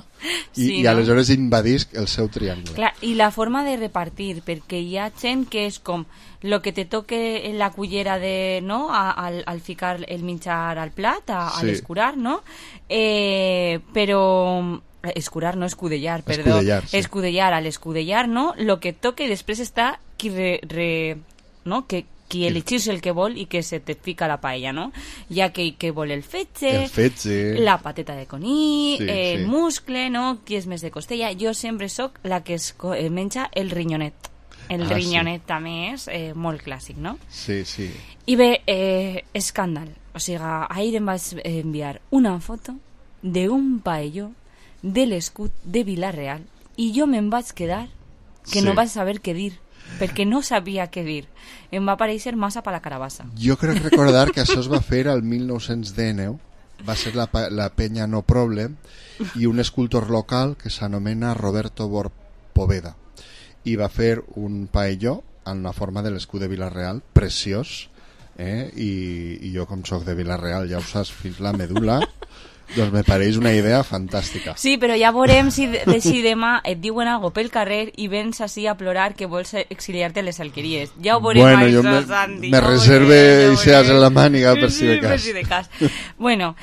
i aleshores invadisc el seu triangle. Clar, i la forma de repartir, perquè hi ha gent que és com lo que te toque en la cullera de, no? Al ficar el menjar al plat, a l'escurar, no? Però escurar, no escudellar, perdó. Escudellar, a l'escudellar, no? Lo que toque i després està no? Que qui elegís el que vol i que se te fica la paella, no? Ja que vol el fetge, la pateta de conill, el muscle, no? Qui és més de costella. Jo sempre sóc la que es menja el rinyonet. El rinyonet també és molt clàssic, no? Sí. I bé, escàndal. O sigui, ahir em vaig enviar una foto d'un paelló de l'escut de Vila-real i jo me'n vaig quedar que no vaig saber què dir, perquè no sabia què dir. Em va aparèixer massa per la carabassa. Jo crec recordar que això es va fer al 1919, va ser la penya No Problem, i un escultor local que s'anomena Roberto Poveda. i va fer un paelló en la forma de l'escut de Vila-real, preciós, i jo com soc de Vila-real ja ho saps fins la medul·la, doncs me pareix una idea fantàstica. Sí, però ja veurem si demà et diuen algo pel carrer i vens així a plorar que vols exiliar-te a les alqueries. Ja ho veurem, bueno, això, jo Santi. Me reserve idees en la màniga per si de cas. Per si de cas. Bueno,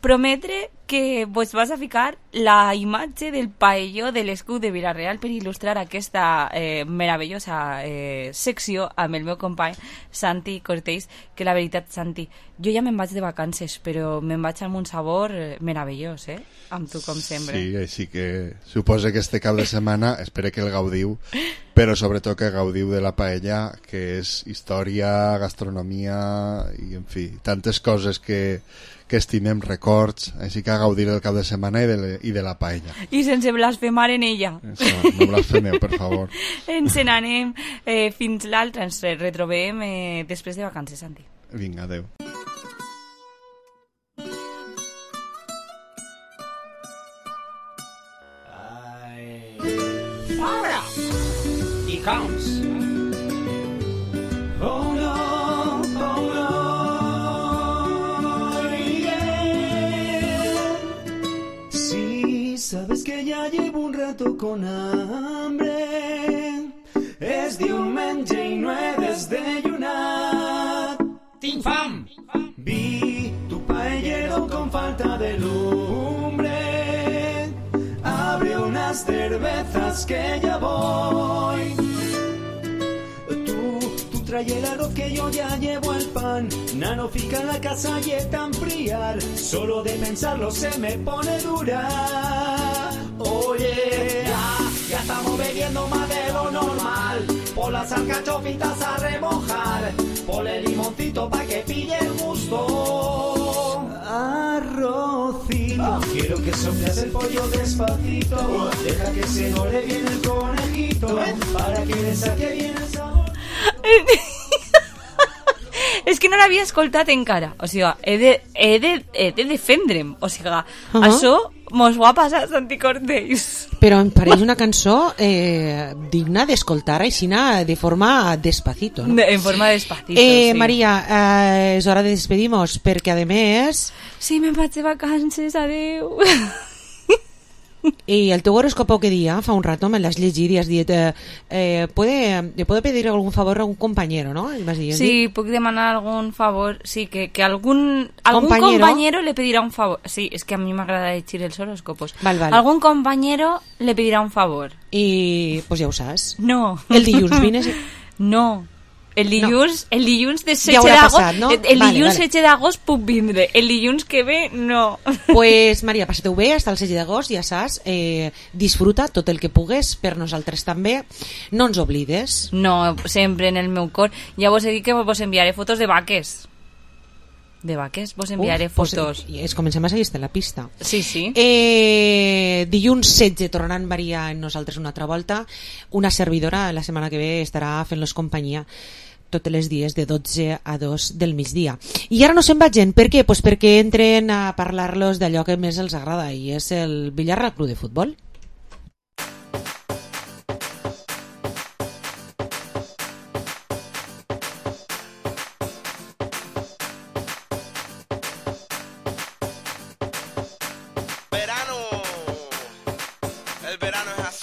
prometre que vos vas a ficar la imatge del paelló de l'escut de Vila-real per il·lustrar aquesta meravellosa secció amb el meu company Santi Cortells, que la veritat, Santi, jo ja me'n vaig de vacances, però me'n vaig amb un sabor meravellós, amb tu com sempre. Sí, així que suposo que este cap de setmana espero que el gaudiu, però sobretot que gaudiu de la paella, que és història, gastronomia i, en fi, tantes coses que estimem, records, així que a gaudir el cap de setmana i de la paella. I sense blasfemar en ella. Això, no blasfemeu, per favor. Ens n'anem fins l'altre, ens retrobem després de vacances, Santi. Vinga, adeu. Ahora, he comes. Oh no, oh no. Sabes que ya llevo un rato con hambre. Es diumenge i no he desdeyunat. Tinc fam! Vi tu paellero con falta de lumbre. Abre unas cervezas que ya voy. Tú trae el arroz que yo ya llevo el pan. Nano fica en la casa y es tan friar. Solo de pensarlo se me pone dura. Oye, ya estamos bebiendo más de lo normal. Por las alcachofitas a remojar. Por el limoncito pa' que pille el gusto. Arrocito, quiero que soples el pollo despacito. Deja que se ore bien el conejito. Para que le saque bien el sabor. És que no l'havia escoltat encara. O sigui, he de defendre'm. O sigui, això mos ho ha passat Santi Cortells. Però em pareix una cançó digna d'escoltar així de forma despacito, ¿no? En forma despacito, sí. Maria, és hora de despedir-nos, perquè a més... Sí, me'n vaig de vacances, adeu. Y el teu horoscopo que día, fa un rato me l'has llegit y has dit ¿le puedo pedir algún favor a un compañero, no? Sí, puc demanar algún favor, sí, que algún compañero le pedirá un favor. Sí, es que a mí m'agrada llegir els horoscopos. Val. Algún compañero le pedirá un favor. I pues ja ho saps. No. El dilluns vines... No. El dilluns de 16 d'agost, no? El dilluns 16 d'agost puc vindre, el dilluns que ve no. Pues Maria, passa-t'ho bé hasta el 16 d'agost, ja saps, disfruta tot el que pugues, per nosaltres també, no ens oblides. No, sempre en el meu cor. Ja vos he dit que vos enviaré fotos de vaques. De vaques, vos enviaré fotos. Pues, comencem a seguir-te la pista. Sí. Dilluns 16 tornaran Maria en nosaltres una altra volta. Una servidora la setmana que ve estarà fent-los companyia tots els dies de 12 a 2 del migdia. I ara no se'n vagin. Per què? Pues perquè entren a parlar-los d'allò que més els agrada, i és el billar al club de futbol.